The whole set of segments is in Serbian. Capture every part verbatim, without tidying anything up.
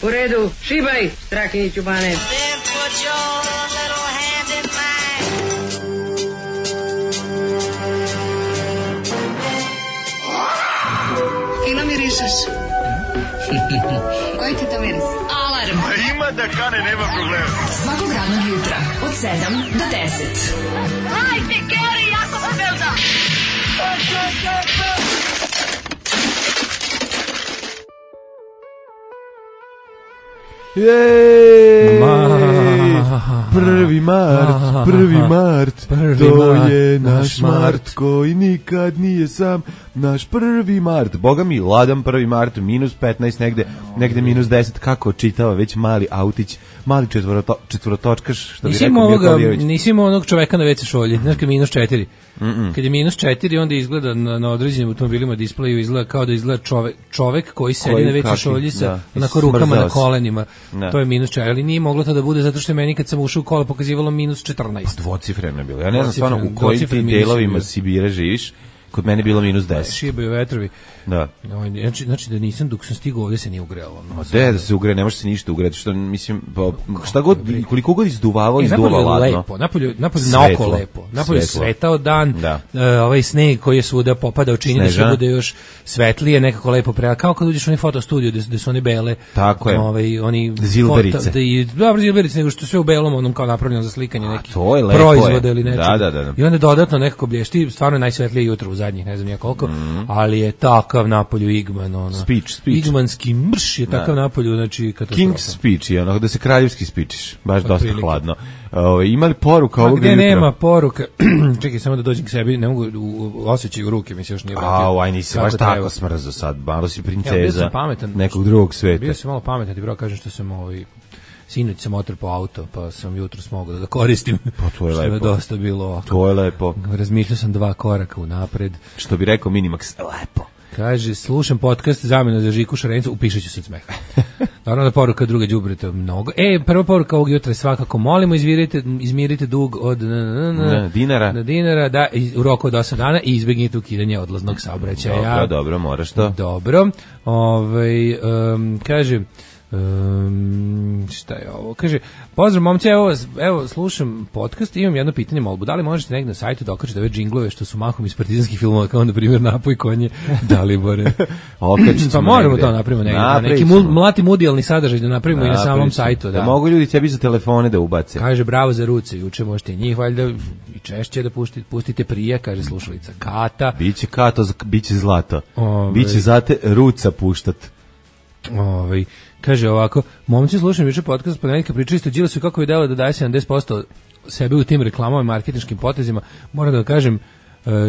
U redu, šibaj, Strakiniću Bane. Fino mirišeš. Koji ti to miris? Alarm. A ima da kane, nema problema. Svakog radnog jutra, od sedam do deset. Hajde, Geri, jako se velda. Jej! Prvi mart, prvi mart, to je naš mart koji nikad nije sam, naš prvi mart. Boga mi, ladan prvi mart, minus petnaest negde, negde minus deset, kako čitava već mali autić, mali četvoroto, četvorotočkaš, što bi rekao Mirkovljević. Nisi imao onog čoveka na ve ce šolji, znaš kad minus četiri. Mm-mm. Kad je minus četiri, onda izgleda na, na određenim automobilima displeju, izgleda kao da izgleda čovek, čovek koji sedi koji, na ve ce šolji sa da, onako rukama na kolenima. Da. To je minus četiri, ali nije moglo to da bude zato što je meni kad sam ušao u kola pokazivalo minus četrnaest. Pa dvocifreno je bilo. Ja ne znam stvarno u kojim ti delovima Sibira živiš. Kod mene je bilo minus deset. Šibaju vetrovi. Da. Znači, znači da nisam, dok sam stigao ovdje se nije ugrelo. No, de, da se ugre, ne može se ništa ugreti. Što, mislim, pa, šta god, koliko god izduvavao, e, izduvalo ladno. Lepo, napolju, napolju na oko lepo. Napolju je svetao dan, da. Uh, ovaj sneg koji je svuda popadao čini da se bude još svetlije, nekako lepo prela. Kao kad uđeš u onaj fotostudio gde su one bele. Tako je. Ovaj, oni zilberice. Dobro, zilberice, nego što sve u belom, onom kao napravljeno za slikanje nekih proizvoda ili nečega. Da, da, da, da. I onda dodatno nekako blješti, stvarno je najsvetlije jutro u zadnjih, ne znam ja koliko, mm. ali je takav napolju Igman, ono. Speech, speech. Igmanski mrš je takav da. Napolju, znači katastrofa. King's speech je ono, da se kraljevski spičiš, baš pa, dosta prilike. Hladno. Ove, ima li poruka ovog jutra? Gde nema poruka, čekaj samo da dođem k sebi, ne mogu osjećaju ruke, mi se još nije vratio. Au, aj nisi baš tako smrzo sad, malo si princeza ja, pametan, nekog drugog sveta. Bio sam malo pametan, ti bro kažem što sam ovaj... Sinoć sam otrpao auto, pa sam jutro smogao da ga koristim. Pa to je lepo. Što je dosta bilo ovako. To je lepo. Razmišljao sam dva koraka unapred. Što bi rekao Minimax, lepo. Kaže, slušam podcast zamjena za Žiku Šarencu, upišat ću se od smeha. Naravno da poruka druga đubreta mnogo. E, prva poruka ovog jutra je svakako, molimo izmirite, izmirite dug od n, n, n, n, dinara. Na dinara, da, u roku od osam dana i izbegnite ukidanje odlaznog saobraćaja. Dobro, dobro, moraš to. Dobro. Ovaj um, kaže... Um, šta je ovo? Kaže, pozdrav momci, evo, evo slušam podcast i imam jedno pitanje, molbu. Da li možete negdje na sajtu da okačete ove džinglove što su mahom iz partizanskih filmova, kao na primjer Napoj konje Dalibore? Pa moramo to napravimo negdje. Da, neki mul, mlati mudijalni sadržaj da napravimo na, i na samom sajtu. Da. Da mogu ljudi tebi za telefone da ubace. Kaže, bravo za ruce, juče možete i njih valjda i češće da puštite, pustite prije, kaže slušalica Kata. Biće Kato, biće zlato. Ove, biće zate ruca puštat. Ovaj kaže ovako, momci slušam juče podcast Ponedeljka, pričali ste Đilasu kako je delo da daje sedamdeset posto sebe u tim reklamama i marketinškim potezima. Moram da kažem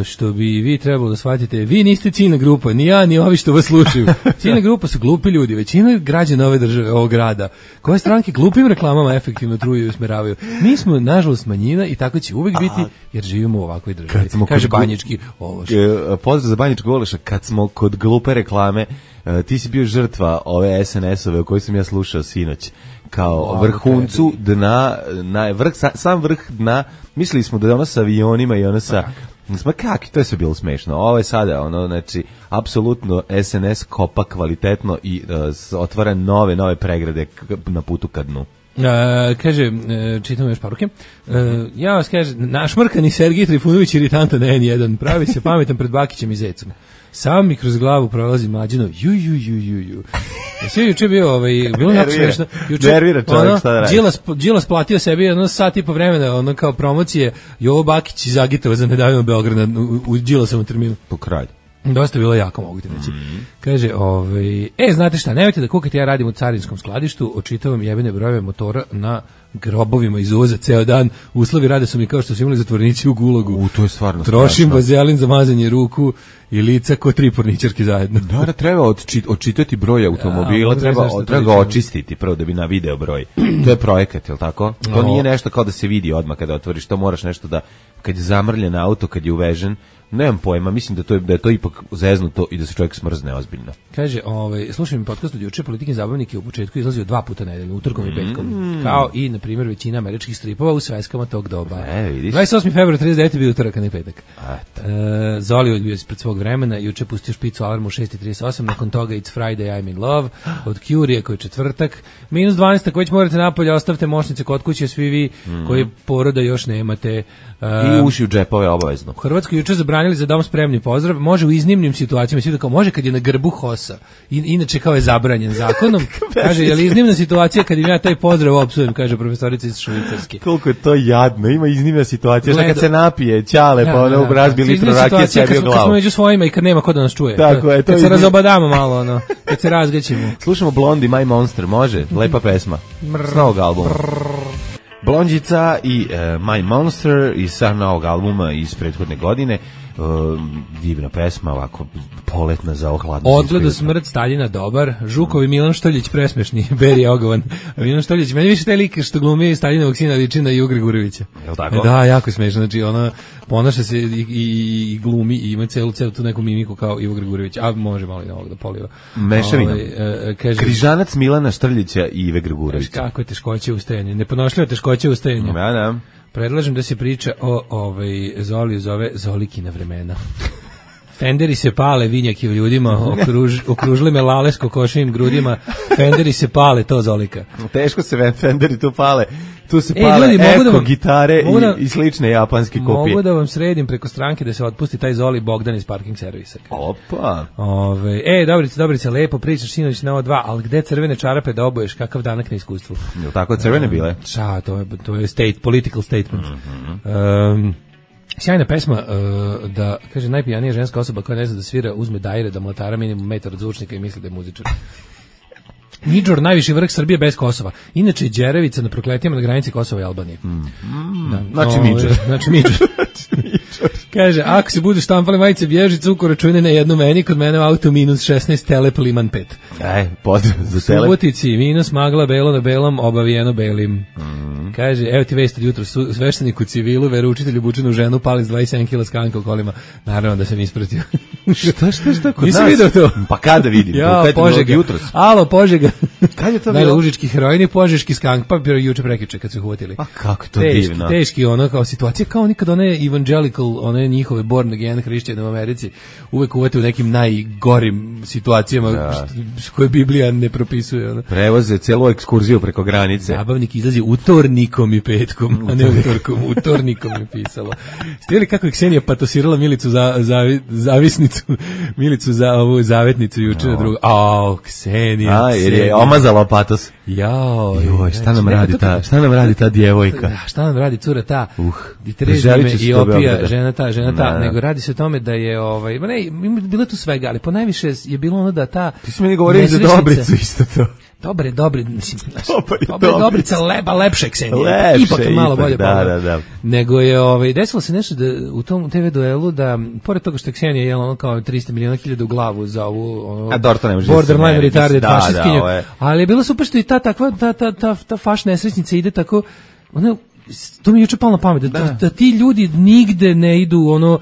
što bi vi trebalo da shvatite, vi niste ciljna grupa, ni ja, ni ovi što vas slušaju. Ciljna grupa su glupi ljudi, većina građana ove države, ovog grada, koje stranke glupim reklamama efektivno truju i usmeravaju. Mi smo, nažalost, manjina i tako će uvek biti, jer živimo u ovakvoj državi. Kaže Banjički Ološ. Pozdrav za Banjički Ološa, kad smo kod glupe reklame, ti si bio žrtva ove es en es-ove o kojoj sam ja slušao sinoć. Kao wow, vrhuncu dna, na, vrh, sam vrh dna, mislili smo da je ono sa avionima i ono sa... Ma kak, to je sve bilo smešno. Ovo je sada, ono, znači, apsolutno es en es kopa kvalitetno i uh, otvara nove, nove pregrade na putu ka dnu. Uh, kaže, uh, čitam još poruke. Uh, ja vas kaže, našmrkani Sergij Trifunović iritantan en jedan, pravi se pametan pred Bakićem i Zecom. Sam mi kroz glavu prolazi Mlađinov, ju, ju, ju, ju, ju. Sve juče bio, ovaj, bilo jako smešno. Nervira čovjek, šta da radi. Đilas, Đilas platio sebi jedno sat i po vremena, ono kao promocije, Jovo Bakić iz Agitova za nedavno Beograda u, u Đilasovom terminu. Po kraju. Dosta bilo jako, mogu ti reći. Mm. Kaže, ovaj, e, znate šta, nemojte da kukate, ja radim u carinskom skladištu, očitavam jebene brojeve motora na grobovima iz uvoza ceo dan, uslovi rade su mi kao što su imali zatvornici u Gulagu. U, to je stvarno Trošim strašno. vazelin za mazanje ruku i lica ko tri porničarke zajedno. Da, da treba odčit, odčitati broj automobila, ja, treba, treba ga očistiti prvo da bi na video broj. To je projekat, je li tako? To nije nešto kao da se vidi odmah kada otvoriš, to moraš nešto da, kad je zamrljen auto, kad je uvežen, nemam pojma, mislim da to je da je to ipak zeznuto i da se čovjek smrzne ozbiljno. Kaže, ovaj slušaj mi podcast od juče, Politikin zabavnik je u početku izlazio dva puta nedeljno, utorkom mm. i petkom. Kao i na primjer većina američkih stripova u sveskama tog doba. E, vidiš. dvadeset osmi februar trideset devete bio utorak, a ne petak. Eto. E, Zoli je bio ispred svog vremena, juče pustio špicu alarmu u šest i trideset osam, nakon toga It's Friday, I'm in love, od Curije koji je četvrtak, minus dvanaest, ako već morate napolje, ostavite moćnice kod kuće, svi vi mm. koji poroda još nemate. I uši u džepove obavezno. U Hrvatskoj juče zabranili za dom spremni pozdrav, može u iznimnim situacijama, svi da kao može kad je na grbu hosa, I, inače kao je zabranjen zakonom, kaže, je li iznimna situacija kad im ja taj pozdrav opsujem, kaže profesorica iz Švicarske. Koliko je to jadno, ima iznimna situacija, što kad se napije, ćale, ja, pa ono ja, razbi ja, litru rakije sebi u glavu. Kad smo među svojima i kad nema ko da nas čuje. Tako je, to kad je se razobadamo malo, ono, kad se razgaćimo. Slušamo Blondie, My Monster, može? Lepa pesma. S novog albuma. Blondjica i uh, My Monster iz sa novog albuma iz prethodne godine. Uh, divna pesma, ovako poletna za ohladno. Odgleda smrt Staljina dobar, Žukovi Milan Štoljić presmešni, Beri je ogovan. Milan Štoljić, meni više taj lik što glumi Staljinovog sina liči na Ju Gregorovića. Je li tako? Da, jako smešno, znači ona ponaša se i, i, i glumi i ima celu, celu tu neku mimiku kao Ivo Gregorović, a može malo i ovog da poliva. Mešavina. Ovaj, kaže, Križanac Milana Štrljića i Ive Gregorovića. Kako je teškoće ustajanje, nepodnošljivo teškoće ustajanje. Ja, da. Predlažem da se priča o ovaj Zoli zove Zolikina vremena. Fenderi se pale, vinjaki u ljudima, okruž, okružili me lale s kokošijim grudima, Fenderi se pale, to Zolika. Teško se Fenderi tu pale, tu se e, pale ljudi, eko da vam, gitare da, i, i slične japanske kopije. Mogu da vam sredim preko stranke da se otpusti taj Zoli Bogdan iz parking servisa. Opa! Ove, e, Dobrice, Dobrice, lepo pričaš sinoć na ovo dva, ali gde crvene čarape da oboješ, kakav danak na iskustvu? Je li tako crvene bile? Ča, to je, to je state, political statement. Mm-hmm. Um, sjajna pesma, uh, da, kaže, najpijanija ženska osoba koja ne zna da svira, uzme dajre, da mlatara minimum metar od zvučnika i misli da je muzičar. Midžor, najviši vrh Srbije bez Kosova. Inače, Đerevica na prokletijama na granici Kosova i Albanije. Mm. Da, znači Midžor. Znači Midžor. Kaže, ako se budu štampali majice bježi cukor račune na jednu meni, kod mene u auto minus šesnaest, Telep Liman pet. Aj, pozdrav za Telep. Subotici, minus magla, belo na belom, obavijeno belim. Mm. Kaže, evo ti vest od jutro, sveštenik u civilu, veroučitelj obučen u ženu, pali s dvadeset sedam kila skanka u kolima. Naravno da sam ispratio. šta, šta, šta, kod Nisam nas? vidio to. Pa kada vidim? Ja, Požega. Jutros. Alo, Požega. Kad je to bilo? bilo? Užički heroini, Požeški skank, pa bio juče prekiče kad su ih uhvatili. Pa kako to teški, divno. Teški ono kao situacija, kao nikad one evangelical, one njihove born again hrišćane u Americi, uvek uvete u nekim najgorim situacijama da. što, koje Biblija ne propisuje. Ono. Prevoze celu ekskurziju preko granice. Zabavnik izlazi utornikom i petkom, a ne utorkom, utornikom je pisalo. Ste vidjeli kako je Ksenija patosirala Milicu za, za, zavisnicu, Milicu za ovu zavetnicu juče na drugu. Ao, Ksenija. A, jer je omazala patos. Jao. Joj, šta nam radi ta, šta nam radi ta djevojka? Da, šta nam radi cura ta? Uh, I trezime i opija, žena ta, žena ta, nego radi se o tome da je ovaj, ma ne, bilo tu svega, ali ponajviše je bilo ono da ta. Ti si meni govorio za Dobricu isto to. Dobre, dobre, mislim, dobre, dobre, Dobrica leba, lepše Ksenija. Lepše, ipak malo ipak, bolje. Da, da, da. Nego je, ovaj, desilo se nešto da u tom te ve duelu da, pored toga što je Ksenija jela ono kao trista miliona hiljada u glavu za ovu, ono, a Dorto ne može borderline retarded da, fašistkinju, da, ali je bilo super što i ta takva, ta, ta, ta, ta faš nesrećnica ide tako, ono, to mi je juče palo na pamet, da, da. da, da ti ljudi nigde ne idu, ono,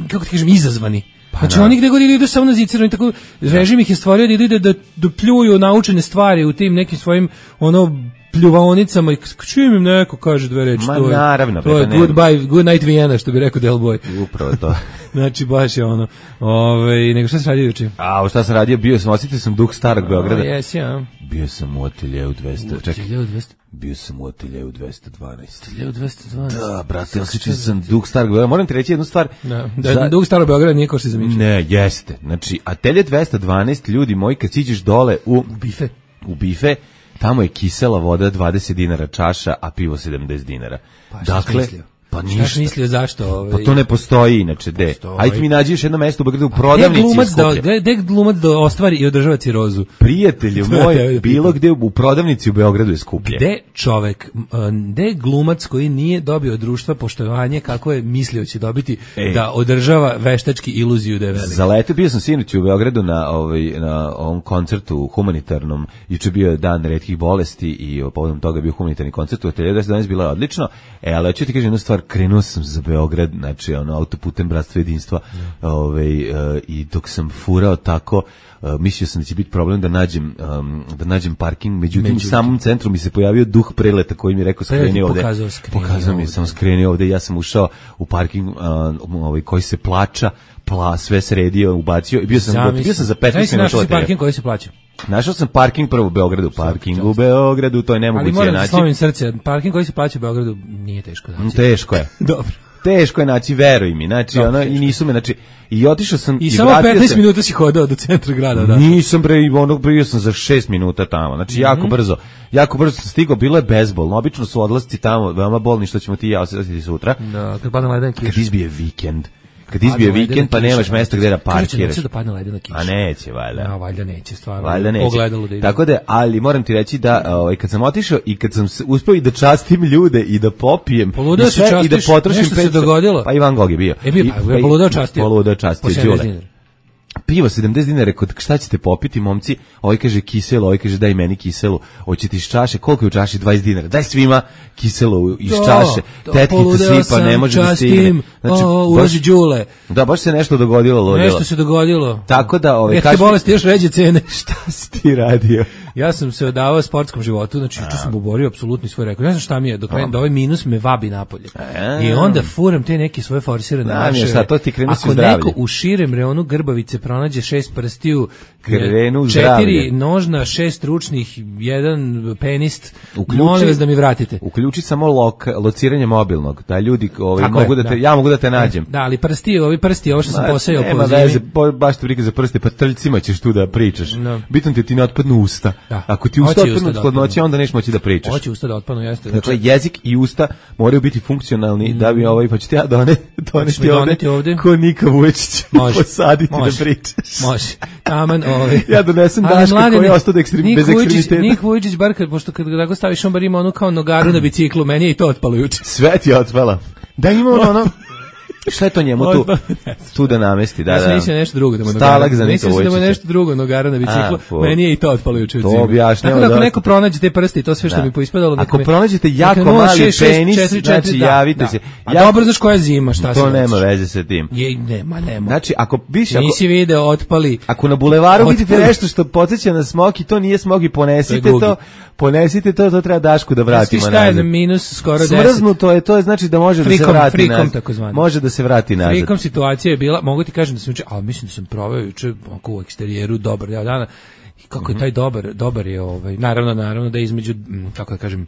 kako ti kažem, izazvani. Pa znači da. Oni gde god idu samo na zicirano i tako režim ih je stvorio da ide da, da pljuju naučene stvari u tim nekim svojim ono pljuvaonicama i čim im neko kaže dve reči. Ma to je, naravno. To je goodbye, good night Vienna, što bi rekao Del Boy. Upravo to. Znači baš je ono. Ove, nego šta se radio juče? A šta sam radio? Bio sam, osjetio sam duh starog Beograda. Jesi, ja. Bio sam u ateljeu dvesta. U ateljeu dvesta? Bio sam u ateljeu dvesta dvanaest. ateljeu dvesta dvanaest? Da, brate, osjećao sam duh starog Beograda. Moram ti reći jednu stvar. Da, da za... duh starog Beograda nije ko što se zamišlja. Ne, jeste. Znači, atelje dvesta dvanaest, ljudi moji, kad siđeš dole u bife, u bife, tamo je kisela voda dvadeset dinara čaša, a pivo sedamdeset dinara. Pa, dakle, pa ništa. Šta mislio zašto? Ovaj... Pa to ne postoji inače, de. Ajde mi nađi još jedno mesto u Beogradu u prodavnici je skuplje. Gde gde glumac da ostvari i održava cirozu? Prijatelju moj, bilo gde u prodavnici u Beogradu je skuplje. Gde čovek, gde glumac koji nije dobio od društva poštovanje kako je mislio će dobiti Ej. da održava veštački iluziju da je velik. Zalete, bio sam sinoć u Beogradu na ovaj na ovom koncertu humanitarnom. Juče bio dan retkih bolesti i povodom toga bio humanitarni koncert u ateljeu dvesta dvanaest, bilo je odlično. E, ali hoću ti kažem jednu stvar, stvar, krenuo sam za Beograd, znači ono autoputem Bratstva jedinstva, ovaj, uh, i dok sam furao tako, uh, mislio sam da će biti problem da nađem, um, da nađem parking, međutim, međutim u samom centru mi se pojavio duh preleta koji mi je rekao skreni ovde. Pokazao, skreni pokazao mi, sam skreni ovde, ja sam ušao u parking uh, ovaj, koji se plaća, pla, sve sredio, ubacio i bio sam, Zamisli. bio sam za petnaest minuta. Našao si parking koji se plaća? Našao sam parking prvo u Beogradu, parking u Beogradu, to je nemoguće naći. Ali moram da slovim srce, parking koji se plaća u Beogradu nije teško naći. Teško je. Dobro. Teško je naći, veruj mi, znači, Dobro, ono, i nisu me, znači, i otišao sam i, i samo vratio petnaest sam, minuta si hodao do centra grada, da. Nisam bre, ono, bio sam za šest minuta tamo, znači, mm-hmm. jako brzo, jako brzo sam stigao, bilo je bezbolno, obično su odlasci tamo, veoma bolni, što ćemo ti i ja osjetiti sutra. Da, kad padne leden kiš. Kad izbije vikend. Kad izbije vikend, pa nemaš mesta gdje da parkiraš. Kaže da padne ledena kiša. A neće, valjda. A valjda neće, stvarno. Valjda neće. Pogledalo da ide. Tako da, ali moram ti reći da ovaj, kad sam otišao i kad sam uspeo i da častim ljude i da popijem poludeo i, sve, i da potrošim nešto se dogodilo. Pa Ivan Gog je bio. E bio, I, pa, poludeo častio. Poludeo častio, Đule. Pivo sedamdeset dinara, rekao, šta ćete popiti, momci? Ovaj kaže kiselo, ovaj kaže daj meni kiselu. Hoćete iz čaše, koliko je u čaši? dvadeset dinara. Daj svima kiselo iz čaše. Tetkica sipa, ne može da stigne. Znači, ulazi Đule. Da, baš se nešto dogodilo, ludilo. Nešto se dogodilo. Tako da, ovaj kaže, retke bolesti još ređe cene. Šta si ti radio? Ja sam se odavao sportskom životu, znači juče sam oborio apsolutni svoj rekord. Ne znam šta mi je, dok da ovaj minus me vabi napolje. I onda furam te neke svoje forsirane naše. Šta to ti krenu Ako neko u širem reonu Grbavice pronađe šest prstiju, krenu četiri nožna, šest ručnih, jedan penist, molim vas da mi vratite. Uključi samo lok, lociranje mobilnog, da ljudi ovaj, mogu da te, da. ja mogu da te nađem. Da, ali prsti, ovi prsti, ovo što sam posejao po zimi. Veze, baš te prika za prste, pa trljcima ćeš tu da pričaš. No. Bitno ti ti ne otpadnu usta. Da. Ako ti usta otpadnu od hladnoće, onda neš moći da pričaš. Hoće usta da otpadnu, jeste. Dakle, jezik i usta moraju biti funkcionalni, mm. da bi ovaj, pa ću ti ja done, doneti ovde, ovde, ko Nika Vuječić posaditi može. Da pričaš. Može. Taman, ovaj. Ja donesem Daška koji je ostao da ekstrem, bez ekstremiteta. Nik Vujičić, bar kad, pošto kad ga staviš, on bar ima onu kao nogaru na biciklu, meni je i to otpalo juče. Sve ti je otpala. Da ima ono, ono, šta je to njemu tu, tu da namesti? Da, ja sam mislio nešto drugo da mu nogara. Stalak za Nika Vujičića. Mislim da mu nešto drugo nogara na biciklu, a, meni je i to otpalo juče u zimu. Tako da ako neko pronađe te prste i to sve što da. mi poispadalo. Ako me, pronađete jako mali penis, znači da, javite da. se. A ja, dobro, znaš koja je zima, šta se to nema veze sa tim. Je, nema, nema. Znači, ako biš, ako, nisi video, otpali. Ako na bulevaru vidite nešto što podsjeća na smoki, to nije smoki, ponesite to, ponesite to, to treba Dašku da vratimo nazad. Šta je na minus skoro deset? Smrznuto je, to je znači da može da se vrati nazad. Može da se vrati nazad. Frikom situacija je bila, mogu ti kažem da sam juče, ali mislim da sam proveo juče oko u eksterijeru dobar deo dana. I kako je taj dobar, dobar je ovaj, naravno, naravno da je između, kako da kažem,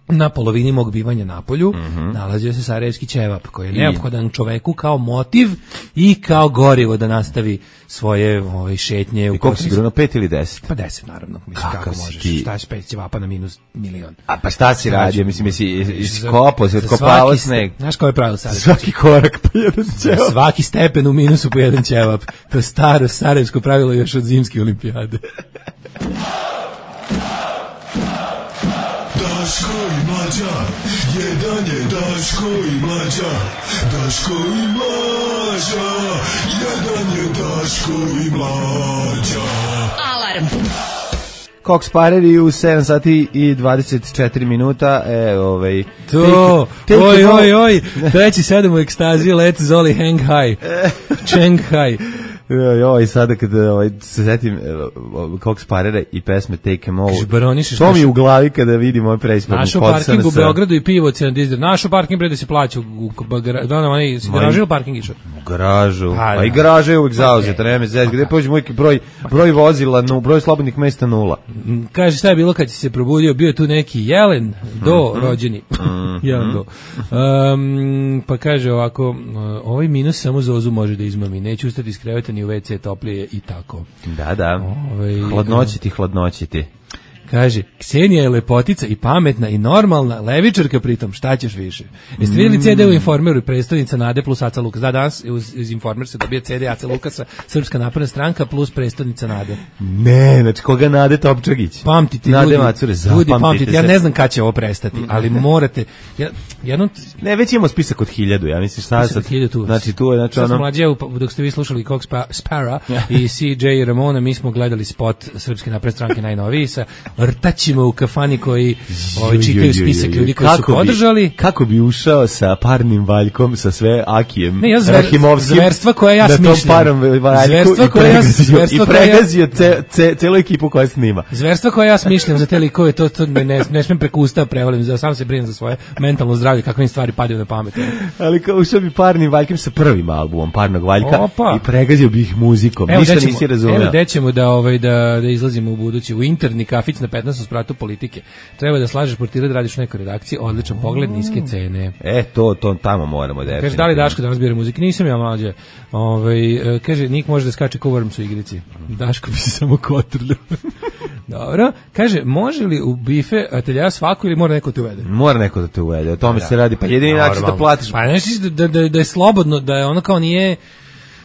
na polovini mog bivanja na polju mm-hmm. nalazio se sarajevski ćevap koji je neophodan čoveku kao motiv i kao gorivo da nastavi svoje ove, šetnje. I koliko si gruno, pet ili deset? Pa deset, naravno. Mislim, kako možeš? Ti? Šta je pet ćevapa na minus milion? A pa šta si radio? Mislim, jesi iskopao, si otkopao sneg? Znaš koje je pravilo sad? Svaki korak po jedan ćevap. Svaki stepen u minusu po jedan ćevap. To je staro sarajevsko pravilo još od zimske olimpijade. Daško i Mlađa, jedan je Daško i Mlađa, Daško i Mlađa, jedan je Daško i Mlađa. Alarm. Cox Pareri u sedam sati i dvadeset četiri minuta, e, ovaj... To, take, take oj, oj, oj, treći sedam u ekstaziji, let Zoli hang high, Cheng high. Joj, sada kad ovaj, se setim Cox Parera i pesme Take Em All, to mi u glavi kada vidim ovaj preispadnu. Našo parking u Beogradu i pivo cena dizdar. Našo parking bre da se plaća u garažu ili parking išao? U garažu, pa, pa i garaža je uvijek zauzeta, nema me zez, gde pođe moj broj, broj vozila, no, broj slobodnih mesta nula. Kaže, šta je bilo kad si se probudio, bio tu neki jelen do mm-hmm. rođeni. Mm-hmm. Jelen do. Um, pa kaže ovako, ovaj minus samo Zozu može da izmami, neću ustati iz kreveta ni u ve ce toplije i tako. Da, da. Ove, hladnoći ti, hladnoći ti. Kaže, Ksenija je lepotica i pametna i normalna, levičarka pritom, šta ćeš više? Jeste mm. vidjeli ce de u Informeru i predstavnica Nade plus Aca Lukas? Da, danas iz Informer se dobije ce de Aca Lukasa, Srpska napredna stranka plus predstavnica Nade. Ne, znači koga Nade Topčagić? Pamtite, Nade ljudi, Macure, ljudi pamtite, ja ne znam kad će ovo prestati, ali morate, ja, jednom... Ne, već imamo spisak od hiljadu, ja mislim šta sad, tu. Znači tu je, znači ono... Sad mlađe, dok ste vi slušali Cox Spara i C J Ramona, mi smo gledali spot Srpske napredne stranke najnoviji sa rtaćima u kafani koji ovaj, čitaju spisak ljudi koji su podržali. Kako bi ušao sa parnim valjkom, sa sve Akijem ne, ja zver, Rahimovskim, zverstva koje ja smišljam. Zverstva koje ja i pregazio ce, ce, celu ekipu koja snima. Zverstva koje ja smišljam za te likove, to, to ne, ne, ne smijem preko usta prevalim, za sam se brinem za svoje mentalno zdravlje, kakve im stvari padaju na pamet. Ali kao ušao bi parnim valjkom sa prvim albumom Parnog valjka. Opa. I pregazio bi ih muzikom. Evo, ništa ćemo, nisi razumeo. Evo gde ćemo da, ovaj, da, da izlazimo u budući. U interni kafić na petnaestom spratu politike. Treba da slažeš portire da radiš u nekoj redakciji. Odličan pogled, niske cene. E, to, to tamo moramo da je. Kaže, da li Daško danas bira muziku? Nisam ja mlađe. Ovaj, kaže, Nik može da skače ko Worms u igrici. Daško bi se samo kotrljio. Dobro. Kaže, može li u bife atelja svako ili mora neko te uvede? Mora neko da te uvede. O tome da. se radi. Pa jedini način da platiš. Pa nešto da, da, da je slobodno, da je ono kao nije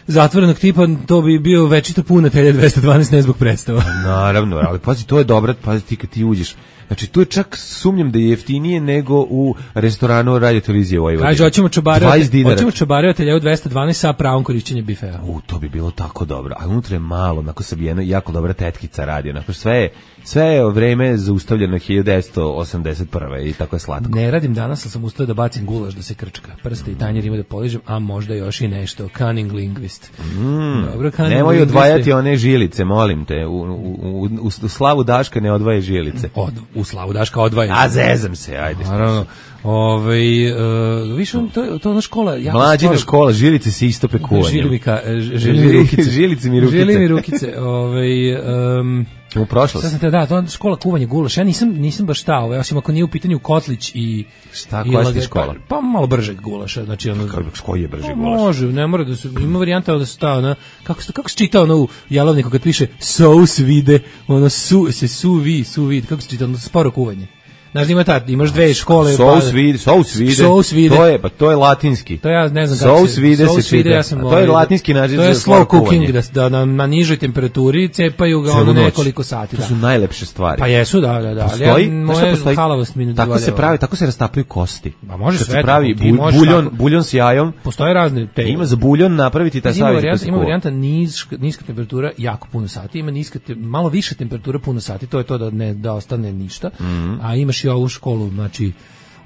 zatvorenog tipa, to bi bio večito pun atelja dvesta dvanaest ne zbog predstava. Naravno, ali pazi, to je dobro, pazi ti kad ti uđeš. Znači, tu je čak sumnjam da je jeftinije nego u restoranu Radio Televizije Vojvodine. Kaže, hoćemo čobare, hoćemo čobare atelja u dvesta dvanaest sa pravom korišćenjem bifea. U, to bi bilo tako dobro. A unutra je malo, onako sabijeno, jako dobra tetkica radi. Onako, sve je, sve je vreme zaustavljeno hiljadu devetsto osamdeset prve i tako je slatko. Ne radim danas, ali sam ustao da bacim gulaš da se krčka. Prste i tanjer ima da poližem, a možda još i nešto. Cunning linguist. Mm, dobro, cunning nemoj linguist. odvajati one žilice, molim te. U, u, u, u, u slavu Daška ne odvaje žilice. Od, u slavu Daška odvaja. A zezam se, ajde. Naravno. Ovaj uh, više on to to ona škola jako mlađina škola žilice se istope kuvanjem. Žilivika, žili mi rukice. Žilice mi rukice. Žili mi rukice. Ovaj um, u prošlosti. Sad te da, to škola kuvanja gulaš. Ja nisam nisam baš ta, ovaj, osim ako nije u pitanju kotlić i šta koja je škola? Pa, pa malo bržeg gulaša, znači ono koji je brži pa, gulaš? Može, ne mora da se ima varijanta da se ta ona kako se kako se čita ono u jelovniku kad piše sous vide, ono su se suvi, suvi, kako se čita ono sporo kuvanje. Znaš, ima ta, imaš dve škole. Sous pa, vide, sous vide. Sous vide. To je, pa to je latinski. To ja ne znam kako sous vide se čita. Ja sam to je latinski naziv za to je slow cooking, da, da na, na nižoj temperaturi cepaju ga ono nekoliko sati. To da. su najlepše stvari. Pa jesu, da, da, da. Postoji, ali ja, moje halavost mi ne tako se pravi, tako se rastapaju kosti. Ma može kad sve. se pravi bu, buljon, tako, buljon s jajom. Postoje razne te. Ima za buljon napraviti taj savić. Ima varijanta, ima varijanta niska, niska temperatura jako puno sati, ima niska te, malo više temperatura puno sati, to je to da ne da ostane ništa. Mm-hmm. A imaš i ovu školu, znači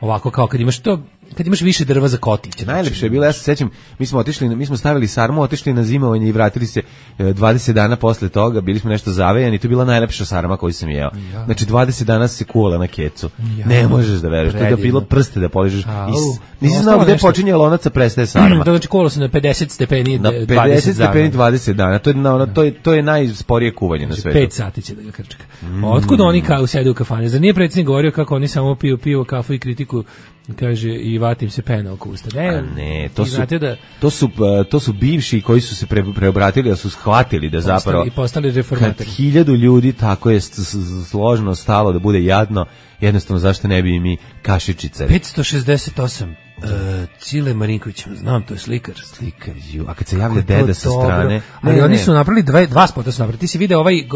ovako kao kad imaš to, kad imaš više drva za kotliće. Najlepše je bilo, ja se sećam, mi smo otišli, mi smo stavili sarmu, otišli na zimovanje i vratili se dvadeset dana posle toga, bili smo nešto zavejani, to je bila najlepša sarma koju sam jeo. Ja. Znači dvadeset dana se kuvala na kecu. Ja. Ne možeš da veruješ, to je da bilo prste da poližeš. Nisi znao gde počinje lonac, a prestaje sarma. To znači kuvala se na pedeset stepeni na pedeset stepeni dvadeset dana. To je na, to je to je najsporije kuvanje na svetu. pet sati će da ga krčka. Mm. Otkud oni kao sede u kafani? Zar nije predsjednik govorio kako oni samo piju pivo, kafu i kritiku? Kaže i vatim se pena oko usta. Ne, a ne, to su, da, to su to su bivši koji su se pre, preobratili, da su shvatili da postali, zapravo i postali reformatori. Kad hiljadu ljudi tako je složno stalo da bude jadno, jednostavno zašto ne bi i mi kašičice. petsto šezdeset osam Uh, Cile Marinković, znam, to je slikar. Slikar, ju. A kad se javlja deda sa strane... Ali ne, oni ne. su napravili dva, dva spota su napravili. Ti si video ovaj uh,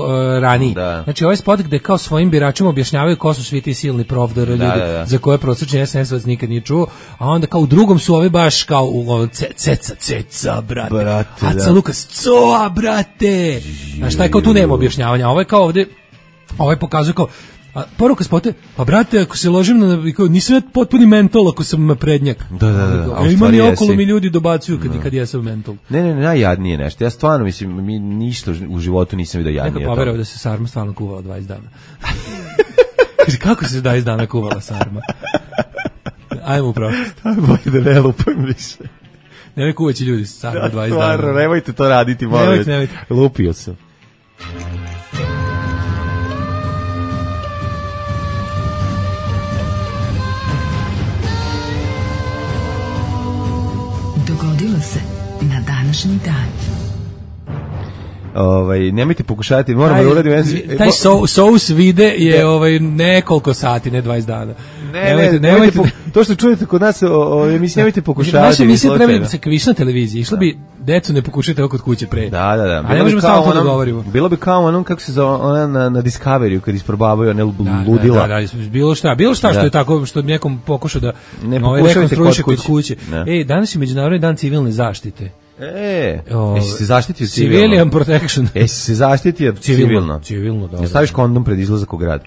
raniji. Da. Znači ovaj spot gde kao svojim biračima objašnjavaju ko su svi ti silni provdor ljudi da, da, da. za koje prosječni es en es-ovac nikad nije čuo. A onda kao u drugom su ovi baš kao u ce, ceca, ceca, brate. brate Aca da. Lukas, coa, brate. Znaš, šta je kao tu nema objašnjavanja. Ovo je kao ovde, ovo je pokazuje kao a poruka spote, pa brate, ako se ložim na, nisam ja potpuni mentol ako sam prednjak. Da, da, da. A ima mi okolo mi ljudi dobacuju kad, da. kad ja sam mentol. Ne, ne, ne, najjadnije nešto. Ja stvarno, mislim, mi ništa u životu nisam vidio jadnije. Neka poverao da se sarma stvarno kuvala dvadeset dana. Kaže, kako se dvadeset dana kuvala sarma? Ajmo u prošlost. Bolje da ne lupam više. Nemoj kuvaći ljudi sarma dvadeset dana. Stvarno, nemojte to raditi, molim. Nemojte, nemojte. Lupio sam. Dogodilo se na današnji dan. Ovaj, nemojte pokušati, moramo da uradimo. Taj so, sous vide je ovaj nekoliko sati, ne dvadeset dana. Ne, nemojte, ne, nemojte, nemojte to što čujete kod nas, ovaj mi nemojte pokušavati. Naša emisija treba da se kviš na televiziji. Išla bi decu ne pokušajte oko kod kuće pre. Da, da, da. A ne možemo samo to da govorimo. Bilo bi kao onom kako se zove ona na, na Discoveryu kad isprobavaju one ludila. Da, da, da, bilo šta, bilo šta što je tako što nekom pokušao da ne ovaj rekonstruiše kod kuće. Ej, danas je međunarodni dan civilne zaštite. E, O, jesi se zaštitio civilno? Civilian protection. Jesi se zaštitio civilno? Civilno, civilno, da. Ne staviš kondom pred izlazak u grad?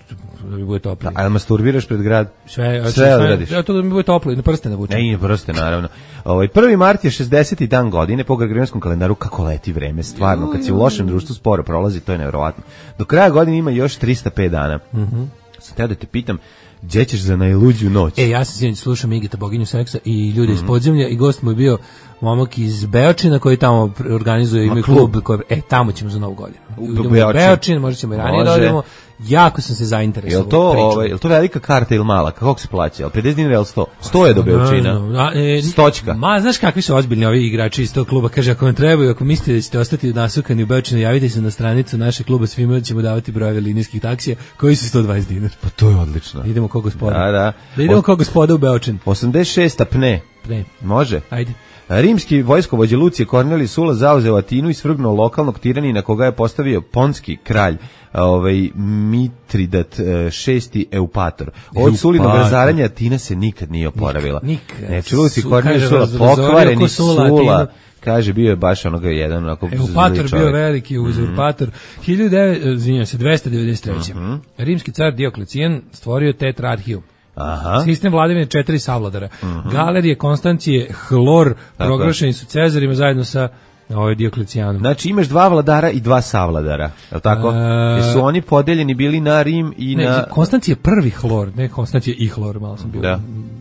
Da mi bude toplo. A jel masturbiraš pred grad? Sve, sve odradiš. Ja to da mi bude toplo i na prste navučem. Ne, i prste, naravno. Ovaj prvi mart je šezdeseti dan godine po gregorijanskom kalendaru, kako leti vreme, stvarno, kad si u lošem društvu sporo prolazi, to je neverovatno. Do kraja godine ima još trista pet dana. Mhm. Mm Sad teo da te pitam, gdje ćeš za najluđu noć? E, ja sam sinoć slušao Migita, boginju seksa i ljude mm -hmm. iz podzemlja i gost mu je bio momak iz Beočina koji tamo organizuje ime klub. klub koji, e, tamo ćemo za novu godinu. U Beočin, možda ćemo i ranije da odemo. Jako sam se zainteresovao. Jel to, ovaj, jel to velika karta ili mala? Kako se plaća? Jel pedeset dinara ili sto? sto je do Beočina. E, Stočka. Ma, znaš kakvi su ozbiljni ovi igrači iz tog kluba? Kaže, ako vam trebaju, ako mislite da ćete ostati nasukani u Beočinu, javite se na stranicu našeg kluba, svima ćemo davati brojeve linijskih taksija koji su sto dvadeset dinara. Pa to je odlično. Idemo kod gospoda. Da, da. Da idemo kod gospoda u Beočin. osamdeset šesta pne. Pne. Može? Ajde. Rimski vojskovođa Lucije Kornelij Sula zauzeo Atinu i svrgnuo lokalnog tiranina koga je postavio ponski kralj, ovaj Mitridat šesti Eupator. Od Sulinog razaranja Atina se nikad nije oporavila. Nikad. Znači, Luci Kornelij Sula pokvareni Sula, kaže, bio je baš onoga jedan onako Eupator bio veliki uzurpator. Mm-hmm. hiljadu devetsto, izvinjavam se, dvesta devedeset treće. Mm-hmm. Rimski car Dioklecijan stvorio tetrarhiju. Aha. Sistem vladavine četiri savladara. Uh-huh. Galerije, Konstancije, Hlor proglašeni su Cezarima zajedno sa ovaj Dioklecijanom. Znači imaš dva vladara i dva savladara, je li tako? Uh, Jesu oni podeljeni bili na Rim i ne, na... Konstancije prvi Hlor, ne Konstancije i Hlor, malo sam bio, da.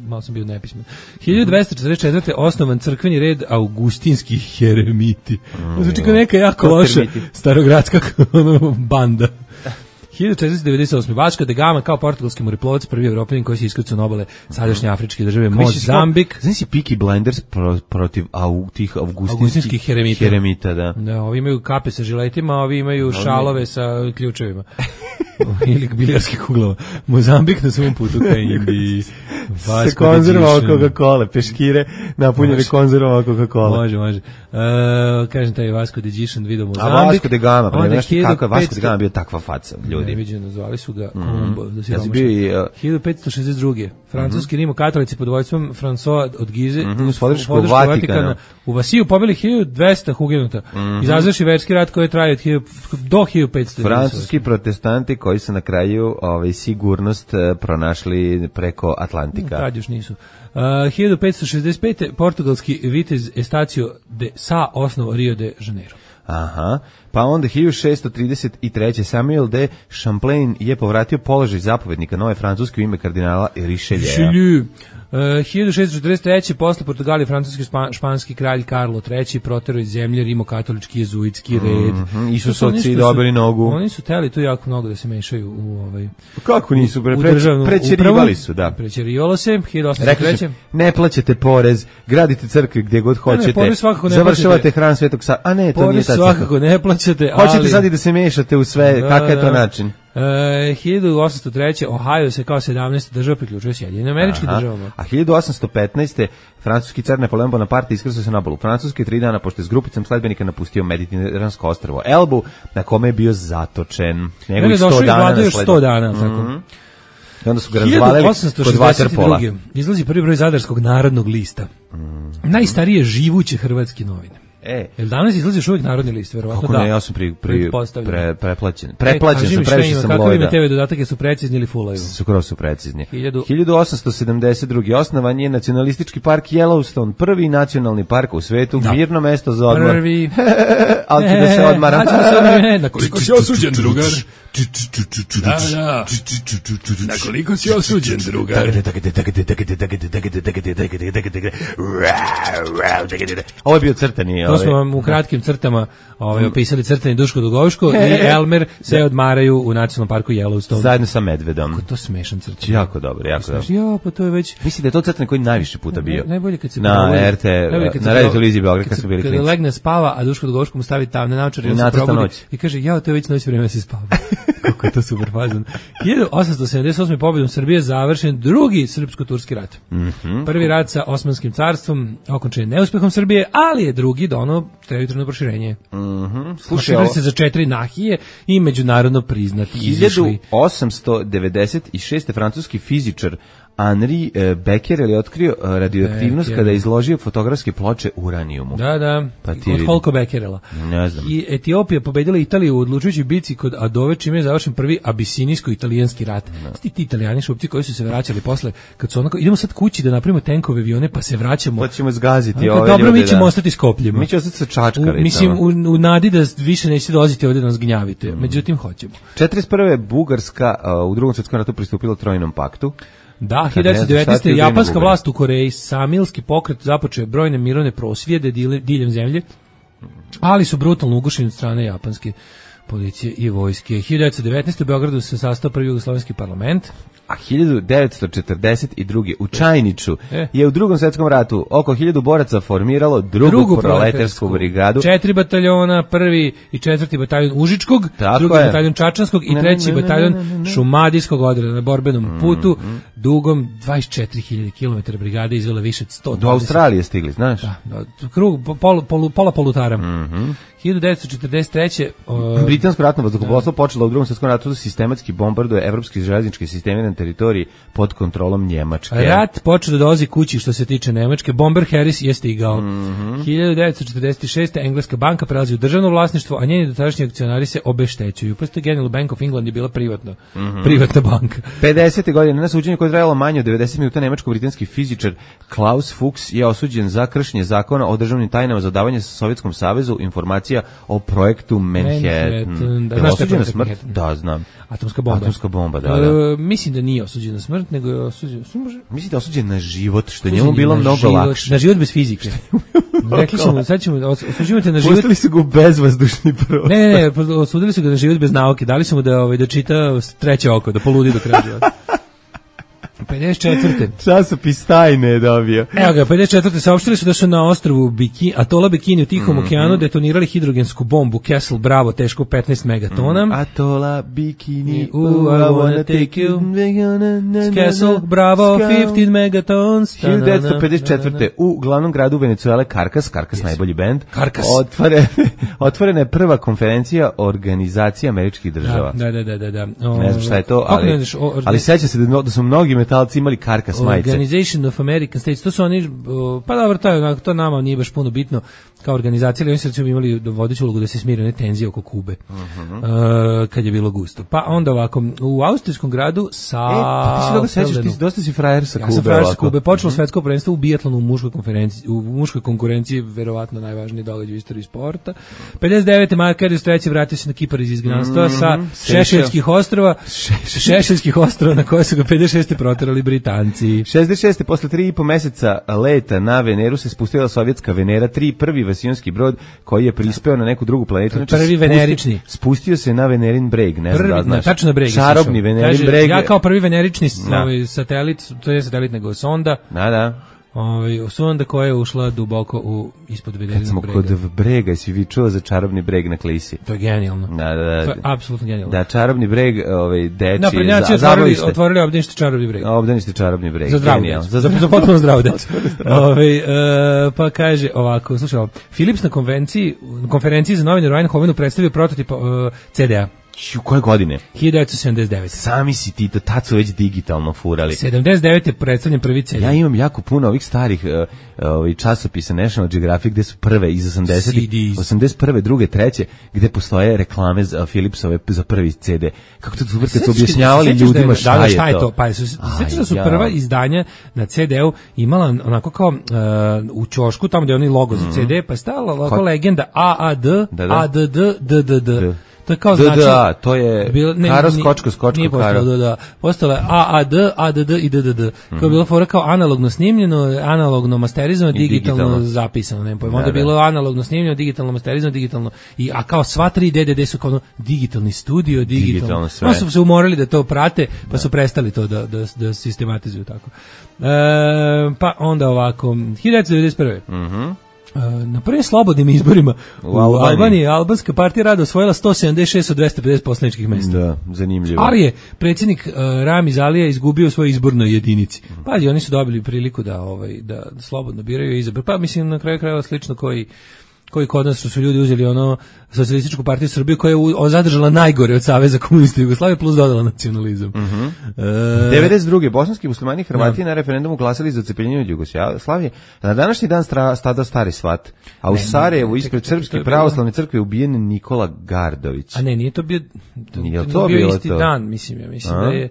malo sam bio nepismen. hiljadu dvesta četrdeset četvrte osnovan crkveni red Augustinskih heremiti. Mm, znači kao neka jako loša starogradska banda. hiljadu četiristo devedeset osme Vaško da Gama kao portugalski moreplovac, prvi Evropljanin koji se iskrcao na obale sadašnje afričke države Mozambik. Znaš si Peaky Blinders pro, protiv au, tih augustinskih, augustinskih heremita. heremita da. Da, ovi imaju kape sa žiletima, ovi imaju šalove sa ključevima. Ili bilijarskih kuglova. Mozambik na svom putu ka Indiji. Se konzervao Coca-Cola, peškire napunjene konzervao Coca-Cola. Može, može. Uh, kažem taj Vasco de Gišan video Mozambik. A Vasco de Gama, pa ne nešto kako je Vasco de Gama bio takva faca, ljudi. Neviđeno, zvali su ga Kolumbo. Mm. Ja bio i... Uh, hiljadu petsto šezdeset druge Francuski mm-hmm. rimokatolici pod vojstvom François od Gize mm-hmm. uz podršku Vatikana. Vatikana u Vasiju pobili hiljadu dvesta hugenuta. Mm-hmm. Izazvaši verski rat koji je trajao do hiljadu petsto. Francuski protestanti koji su na kraju ovaj, sigurnost uh, pronašli preko Atlantika. Tad još nisu. Uh, hiljadu petsto šezdeset pete portugalski vitez Estacio de Sá osnovo Rio de Janeiro. Aha, pa onda hiljadu šessto trideset treće Samuel de Champlain je povratio položaj zapovednika nove Francuske u ime kardinala Richelieu. Uh, hiljadu šessto četrdeset treće posle Portugalije francuski spa, španski kralj Karlo treći proterao iz zemlje rimokatolički jezuitski red. Mm-hmm. Isusovci dobili nogu. Oni su teli tu jako mnogo da se mešaju u ovaj. Kako nisu pre, pre, prećerivali su, da. Prećerivalo se hiljadu osamsto treće Ne plaćate porez, gradite crkve gdje god hoćete. Ne, ne, završavate hram Svetog Save. A ne, to porez nije tačno. Svakako ne plaćate, ali hoćete sad i da se mešate u sve, da, kakav je to način? Uh, hiljadu osamsto treće Ohio se kao sedamnaesta država priključuje Sjedinjenim Američkim državama. A hiljadu osamsto petnaeste francuski car Napoleon Bonaparte iskrcao se na obalu Francuske tri dana pošto je s grupicom sledbenika napustio mediteransko ostrvo Elbu, na kome je bio zatočen. Njegovih sto dana na još sto dana, tako. Mm-hmm. I onda su ga razvalili kod vaterpola. Izlazi prvi broj Zadarskog narodnog lista. Mm-hmm. Najstarije živuće hrvatske novine. E, jel danas izlazi još uvijek narodni list, verovatno da. Ne, ja sam pri, pri, pre, preplaćen. Preplaćen e, sam, previše sam Lojda. Kakvi mi te ve dodatke su precizni ili fulaju? Skoro su precizni. hiljadu osamsto sedamdeset druge osnovan je nacionalistički park Yellowstone, prvi nacionalni park u svetu, da. Mirno mesto za odmor. Prvi. Ali ću da se odmara. Ali ću da se odmara. Na koliko si osuđen, drugar? Da, da. Na koliko si osuđen, drugar? Ovo je bio crtani. To smo vam u kratkim crtama ovaj, opisali crtani Duško Dugovško i Elmer se odmaraju u nacionalnom parku Yellowstone. Zajedno sa medvedom. Kako to smešan crtan. Jako dobro, jako dobro. Ja, pa to je već... Mislim da je to crtan koji najviše puta bio. Najbolje kad se... Na R T, na Radio Televiziji Beograd kad su bili klinci. Kada legne spava, a Duško Dugovško mu stavi tam na naočar i on se probudi i kaže, ja, to je već noć vreme da se spava. Kako je to super fazan. hiljadu osamsto sedamdeset osme pobjedom Srbije završen drugi srpsko-turski rat. Mm-hmm. Prvi rat sa Osmanskim carstvom okončen je neuspehom Srbije, ali je drugi dono teritorijalno proširenje. Mm-hmm. Proširili se za četiri nahije i međunarodno priznati. hiljadu osamsto devedeset šeste francuski fizičar Henri e, Becquerel je otkrio e, radioaktivnost Becquerel. kada je izložio fotografske ploče uranijumu. Da, da, Pa ti od vidi. Holko Becquerela. Ne znam. I Etiopija pobedila Italiju u odlučujućoj bici kod Adove, čime je završen prvi abisinijsko-italijanski rat. Sti ti italijani šupci koji su se vraćali posle, kad su onako, idemo sad kući da napravimo tenkove avione, pa se vraćamo. Pa ćemo zgaziti Onako, ove dobro, ljude. mi ćemo da. ostati s kopljima. Mi ćemo ostati sa U, čačkaricama. mislim, u, u nadi da više nećete dolaziti ovdje da nas gnjavite. Međutim, hoćemo. četrdeset prve. Bugarska uh, u drugom svjetskom ratu pristupila Trojnom paktu. Da, Kad ne znaš šta ti devetnaeste. u japanska Bugarskoj. vlast u Koreji, samilski pokret započeo je brojne mirovne prosvjede dile- diljem zemlje, ali su brutalno ugušeni od strane japanske policije i vojske. hiljadu devetsto devetnaeste. u Beogradu se sastao prvi jugoslovenski parlament. A hiljadu devetsto četrdeset druge. u Čajniču E. je u drugom svjetskom ratu oko hiljadu boraca formiralo drugu, Drugu proletarsku brigadu. Četiri bataljona, prvi i četvrti bataljon Užičkog, Tako drugi je. bataljon Čačanskog i Ne, treći ne, ne, bataljon ne, ne, ne. Šumadijskog odreda na borbenom putu, dugom dvadeset četiri hiljade kilometara brigade izvela više od sto dvadeset. Do Australije stigli, znaš? Da, da, krug, pol, pol, pola polutara. hiljadu devetsto četrdeset treće. Uh, Britansko ratno vazduhoplovstvo počelo u drugom svjetskom ratu da sistematski bombarduje evropski železnički sistemi na teritoriji pod kontrolom Njemačke. Rat počeo da dolazi kući što se tiče Nemačke. Bomber Harris je stigao. Mhm. hiljadu devetsto četrdeset šeste. engleska banka prelazi u državno vlasništvo, a njeni dotadašnji akcionari se obeštećuju. Pošto General Bank of England je bila privatna, Mhm. privatna banka. pedesete godine na suđenju koje je trajalo manje od devedeset minuta nemačko-britanski fizičar Klaus Fuchs je osuđen za kršenje zakona o državnim tajnama za davanje Sovjetskom savezu informacija o projektu Manhattan. Manhattan, da, Je li znaš šta je osuđen na projekat smrt? Manhattan? Da, znam. Atomska bomba. Atomska bomba, da, da. E, mislim da nije osuđen na smrt, nego je osuđen... Sve može... Mislim da je osuđen na život, što je Osuđen njemu bilo na mnogo život- lakše. Na život bez fizike. Rekli su mu, sad ćemo, os- osuđujete na život... Pustili su ga u bezvazdušni prostor. Ne, ne, ne, osudili su ga na život bez nauke, dali su mu da, ovaj, da čita s treće oko, da poludi do kraja života. pedeset četvrte. Časopis tajne je dobio. Evo ga, pedeset četvrte. saopštili su da su na ostrvu Bikini, atola Bikini u Tihom Mhm. okeanu detonirali hidrogensku bombu Castle Bravo tešku petnaest megatona. Atola, bikini, Ooh, I wanna take you. Castle Bravo fifteen megatons. hiljadu devetsto pedeset četvrte. u glavnom gradu Venecuele Caracas, Caracas najbolji bend, Caracas. otvore, otvorena je prva konferencija Organizacije američkih država. Da, da, da, da, da. Ne znam šta je to, Kako ali, ne znaš, o- ali seća se da, da su mnogi metalci imali Caracas majice. Organization of American States, to su oni, o, pa dobro, to, je, to nama nije baš puno bitno kao organizacija, ali oni su recimo imali vodeću ulogu da se smire one tenzije oko Kube, uh, kad je bilo gusto. Pa onda ovako, u austrijskom gradu sa... E, pa ti se dobro sećaš, ti si, dosta si frajer sa Ja Kube. sam frajer sa ovako. Kube, počelo svetsko prvenstvo u bijatlonu u muškoj konferenciji, u muškoj konkurenciji, verovatno najvažniji događaj u istoriji sporta. pedeset devete. Mark Karius treći vratio se na Kipar iz izgnanstva sa Šešeljskih ostrva, Šešeljskih ostrva na koje su ga pedeset šeste proterali Britanci. šezdeset šeste. posle tri i po meseca leta na Veneru se spustila sovjetska Venera tri, prvi vasionski brod koji je prispeo na neku drugu planetu. Znači, Prvi spusti- venerični. Spustio se na Venerin breg, ne znam Prvi, da znaš. na, tačno na breg. je Čarobni sišao. Venerin Kaže, breg. Ja kao prvi venerični s- Da. ovaj, satelit, to je satelit nego sonda, Da, da. ovaj, sonda koja je ušla duboko u ispod Kad Venerinog smo brega. kod brega, si vi čuo za čarobni breg na Klisi? To je genijalno. Da, da, da. To je apsolutno genijalno. Da, čarobni breg, ovaj, deči, Da, prednjaci za, otvorili, zabavište. otvorili obdanište čarobni breg. Obdanište čarobni breg. Za zdravu Genijalno. decu. Za, za potpuno zdravu decu. Ovaj, e, pa kaže ovako, slušaj ovo, Philips na konvenciji, na konferenciji za novine u Eindhovenu predstavio prototip uh, C D A. Ću, koje godine? hiljadu devetsto sedamdeset devete. Sami si ti, tad su već digitalno furali. sedamdeset devete je predstavljen prvi C D A. Ja imam jako puno ovih starih uh, ovih časopisa National Geographic gde su prve iz osamdesetih, C Ds. osamdeset prve, druge, treće, gde postoje reklame za Philipsove za prvi C D. Kako to super kad su objašnjavali Sećaš da je- ljudima šta, da, da, je, šta je to. to? Pa su, Aj, sećaš da su ja. prva izdanja na C D U imala onako kao uh, u ćošku, tamo gde je onaj logo za C D, pa je stala ovako Ko- legenda A A D, Da, da. A D D, D D D. D. To je kao D D A, znači... to je Bilo- ne, Karo, ni- skočko, skočko, nije postalo, Karo. Da, da. Postalo je A A D, A D D i D D D. To je bilo fora kao analogno snimljeno, analogno masterizovano, I digitalno, digitalno. zapisano, ne pojma. Da, Onda je da. bilo analogno snimljeno, digitalno masterizovano, digitalno. I, a kao sva tri D D D su kao ono, digitalni studio, digitalno. Digitalno sve. Onda su se umorili da to prate, pa su prestali to da, da, da sistematizuju tako. E, pa onda ovako, hiljadu devetsto devedeset prve. Mhm. E, na prvim slobodnim izborima u, U Albaniji. Albaniji albanska partija rada osvojila sto sedamdeset šest od dvesta pedeset poslaničkih mesta. Da, zanimljivo. Ali je predsjednik uh, Ramiz Alija izgubio u svojoj izbornoj jedinici. Pazi, oni su dobili priliku da ovaj da slobodno biraju i izaberu. Pa mislim na kraju krajeva slično koji koji kod nas što su ljudi uzeli ono socijalističku partiju Srbije koja je u, zadržala najgore od Saveza komunista Jugoslavije plus dodala nacionalizam. Mhm. E, devedeset druge bosanski muslimani i Hrvati no. na referendumu glasali za odcepljenje od Jugoslavije. Na današnji dan stra, stada stari svat. A u ne, Sarajevu ispred Srpske pravoslavne crkve ubijen Nikola Gardović. A ne, nije to bio to, nije to, to bio bilo isti to. dan, mislim ja, mislim A? da je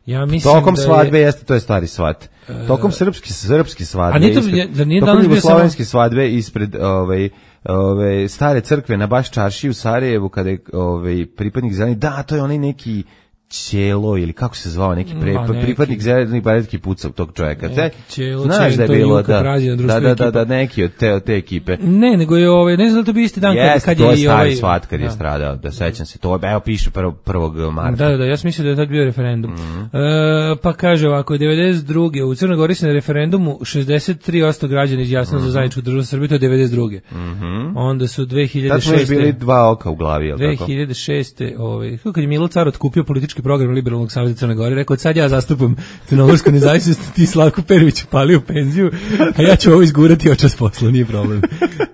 ja mislim tokom da svadbe je, jeste to je stari svat. Tokom srpski srpski svadbe. A nije to ispred, da nije tokom danas bio jugoslovenske svadbe ispred ovaj ove stare crkve na baš čaršiji u Sarajevu kada je ovaj pripadnik zeleni, da to je onaj neki Ćelo ili kako se zvao neki pre, Ma, neki, pripadnik zelenih baretki pucao tog čovjeka. Ćelo, znaš da je bilo da, da, da, da, da, neki od te, od te ekipe. Ne, nego je ovaj, ne znam da to bi isti dan yes, kad, kad je je i ovaj... ovaj... svat kad da. je stradao, da sećam se. To evo piše prvog marta. Da, da, da, ja sam mislio da je tad bio referendum. Mm-hmm. E, pa kaže ovako, devedeset druge u Crnoj Gori se na referendumu šezdeset tri posto građana izjasnilo mm-hmm. za zajedničku državu Srbije, to je devedeset druge. Mm-hmm. Onda su dve hiljade šeste. Tad smo bili dva oka u glavi, je li tako? dve hiljade šeste. Ovaj, kad je Milo Car otkupio politički program liberalnog saveza Crne Gore, rekao, sad ja zastupam crnogorsku nezavisnost, ti Slavko Perović upalio penziju, a ja ću ovo izgurati očas posla, nije problem.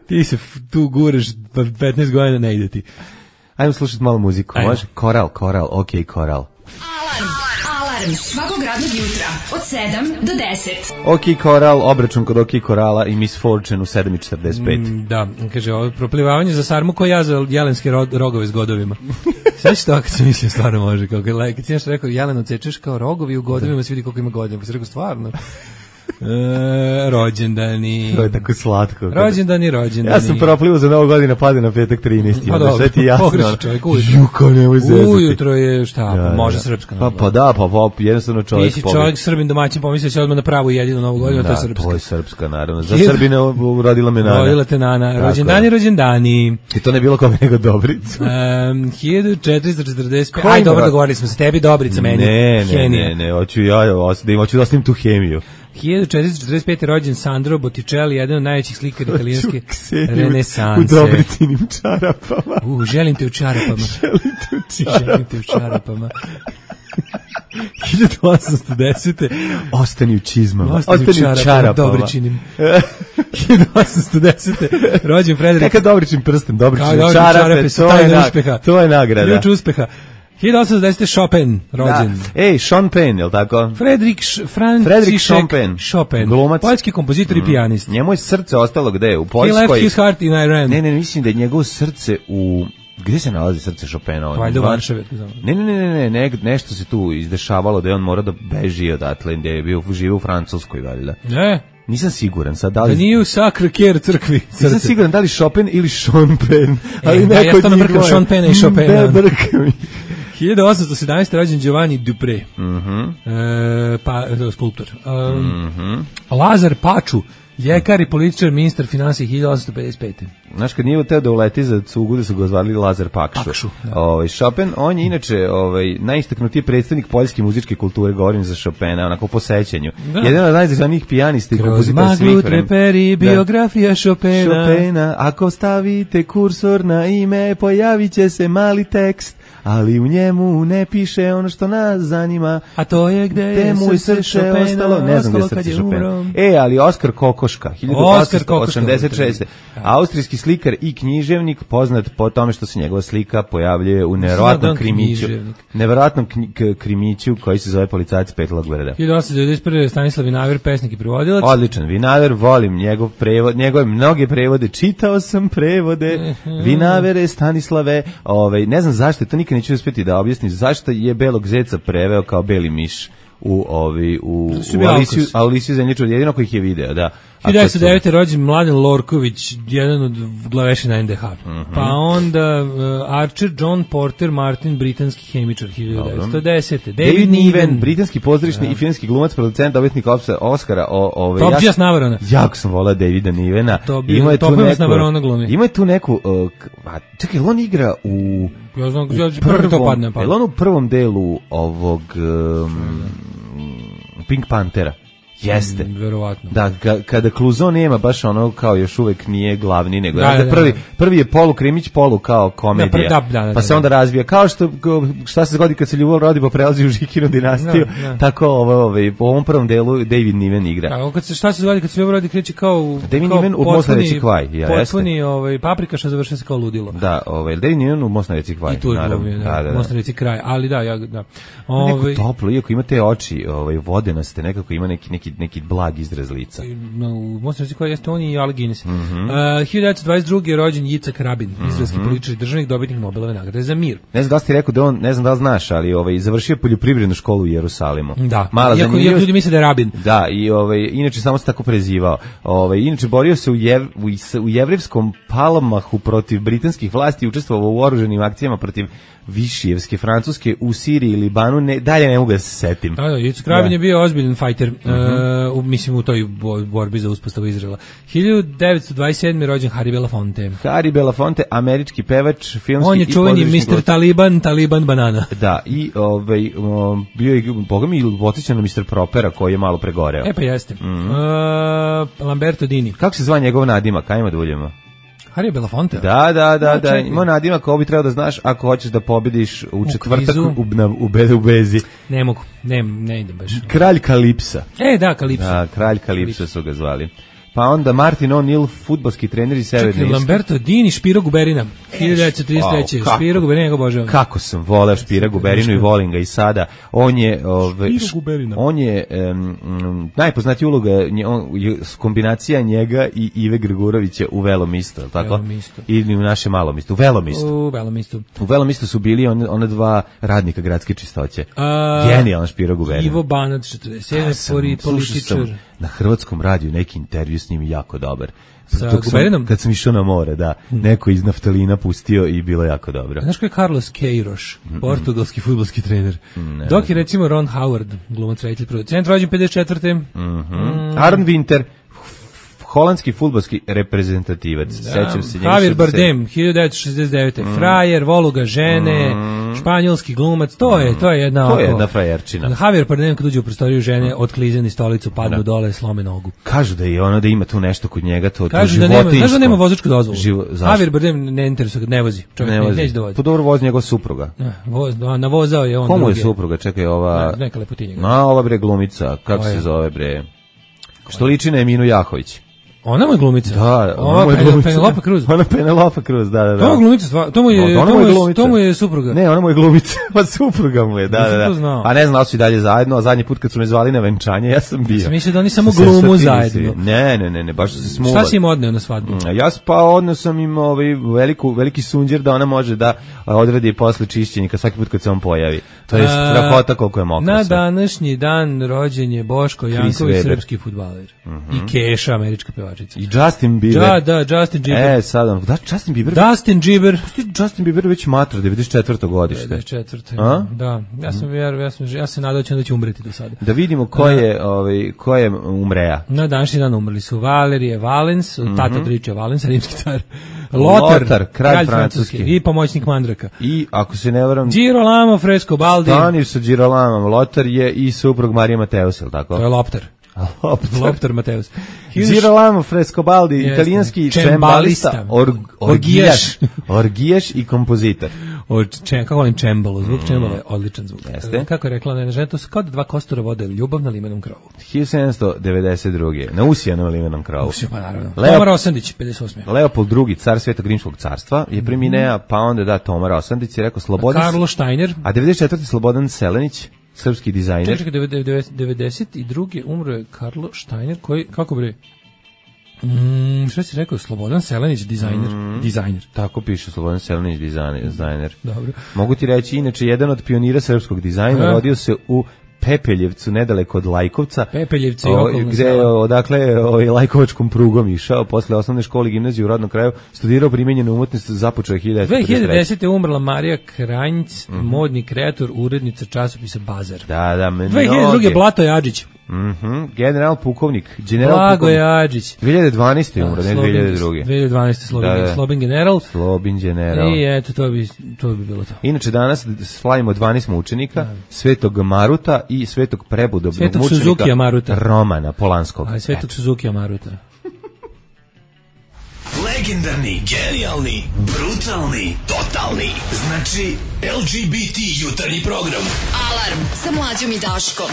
Ti se tu guraš, pa petnaest godina ne ide ti. Ajmo slušati malo muziku, Ajmo. može? Koral, koral, okej, okay, koral. Alarm, alarm, svakog radnog jutra, od sedam do deset. Okej, okay, koral, obračun kod okej, okay, korala i Miss Fortune u sedam i četrdeset pet. Mm, da, kaže, ovo proplivavanje za sarmu ko ja za jelenske ro rogove s godovima. Sve što kad sam mislio stvarno može, kao kad, kad si nešto rekao, Jeleno cečeš kao rogovi u godovima, se vidi koliko ima godina, pa si rekao stvarno. E, rođendani. To je tako slatko. Rođendani, rođendani. Ja sam proplivao za novu godinu, pade na petak trinaesti. Pa dobro, sve ti jasno. Pogreši čovjek ujutro. Juko, nemoj zezati. Ujutro je šta, ja, može ja. srpska. Pa, pa da, pa, pa jednostavno čovjek. Ti si čovjek Srbin domaćin, pomislio se odmah na pravu jedinu novu godinu, da, to je srpska. to je srpska, naravno. Za Srbine rodila me Nana. Rodila te Nana. Rođendani, rođendani. I to ne bilo kome nego Dobricu. Um, hiljadu četiristo četrdeset pet. Aj, dobro, dogovorili smo se tebi, Dobrica, meni. Ne, ne, ne, ne, hoću ja, da hoću da ostavim tu hemiju. hiljadu četiristo četrdeset pete rođen Sandro Botticelli, jedan od najvećih slikara italijanske renesanse. U Dobricinim čarapama. U, želim te u čarapama. Želim te u čarapama. Želim te u čarapama. hiljadu osamsto desete. Ostani u čizmama. Ostani, Ostani u čarapama. čarapama. Dobričinim. hiljadu osamsto desete. rođen Frederik. Neka Dobričin prsten, Dobričin čarape. čarape, to je, na, to je nagrada. Ključ uspeha. hiljadu osamsto desete. Chopin, rođen. Da. Ej, Sean Penn, je li tako? Fredrik Franciszek Chopin, glumac, poljski kompozitor mm. i pijanist. Njemu je srce ostalo gde? U Poljskoj? He left his heart in Iran. Ne, ne, mislim da je njegovo srce u... Gde se nalazi srce Chopina? Valjda u Varšavi. Ne, ne, ne, ne, ne, nešto se tu izdešavalo da je on mora da beži odatle, gde je bio živo u Francuskoj, valjda. Ne. Nisam siguran sad da li... Da nije u Sacre Coeur crkvi. Srce. Nisam siguran da li Chopin ili Sean Penn. Ali e, neko da, ja stvarno brkam Sean Penna i Chopina. Ne, brkam mi. hiljadu osamsto sedamnaeste. rođen Giovanni Dupré. Mhm. E, pa skulptor. Um, mhm. Lazar Paču, ljekar i političar, ministar finansija hiljadu osamsto pedeset pete. Znaš, kad nije teo da uleti za cugu, da su ga zvali Lazar Pakšu. Pakšu da. Ovaj, Chopin, on je inače ovaj, najistaknutiji predstavnik poljske muzičke kulture, govorim za Chopina, onako po sećanju. Da. Jedan od najznačajnijih pijanista i kompozitora svih vremena. Kroz maglu treperi, biografija Chopina. Chopina, ako stavite kursor na ime, pojavit će se mali tekst, ali u njemu ne piše ono što nas zanima. A to je gde je mu srce Chopina, ostalo, ne znam gde je srce Chopina. E, ali Oskar Kokoška, hiljadu osamsto osamdeset šeste. Austrijski slikar i književnik, poznat po tome što se njegova slika pojavljuje u neverovatnom krimiću. Neverovatnom krimiću koji se zove Policajac Petlog Grada. hiljadu osamsto devedeset prve. Stanislav Vinaver, pesnik i prevodilac. Odličan Vinaver, volim njegov prevod, njegove mnoge prevode, čitao sam prevode. Vinavere, Stanislave, ovaj, ne znam zašto, to nikad neću uspjeti da objasnim, zašto je Belog zeca preveo kao Beli miš u ovi u, u Alisiju, Alisiju Zemljiču, jedino koji ih je video, da. hiljadu devetsto devete. rođen Mladen Lorković, jedan od glavešina en de ha. Uh -huh. Pa onda uh, Archer, John Porter, Martin, britanski hemičar, hiljadu devetsto desete. David, David Niven, britanski pozorišni ja. i filmski glumac, producent, dobitnik Oscara. O, ove, Top Gas Navarona. Jako sam volao Davida Nivena. Ima je tu neku, ima je tu neku, uh, a, čekaj, on igra u... Ja znam, ja prvom, to padne, padne. Je on u prvom delu ovog um, Pink Panthera? Jeste. Mm, verovatno. Da, ga, kada Kluzo nema baš ono kao još uvek nije glavni, nego da, da, da, prvi, da. prvi je polu krimić, polu kao komedija. Da, da, da, pa se onda razvija. Kao što šta se zgodi kad se Ljubav rodi pa prelazi u Žikinu dinastiju, da, da. tako ovo, ovaj, po ovom prvom delu David Niven igra. Da, kad se, šta se zgodi kad se Ljubav rodi kreće kao... David kao Niven u Most na reci Kvaj. Ja, potpuni ovaj, paprikaša završava se kao ludilo. Da, ovaj, David Niven u Most na reci Kvaj. I tu je glumio, da, da, da. Most na reci Kraj. Ali da, ja... Da. Ovaj, neko toplo, iako ima te oči ovaj, vodenaste, nekako ima neki, neki, neki blag izraz lica. No, u Most na reci Kvaj jeste on i Alec Guinness. Mm -hmm. uh, hiljadu devetsto dvadeset druge je rođen Jicak Rabin, mm -hmm. izraelski političar i državnik, dobitnik Nobelove nagrade za mir. Ne znam da li ti rekao da on, ne znam da li znaš, ali ovaj, završio poljoprivrednu školu u Jerusalimu. Da, Mala iako, iako ljudi misle da je Rabin. Da, i ovaj, inače samo se tako prezivao. Ovaj, inače borio se u, jev, u, u jevrivskom Palmahu protiv britanskih vlasti i učestvovao u oruženim akcijama protiv Višijevske Francuske u Siriji i Libanu, ne, dalje ne mogu da se setim. Da, da, Jicak Rabin da. je bio ozbiljan fajter, uh -huh. uh, u, mislim u toj borbi za uspostavu Izraela. hiljadu devetsto dvadeset sedme je rođen Harry Belafonte. Harry Belafonte, američki pevač, filmski on je čuveni mister Taliban, Taliban banana. Da, i ovaj, um, bio je, boga mi, podsjeća na mister Propera koji je malo pregoreo. E pa jeste. Mm -hmm. uh, Lamberto Dini. Kako se zva njegov nadimak? Ajmo da uljemo. Harry Belafonte? Da, da, da, da. Ima nadimak kao bi trebao da znaš ako hoćeš da pobediš u, u četvrtak u, na, u, be, u Bezi. Ne mogu, ne, ne idem baš. Kralj Kalipsa. E, da, Kalipsa. Da, kralj Kalipsa su ga zvali. Pa onda Martin O'Neill, fudbalski trener iz Severne Irske. Lamberto Dini, Špiro Guberina, hiljadu devetsto trideset treće. Wow, Špiro Guberina ga obožavam. Kako sam voleo Špira Guberinu i volim ga i sada. On je, ove, on je um, najpoznatiji uloga, on, kombinacija njega i Ive Grgurovića u Velom isto, tako? Velom isto. Ili u naše Malom isto. U Velom isto. U Velom isto. U Velom isto su bili on, ona dva radnika gradske čistoće. Genijalan Špiro Guberina. Ivo Banat, četrdeset sedam, političar. Na hrvatskom radiju neki intervju s njim jako dobar. Sa Guberinom? Kad sam išao na more, da. Neko iz naftalina pustio i bilo jako dobro. Znaš ko je Carlos Queiroz, mm -mm. portugalski fudbalski trener? Ne, Dok je recimo Ron Howard, glumac, reditelj, producent, rođen pedeset četvrte. Mm -hmm. mm. Aron Winter, holandski fudbalski reprezentativac. Da. Sećam se njega. Javier Bardem, hiljadu devetsto šezdeset devete. Mm. Frajer, Voluga žene, mm. španjolski glumac, to je, to je jedna... To je jedna frajerčina. Javier Bardem kad uđe u prostoriju žene, otklizeni stolicu, padnu da. dole, slome nogu. Kažu da je ono da ima tu nešto kod njega, to, to Kažu da nema, kažu da nema vozačku dozvolu. Živo, Javier Bardem ne interesuje, ne vozi. Čovjek ne, ne, neće da vozi. Po dobro vozi njegov supruga. Ja, voz, navozao je on. Komu je supruga? Čekaj, ova... Ne, neka lepotinja. Na, ova bre glumica, kako se zove bre? Što liči na Eminu Jahović. Ona mu je glumica. Da, ona mu je glumica. Penelope Cruz. Ona Penelope Cruz, da, da, da. To mu je glumica, to mu je, no, to, mu je to mu je supruga. Ne, ona mu je glumica, pa supruga mu je, da, da, da. A ne znam da su i dalje zajedno, a zadnji put kad su me zvali na venčanje, ja sam bio. Sam mislio da oni samo glumu zajedno. Ne, ne, ne, ne, baš su se smuvali. Šta si im odneo na svadbu? Ja pa odneo sam im ovaj veliku, veliki sunđer da ona može da odradi posle čišćenja svaki put kad se on pojavi. To je strahota koliko je mokro. Na današnji dan rođen je Boško Janković, srpski fudbaler. I Keša, američka pevačica. I Justin Bieber. Da, da, Justin Bieber. E, sad, da, Justin Bieber. Justin Bieber. Justin Bieber već matra, devedeset četvrto godište. devedeset četvrto Da, ja sam vjerovao, ja sam ja se nadao da će umreti do sada. Da vidimo ko je, ovaj, ko je umreja. Na današnji dan umrli su Valerije Valens, mm-hmm. tata Driče Valens, rimski car. Lothar, Lothar, kralj, kralj francuski i pomoćnik Mandraka. I ako se ne varam, Girolamo Frescobaldi. Stani sa Girolamom. Lothar je i suprug Marije Mateus, el tako? To je Lopter. Lopter, Lopter Mateus. Girolamo Frescobaldi, yes, italijanski čembalista, org, orgijaš, orgijaš i kompozitor. Od čem, kako volim čembalo, zvuk čembalo je odličan zvuk. Jeste? Kako je rekla Nena žena, to su kao da dva kostura vode ljubav na limenom krovu. hiljadu sedamsto devedeset druge na usijanom limenom krovu. Usija, pa naravno. Leo, Tomar Osandić, pedeset osme Leopold drugi, car Svetog rimskog carstva, je preminea, mm. pa onda da, Tomar Osandić je rekao Slobodan... Karlo Steiner. A devedeset četvrte Slobodan Selenić, srpski dizajner. Čekaj, devedeset druge umro je Karlo Steiner, koji, kako bre... Mm, šta si rekao, Slobodan Selenić, dizajner, mm, dizajner. Tako piše, Slobodan Selenić, dizajner. dizajner. Dobro. Mogu ti reći, inače, jedan od pionira srpskog dizajna, A? rodio se u Pepeljevcu, nedaleko od Lajkovca. Pepeljevci i okolno gde je, odakle, ovaj, Lajkovačkom prugom išao, posle osnovne škole i gimnazije u rodnom kraju, studirao primenjenu umetnost, započeo je hiljadu devetsto pedeset treće dve hiljade desete umrla Marija Kranjc, mm -hmm. modni kreator, urednica časopisa Bazar. Da, da, mnoge. dve hiljade druge Blato Jadžić. Mhm. General pukovnik. General Blagoje Adžić. dve hiljade dvanaeste umro, ne dve hiljade druge. dve hiljade dvanaeste Slobin, Da, da. Slobin general. Slobin general. I eto, to bi, to bi bilo to. Inače, danas slavimo dvanaest mučenika, Svetog Maruta i Svetog prebudobnog Svetog mučenika Suzukija Maruta. Romana Polanskog. A Svetog Suzukija Maruta. Legendarni, genijalni, brutalni, totalni. Znači, el ge be te jutarnji program. Alarm sa mlađom i Daškom.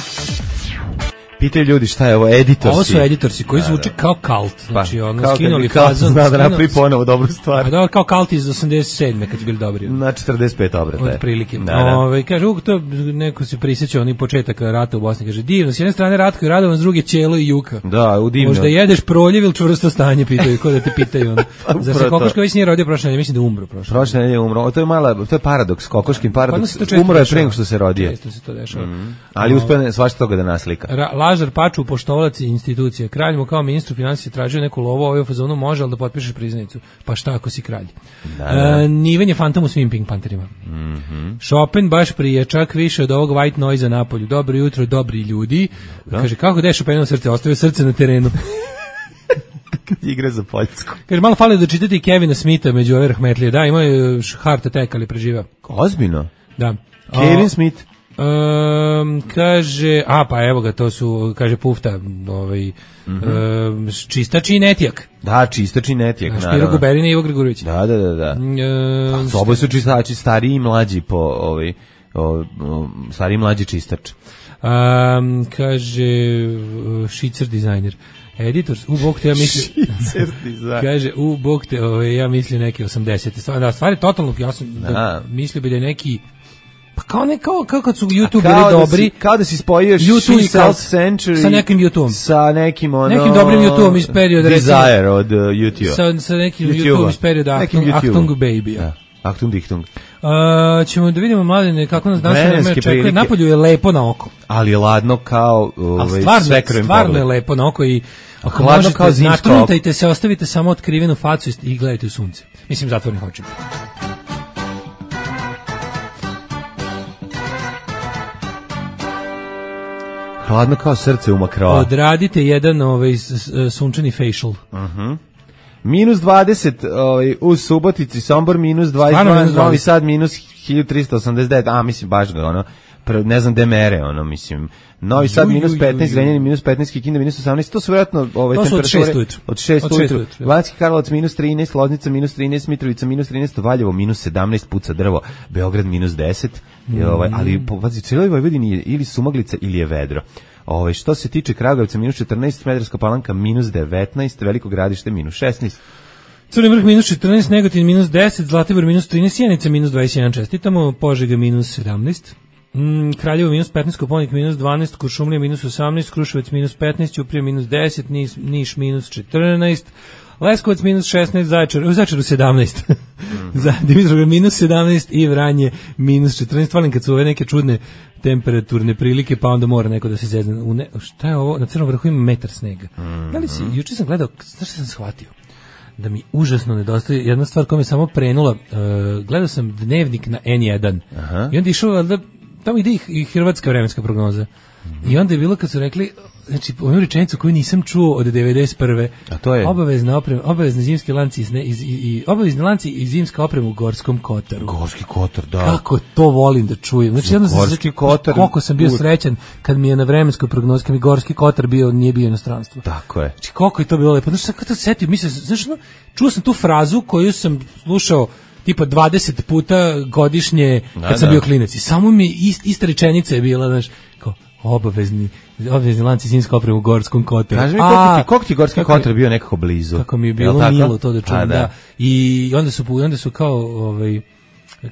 Pitaju ljudi šta je ovo, editorsi. Ovo su editorsi koji Da, zvuče da. kao kalt. Znači, Pa, ono, kao kad skinuli bi Kalt fazon. zna da skinuli- napravi ponovo dobru stvar. A da, kao kalt iz osamdeset sedme kad su bili dobri. Na četrdeset pet obrata. Od prilike. Da, da. Ove, kaže, uvijek to neko se prisjeća oni početaka rata u Bosni. Kaže, divno, s jedne strane Ratko i Radovan, s druge Ćelo i Juka. Da, u divno. Možda jedeš proljev ili čvrsto stanje, pitaju, ko da te pitaju. Ono. Zar se upravo to. Kokoška već nije rodio prošle nedelje? Mislim da je umro prošle. Prošle nedelje umro. O, to je mala, to je paradoks, kokoškin Kod nas paradoks. se to često Umro je dešava. pre nego što se rodio. Često se to dešava. Ali uspeo je svašta toga da naslika. Ra Lažar Paču, poštovalac institucije. Kralj mu kao ministru financije tražio neku lovu, ovaj u fazonu može, ali da potpišeš priznanicu. Pa šta ako si kralj? Da, da. E, Niven je fantom u svim Pink Panterima. Mhm. Chopin baš prije, čak više od ovog white noise na polju. Dobro jutro, dobri ljudi. Kaže, kako da je Chopinovo srce? Ostavio srce na terenu. Igra za Poljsku. Kaže, malo fali da čitate i Kevina Smitha među ove rahmetlije. Da, imao je heart attack, ali preživao. Ozbiljno. Da. Kevin Smith. Um, kaže, a pa evo ga, to su, kaže Pufta, ovaj, um, čistač i netijak. Da, čistači netijak, Špiro naravno. Guberina i Ivo Gregorović. Da, da, da, da. Um, Pa, oboje su čistači, stariji i mlađi po ovaj o, o, stariji i mlađi čistač. um, kaže, uh, šicer dizajner. Editor, u bog te ja mislim... kaže, u bog te, ovaj, ja mislim neke osamdesete. Stvar, da, stvari totalno, ja sam da. Da. mislio bi da je neki... Pa kao ne, kao, kao kad su YouTube Kao bili da dobri, si, kao da si spojio YouTube i She Cult Self Century sa nekim YouTubeom. sa nekim ono Nekim dobrim YouTubeom iz perioda, recimo- Desire od uh, YouTube. sa, sa nekim YouTubea. YouTubeom iz perioda Nekim Achtung, YouTubeom. Achtung Baby. Da. Achtung Dichtung. Uh, ćemo da vidimo, mladine, kako nas danas Vremenske vreme očekuje. prilike. Napolju je lepo na oko. Ali je ladno kao Ali ovaj stvarno, svekrovim stvarno je pogledom. lepo na oko i ako Hladno možete, kao zimsko oko. natrutajte se, ostavite samo otkrivenu facu i- i gledajte u sunce. Mislim, zatvornih očima. Hladno kao srce u makroa. Odradite jedan ovaj, s- s- sunčani facial. Minus dvadeset ovaj, u Subotici, Sombor minus dvadeset Stvarno dva, minus Novi dvadeset. Sad minus hiljadu trista osamdeset devet, a mislim baš ga ono, pre- ne znam gde mere, ono, mislim. Novi Sad Ju, ju, minus ju, petnaest, ju. Zrenjanin minus petnaest, Kikinda minus osamnaest, to su vjerojatno ovaj, To su od temperature. šest ujutru. Od šest Od šest ujutru. ujutru. Banjski Karlovac minus trinaest, Loznica minus trinaest, Mitrovica minus trinaest, Valjevo minus sedamnaest, puca drvo, Beograd minus deset, i, ovaj, ali po pazi, cijeloj Vojvodini je ili sumaglica ili je vedro. Ovaj, što se tiče Kragujevca minus četrnaest, Smederevska Palanka minus devetnaest, Veliko Gradište minus šesnaest. Crni vrh minus četrnaest, Negotin minus deset, Zlatibor minus trinaest, Sjenica minus dvadeset jedan, čestitamo, Požega minus sedamnaest, mm, Kraljevo minus petnaest, Koponik minus dvanaest, Kuršumlija minus osamnaest, Kruševac minus petnaest, Ćuprija minus deset, Niš, Niš minus četrnaest, Leskovac minus šesnaest, Zaječar, u Zaječaru sedamnaest, za Dimitrovgrad minus sedamnaest i Vranje minus četrnaest. Volim kad su ove neke čudne temperaturne prilike, pa onda mora neko da se zezne. U ne, šta je ovo? Na Crnom vrhu ima metar snega. Da li si, juče sam gledao, znaš šta sam shvatio? Da mi užasno nedostaje jedna stvar koja mi je samo prenula. Uh, gledao sam dnevnik na en jedan. Aha. I onda je išao, da, tamo ide i, i hrvatska vremenska prognoza. I onda je bilo kad su rekli, znači, onu rečenicu koju nisam čuo od devedeset prve. A to je? Obavezna oprema, obavezne zimske lanci iz, ne, iz, i, i, obavezni lanci i zimska oprema u Gorskom Kotaru. Gorski Kotar, da. Kako to volim da čujem. Znači, jedno sam Gorski se- Kotar, koliko sam bio uvek. srećan kad mi je na vremenskoj prognozi, kad mi Gorski Kotar bio, nije bio inostranstvo. Tako je. Znači, koliko je to bilo lepo. Znaš, sad kad to setio, mislim, znaš, no, čuo sam tu frazu koju sam slušao tipa dvadeset puta godišnje kad Da, sam da. bio klinac. I samo mi ist, ista rečenica je bila, znaš, kao, obavezni, obavezni lanci zimska oprema u Gorskom Kotaru. Kaži mi, A, koliko ti, koliko ti Gorski kako mi- Kotar bio nekako blizu? kako mi je Jel bilo tako? milo to da čujem, A, da. I onda su, onda su kao, ovaj,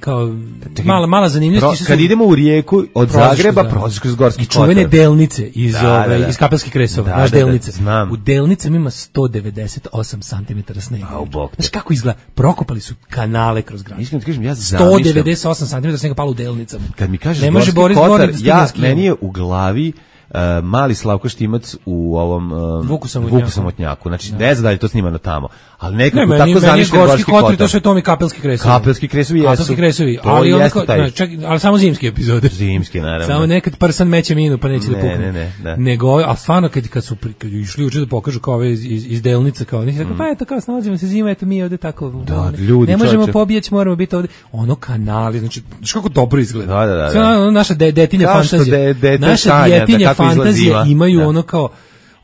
kao, mala, mala zanimljivost. Pro, išli su- kad idemo u Rijeku od Prolaziš Zagreba, kroz- prolaziš kroz Gorski i Kotar. čuvene delnice iz, Da, ove, da, da. iz Kapelskih kresova, Da, naš da, da, delnice. znam. U delnicama ima sto devedeset osam santimetara snega. A, u bok te. Znaš kako izgleda? Prokopali su kanale kroz grad. Iskreno ti kažem, ja sto zamišljam. devedeset osam santimetara snega palo u delnicama. Kad mi kažeš Ne može Gorski Boris Kotar, Dvorin da stigne ja, na skijama. meni je u glavi Uh, mali Slavko Štimac u ovom uh, Vuku Samotnjaku. Vuku Samotnjaku. Znači, da. ne znam da je to snimano tamo. Ali nekako ne, meni, tako zamišljam Gorski, Gorski Kotar. Kotar. To su Tomi Kapelski kresovi. Kapelski kresovi jesu. Kapelski kresovi, to ali, jeste taj... čak, ali samo zimske epizode. Zimske, naravno. Samo nekad prsan meće minu, pa neće ne, da pukne. Ne, ne, ne. Nego, a stvarno, kad, kad su kad išli uče da pokažu kao ove iz, iz, iz delnica, kao njih, mm. pa eto, kao snalazimo se zima, eto mi ovde tako. Da, ljudi, ne možemo čoče. pobijeć, moramo biti ovde. Ono kanali, znači, znaš kako dobro izgleda. Da, da, da. Sve ono, naša de, detinja kao fantazija. De, de, naša detinja fantazija imaju da. ono kao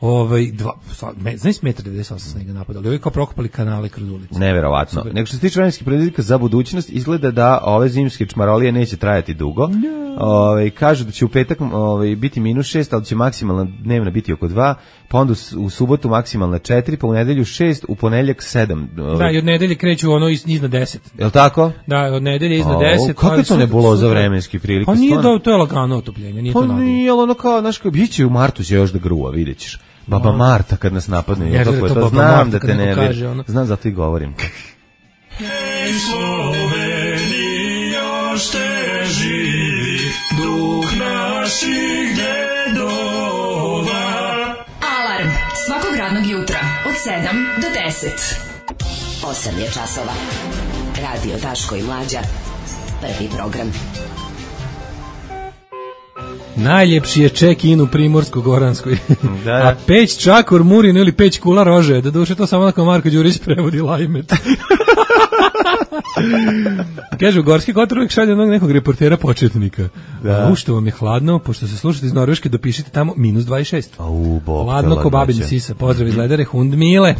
ovaj dva me, znaš metar devedeset osam snega napadali. Ovi kao prokopali kanale kroz ulicu. Neverovatno. Nego što se tiče vremenskih predviđanja za budućnost, izgleda da ove zimske čmarolije neće trajati dugo. No. Ovaj kažu da će u petak ovaj biti minus šest, ali će maksimalna dnevna biti oko dva, pa onda u subotu maksimalna četiri, pa u nedelju šest, u ponedeljak sedam. Ovaj. Da, i od nedelje kreću ono iznad deset. Je l' tako? Da, od nedelje iznad deset. Kako je to nebuloza vremenski prilike? Pa nije da, to je lagano otopljenje, nije pa to naglo. Pa nije, ono kao, znaš, kao, biće u martu će još da gruva, vidjet ćeš. Baba Marta kad nas napadne, ja, to, to, to znam Marta, da te ne kaže, ono. Znam zato i govorim. Hej Slovenija, još te živi duh naših dedova. Alarm svakog radnog jutra od sedam do deset. osam je časova. Radio Daško i Mlađa. Prvi program. Najljepši je check-in u Primorsko-Goranskoj. Da. A Peć Čakor Murin ili Peć Kula Rože, da duše to samo onako Marko Đurić prevodi Lajmet. Kaže, u Gorski Kotar uvijek šalje onog nekog reportera početnika. Da. U što vam je hladno, pošto se slušate iz Norveške, dopišite tamo minus dvadeset šest. Au, bog. Hladno ko babin sisa. Pozdrav iz Ledare, Hund Mile.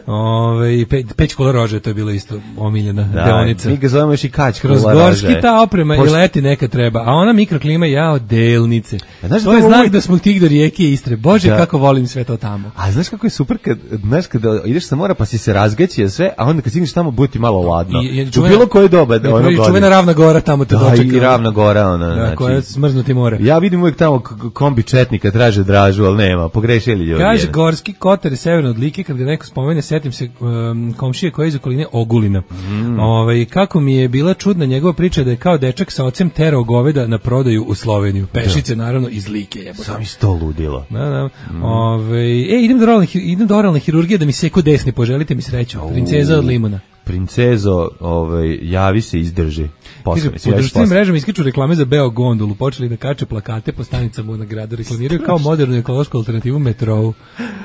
Ove, pe, Peć Kula Rože, to je bilo isto omiljena da, deonica. Mi ga zovemo još i Kać Kula Kroz Rože. Gorski ta oprema Pošto... i leti neka treba, a ona mikroklima jao delnice. Znaš, to je znak uvijek... da smo tih do rijeke Istre. Bože, da. Kako volim sve to tamo. A znaš kako je super kad, znaš, kada ideš sa mora pa si se razgaći sve, a onda kad stigneš tamo bude ti malo ladno. I, i, čuvena, u bilo koje doba. Da, ono čuvena Ravna Gora tamo te dočeka. Da, i Ravna Gora. Ona, da, znači, koja je smrznuti more. Ja vidim uvijek tamo kombi četnika traže dražu, ali nema. Pogrešili ljudi. Kaže, Gorski Kotar je severno od Like, kad ga neko spomene, setim se um, komšije koja je iz okoline Ogulina. Mm. Ove, kako mi je bila čudna njegova priča da je kao dečak sa ocem terao goveda na prodaju u Sloveniju. Pešice, da. Naravno, iz Like. Jebote. Sam isto ludilo. Da, da. Mm. Ove, e, idem do oralne, idem do oralne hirurgije da mi seku desni, poželite mi sreću. Princeza od Limuna. Princezo, ovaj, javi se, izdrži. Posle, po društvenim mrežama iskaču reklame za Beo gondolu, počeli da kače plakate po stanicama na gradu, reklamiraju kao modernu ekološku alternativu metrou.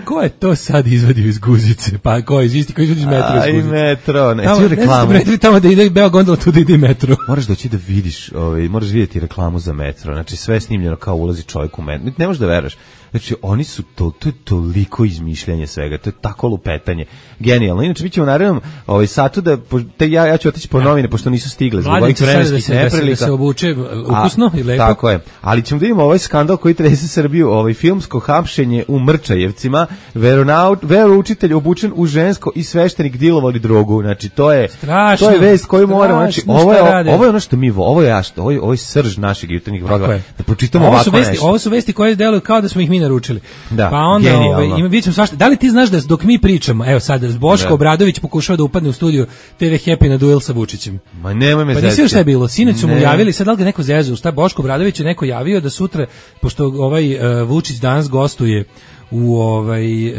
Ko je to sad izvadio iz guzice? Pa ko je isti, ko izvadio iz metro iz guzice? Aj, metro, ne, tamo, reklamu. Ne, tamo da ide Beo gondola, tu da ide metro. Moraš doći da vidiš, ovaj, moraš vidjeti reklamu za metro, znači sve je snimljeno kao ulazi čovjek u metro. Ne možeš da veraš. Znači, oni su to, to je toliko izmišljanje svega, to je tako lupetanje. Genijalno. Inače, mi ćemo naravno ovaj, satu da, te, ja, ja ću otići po novine, pošto nisu stigle zbog ovih vremenskih neprilika. Da se obuče ukusno i lepo. Tako je. Ali ćemo da vidimo ovaj skandal koji trese Srbiju, ovaj filmsko hapšenje u Mrčajevcima, veroučitelj obučen u žensko i sveštenik dilovali drogu. Znači, to je, strašno, to je vest koju moramo, znači, ovo je, ovo je ono što mi, ovo je, ovo je, ovo je srž našeg jutarnjih programa. Da pročitamo ovako vesti, nešto. Ovo su vesti koje deluju kao da smo ih mi naručili. Da, pa onda ovaj, ima, vidjet ćemo svašta. Da li ti znaš da dok mi pričamo, evo sad, Boško da. Obradović pokušava da upadne u studiju te ve Happy na duel sa Vučićem. Ma nemoj me pa zezati. Pa nisi šta je bilo, sinoć su mu javili, sad da li ga neko zezu, šta Boško Obradović je neko javio da sutra, pošto ovaj uh, Vučić danas gostuje u ovaj e,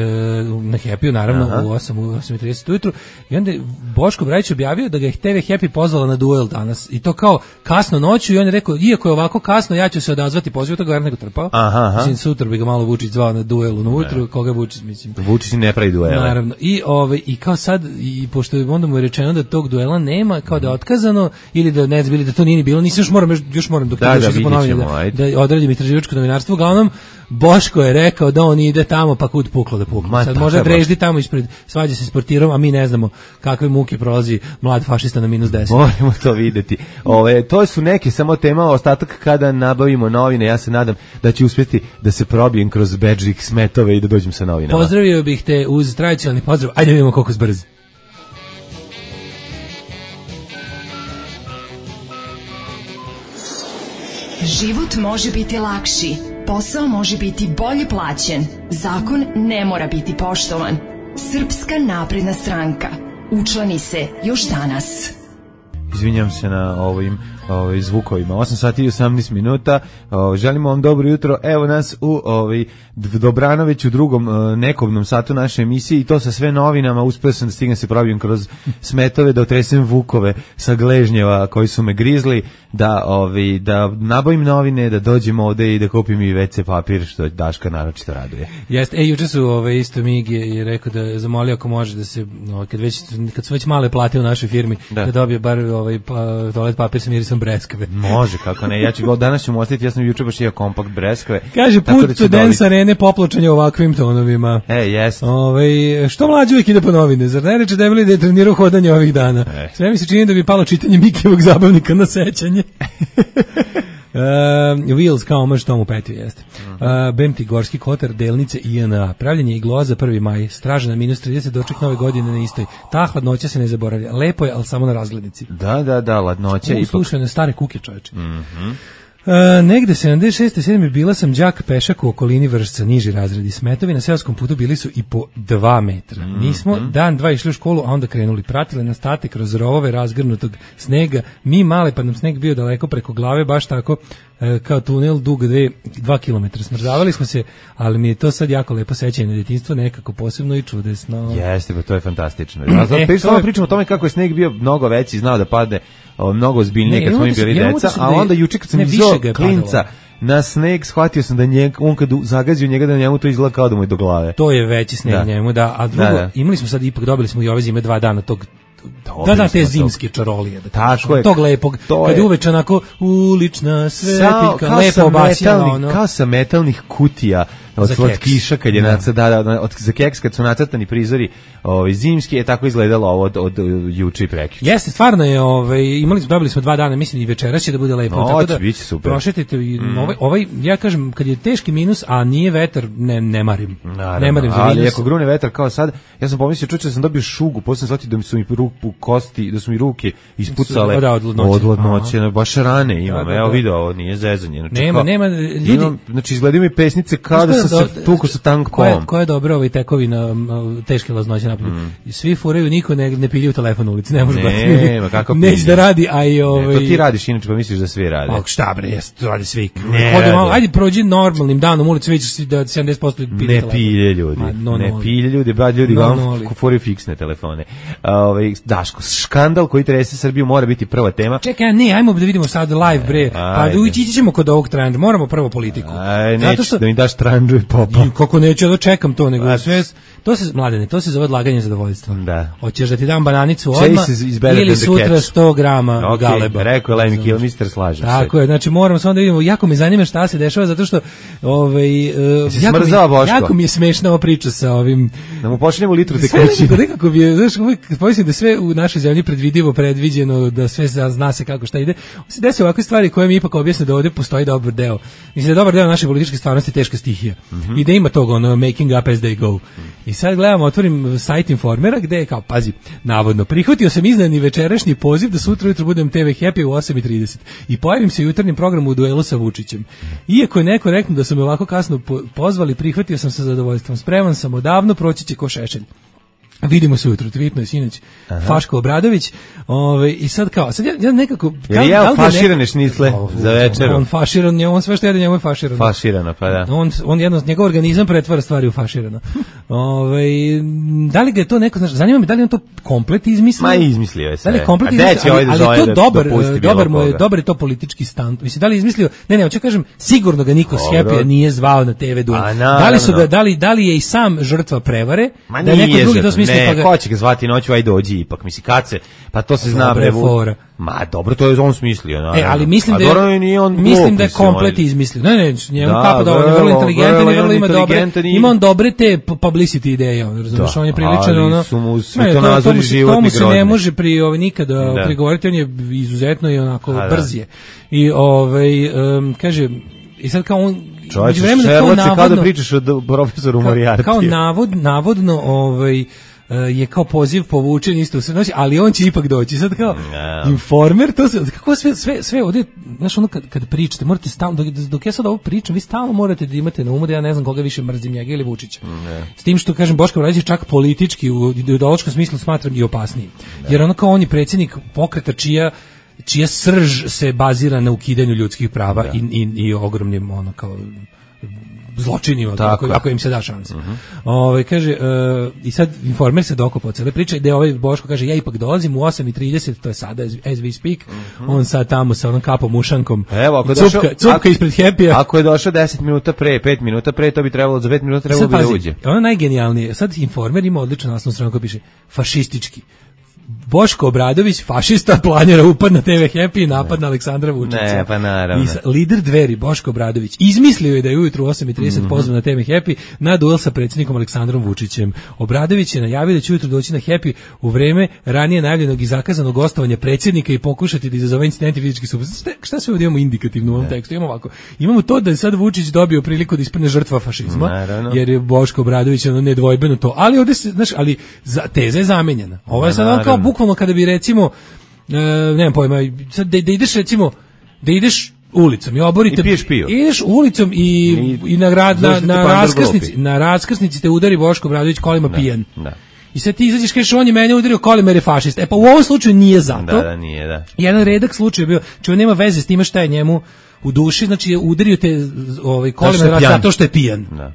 na Happy naravno. Aha. u osam i trideset ujutru i onda Boško Obradović objavio da ga je te ve Happy pozvala na duel danas i to kao kasno noću i on je rekao iako je ovako kasno ja ću se odazvati pozivu, to ga nego trpao. Mislim sutra bi ga malo Vučić zvao na duelu na ujutru, koga Vučić mislim. Vučić ne pravi duela. Naravno. I ovaj i kao sad i pošto je onda mu je rečeno da tog duela nema, kao da je otkazano ili da ne znam, da to nije ni bilo, nisam još moram još moram dok da, da, da, ponovim, da, da odradim istraživačko novinarstvo, uglavnom Boško je rekao da on ide tamo pa kud puklo da puklo. Ma, sad može dreždi tamo ispred, svađa se s portirom, a mi ne znamo kakve muke prolazi mlad fašista na minus deset. Moramo to videti. Ove, to su neke samo tema, ostatak kada nabavimo novine, ja se nadam da će uspjeti da se probijem kroz bedžik smetove i da dođem sa novinama. Pozdravio bih te uz tradicionalni pozdrav, ajde vidimo koliko zbrz. Život može biti lakši, posao može biti bolje plaćen, zakon ne mora biti poštovan. Srpska napredna stranka. Učlani se još danas. izvinjam se na ovim ovaj zvukovima. osam sati i osamnaest minuta. Ovaj želimo vam dobro jutro. Evo nas u ovaj Dobranović u drugom nekobnom satu naše emisije i to sa sve novinama. Uspeo sam da stignem se probijem kroz smetove da otresem vukove sa gležnjeva koji su me grizli, da ovaj da nabavim novine, da dođem ovde i da kupim i ve ce papir, što Daška naročito raduje. Jeste, e juče su ovaj isto Mig je, je rekao da je zamolio ako može da se ovaj, kad već kad su već male plate u našoj firmi da, da dobije bar ovaj pa, toalet papir sa mirisom breskve. Može, kako ne. Ja ću danas ću mu ostaviti, ja sam juče baš imao kompakt breskve. Kaže put do Dance Arene popločanje ovakvim tonovima. E, jeste. Ovaj što mlađi uvijek ide po novine, zar ne reče debeli da je trenirao hodanje ovih dana. E. Sve mi se čini da bi palo čitanje Mikijevog zabavnika na sećanje. Uh, Wheels kao omaž Tomu Petiju jeste. Uh, Bemti Gorski Kotar, delnice I N A. Pravljenje igloa za prvi maj. Straža na minus trideset, doček nove godine na istoj. Ta hladnoća se ne zaboravlja. Lepo je, ali samo na razglednici. Da, da, da, hladnoća i slušaj na stare kuke, čoveče. Mhm. Uh, negde sedamdeset šeste sedme bila sam đak pešak u okolini Vršca, niži razredi. Smetovi na seoskom putu bili su i po dva metra. Mm-hmm. Nismo dan, dva išli u školu, a onda krenuli. Pratili nas tate kroz rovove razgrnutog snega. Mi male, pa nam sneg bio daleko preko glave, baš tako e, kao tunel dug dve, dva kilometra. Smrzavali smo se, ali mi je to sad jako lepo sećanje na djetinjstvo, nekako posebno i čudesno. Jeste, pa to je fantastično. Ja sad pričamo, pričamo o tome kako je sneg bio mnogo veći, znao da padne o, mnogo ozbiljnije kad smo im bili deca, a onda juče kad sam izao klinca na sneg, shvatio sam da njeg, on kad zagazio njega da njemu to izgleda kao da mu je do glave. To je veći sneg da. njemu, da, a drugo, da, da. imali smo sad, ipak dobili smo i ove zime dva dana tog da, da, te zimske čarolije. Da tako je. Tog lepog, kad je uveče onako ulična svetiljka, lepo obasjala. Ono. Kao sa metalnih kutija od slatkiša kad je da. nacrt, da, da, od, za keks kad su nacrtani prizori ovaj, zimski, je tako izgledalo ovo od, od, od juče i prekjuče. Jeste, stvarno je, ovaj, imali smo, dobili smo dva dana, mislim i večeras će da bude lepo. No, tako će da biti super. Prošetite, mm. ovaj, ovaj, ja kažem, kad je teški minus, a nije vetar, ne, ne marim. Naravno, ne marim za ali minus. ako grune vetar kao sad, ja sam pomislio, čuče, sam dobio šugu, posle sam shvatio da mi su mi ruku kosti, da su mi ruke ispucale da, od ladnoće, od ladnoće baš rane imam, da, da, evo video, ovo nije zezanje. Znači, nema, kao, nema, ljudi... Imam, znači, izgledaju mi pesnice kao da sam se tuko sa tankom. Koja, koja je dobra ovaj tekovina teške laznoće napolju. Mm. Svi furaju, niko ne, ne pilje u telefon u ulici, ne može gledati. Ne, ma kako pilje. Neće da radi, a i ovaj... Ne, to ti radiš, inače pa misliš da svi rade. Pa šta bre, jes, to radi svi. Hodi malo, ajde prođi normalnim danom ulici, vidiš da sedamdeset posto pilje ne telefon. Pilje ljudi, Ma, no, ne no, pilje ljudi, ba ljudi no, vam no, furaju fiksne telefone. Ovaj Daško, škandal koji trese Srbiju mora biti prva tema. Čekaj, ne, ajmo da vidimo sad live bre. Pa da ići ćemo kod ovog trenda, moramo prvo politiku. Aj, zato što da mi daš trendžu i popa. Kako neću da čekam to nego sve to se mladene, to se zove odlaganje zadovoljstva. Da. Hoćeš da ti dam bananicu odmah ili sutra sto grama okay, galeba. Rekao je Lemmy Kill, mister slažem se. Tako je, znači moramo samo da vidimo, jako me zanima šta se dešava zato što ovaj uh, jako, mi, jako mi je smešna ova priča sa ovim da mu počnemo litru tekućine. Da nekako bi, znaš, uvijek pomislim da sve u našoj zemlji predvidivo, predviđeno, da sve zna se kako šta ide. Se desi ovakve stvari koje mi ipak objasne da ovdje postoji dobar deo. Mislim da dobar deo naše političke stvarnosti je teška stihija. Mm -hmm. I da ima toga ono making up as they go. Mm. I sad gledamo, otvorim sajt Informera gde je kao, pazi, navodno, prihvatio sam izneni večerašnji poziv da sutra ujutro budem te ve Happy u osam i trideset i pojavim se u jutarnjem programu u duelu sa Vučićem. Iako je neko rekao da su me ovako kasno pozvali, prihvatio sam sa zadovoljstvom. Spreman sam odavno, proći će ko šešelj. Vidimo se ujutro, tvitno je sinoć Faško Obradović, ovaj i sad kao, sad ja, ja nekako kao ja da faširane nek... šnicle oh, za večeru. On faširan, on sve što jede njemu je faširano. Faširano, pa da. On on jedno njegov organizam pretvara stvari u faširano. Ovaj da li ga je to neko, znači, zanima me da li on to komplet izmislio? Ma izmislio je sve. Da li komplet izmislio? Ali, ali, ali to dobar, dobar mu je, dobar je to politički stan. Mislim da li izmislio? Ne, ne, hoću kažem, sigurno ga niko s Happy nije zvao na te ve duel. Da li su ga, da li da li je i sam žrtva prevare? Ma da neko drugi to smisli. Ne, ko će ga zvati noću, aj dođi ipak, misli kad se, pa to se zna bre. Ma dobro, to je on smislio, naravno. E, ali mislim da je, nije on mislim da je komplet izmislio. Ne, ne, njemu kapo da on je vrlo inteligentan i vrlo ima dobre, ima on dobre te publicity ideje, razumiješ, on je priličan, ono, svetonazori životni tomu se ne može pri, ovaj, nikada prigovoriti, on je izuzetno i onako brz je. I, ovaj, kaže, i sad kao on, čovječe, Šerloče, kao da pričaš o profesoru Moriartiju. Kao navod, navodno, ovaj, je kao poziv povučen isto u sve noći, ali on će ipak doći. Sad kao yeah. Informer, to se, kako sve, sve, sve ovdje, znaš, ono kad, kad pričate, morate stalno, dok, dok ja sad ovo pričam, vi stalno morate da imate na umu da ja ne znam koga više mrzim, njega ili Vučića. Yeah. S tim što, kažem, Boško Obradović čak politički, u ideološkom smislu smatram i opasniji. Yeah. Jer ono kao on je predsjednik pokreta čija čija srž se bazira na ukidanju ljudskih prava yeah. i, i, i ogromnim, ono kao zločinima, ako, ako im se da šansa. Uh-huh. Ove, kaže, uh, i sad Informer se dokopao cele priče, gde ovaj Boško kaže, ja ipak dolazim u osam i trideset, to je sada as, as we speak, uh-huh. on sad tamo sa onom kapom ušankom, evo, ako cupka, došao, cupka ako, ispred Happy-a. Ako je došao deset minuta pre, pet minuta pre, to bi trebalo, za pet minuta trebalo bi da uđe. Ono najgenijalnije, sad Informer ima odličnu naslovnu stranu koja piše, fašistički. Boško Obradović, fašista, planira upad na te ve Happy i napad ne. na Aleksandra Vučića. Ne, pa naravno. I sa, lider Dveri, Boško Obradović, izmislio je da je ujutru u osam i trideset mm-hmm. pozvan na te ve Happy na duel sa predsjednikom Aleksandrom Vučićem. Obradović je najavio da će ujutru doći na Happy u vreme ranije najavljenog i zakazanog gostovanja predsjednika i pokušati da izazove incidenti fizički suprotnosti. Šta, šta sve ovdje imamo indikativno u ovom ne. tekstu? Imamo ovako. Imamo to da je sad Vučić dobio priliku da ispadne žrtva fašizma, naravno. Jer je Boško Obradović ono nedvojbeno to. Ali ovdje se, znaš, ali za, teza je zamenjena. Ovo je sad ono kao bukvalno kada bi recimo, e, nemam pojma, sad da, da ideš recimo, da ideš ulicom i oborite, i piješ pivo. Ideš ulicom i, I, i na, grad, na, na, raskrsnici, na raskrsnici te udari Boško Obradović kolima da, pijen. Da. I sad ti izađeš kažeš on je mene udario kolima jer je fašist. E pa u ovom slučaju nije zato. Da, da, nije, da. Jedan redak slučaj je bio, čovjek nema veze s time šta je njemu u duši, znači je udario te ovaj, kolima zato što je pijan. Da.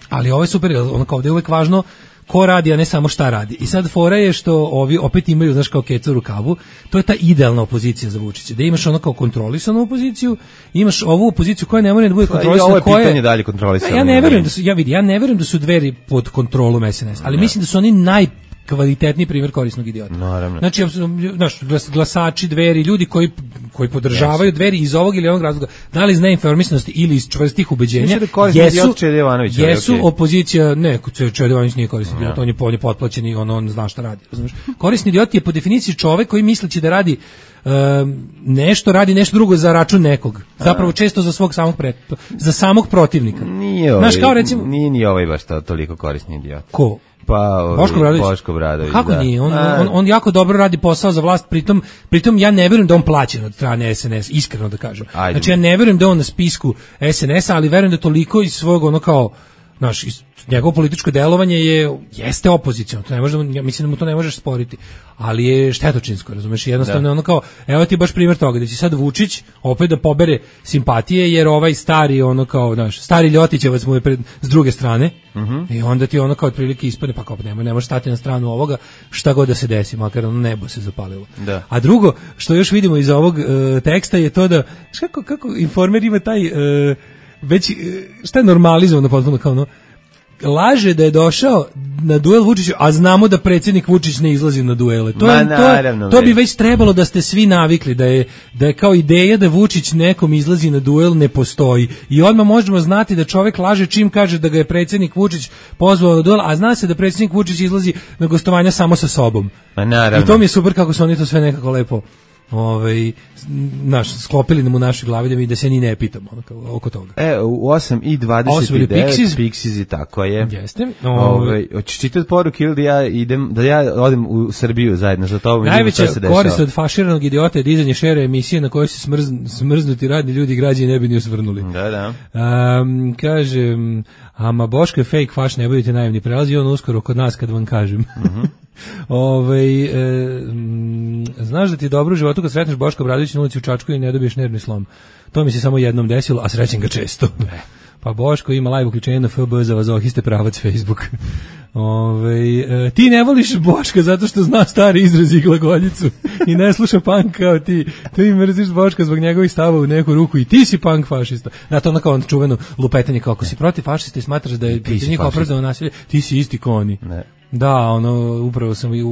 Ali ovo je super, ono kao da je uvek važno ko radi, a ne samo šta radi. I sad fora je što ovi opet imaju, znaš, kao kecu u rukavu, to je ta idealna opozicija za Vučića. Da imaš ono kao kontrolisanu opoziciju, imaš ovu opoziciju koja ne može da bude kontrolisana. Ovo je pitanje koje, dalje kontrolisano. Ja ne verujem da su, ja vidi, ja ne verujem da su Dveri pod kontrolom es en es, ali ne. Mislim da su oni naj kvalitetni primjer korisnog idiota. Naravno. Znači, znaš, glas, glasači Dveri, ljudi koji koji podržavaju yes. Dveri iz ovog ili onog razloga, da li iz neinformisanosti ili iz čvrstih ubeđenja, da jesu, jesu okay. opozicija, ne, Čede Jovanović nije korisni idiot, on je polje potplaćen i on, on zna šta radi. Razumiješ? Korisni idiot je po definiciji čovek koji misleći da radi um, nešto, radi nešto drugo za račun nekog. Zapravo često za svog samog pre, za samog protivnika. Nije ovaj, znaš, kao recimo, nije ni ovaj baš toliko korisni idiot. Ko? Pa, Boško Obradović. Boško Obradović, kako da. nije? On, on, on jako dobro radi posao za vlast, pritom, pritom ja ne verujem da on plaćen od strane es en es, iskreno da kažem. Ajde. Znači ja ne verujem da on na spisku es en es-a, ali verujem da toliko iz svog ono kao, znaš, njegovo političko delovanje je jeste opoziciono, to ne može, ja mislim da mu to ne možeš sporiti, ali je štetočinsko, razumeš, jednostavno da. Ono kao, evo ti baš primjer toga, da će sad Vučić opet da pobere simpatije, jer ovaj stari, ono kao, znaš, stari Ljotićevac mu je pred, s druge strane, uh-huh. i onda ti ono kao otprilike ispadne, pa kao, ne, ne može stati na stranu ovoga, šta god da se desi, makar ono nebo se zapalilo. Da. A drugo, što još vidimo iz ovog uh, teksta je to da, kako, kako Informer ima taj, uh, već, uh, šta je normalizovano potpuno kao ono, laže da je došao na duel Vučiću, a znamo da predsjednik Vučić ne izlazi na duele. To, je, to, to bi već trebalo da ste svi navikli, da je, da je kao ideja da Vučić nekom izlazi na duel ne postoji. I odmah možemo znati da čovjek laže čim kaže da ga je predsjednik Vučić pozvao na duel, a zna se da predsjednik Vučić izlazi na gostovanja samo sa sobom. I to mi je super kako su oni to sve nekako lepo ovaj naš sklopili nam u našoj glavi da mi da se ni ne pitamo ono, oko toga. E u osam i dvadeset devet Pixies i tako je. Jeste. Ovaj hoćeš čitati poruke ili da ja idem da ja odem u Srbiju zajedno sa tobom. Najveća korist od faširanog idiota je dizanje šere emisije na kojoj se smrz, smrznuti radni ljudi i građani ne bi ni osvrnuli. Da, da. Um, kaže ama Boško je fake faš, ne budite naivni, prelazi on uskoro kod nas kad vam kažem. Mhm. Ove, e, m, znaš da ti je dobro u životu kad sretneš Boška Obradovića na ulici u Čačku i ne dobiješ nervni slom. To mi se samo jednom desilo, a srećem ga često. Pa Boško ima live uključenje na F B za vazohiste pravac Facebook. Ove, e, ti ne voliš Boška zato što zna stari izraz i glagoljicu i ne sluša punk kao ti. Ti mrziš Boška zbog njegovih stava u neku ruku i ti si punk fašista. Na to ono kao čuveno lupetanje kako si protiv fašista i smatraš da je pitanje kao opravdano nasilje, ti si isti koni. Ne. Da, ono, upravo sam i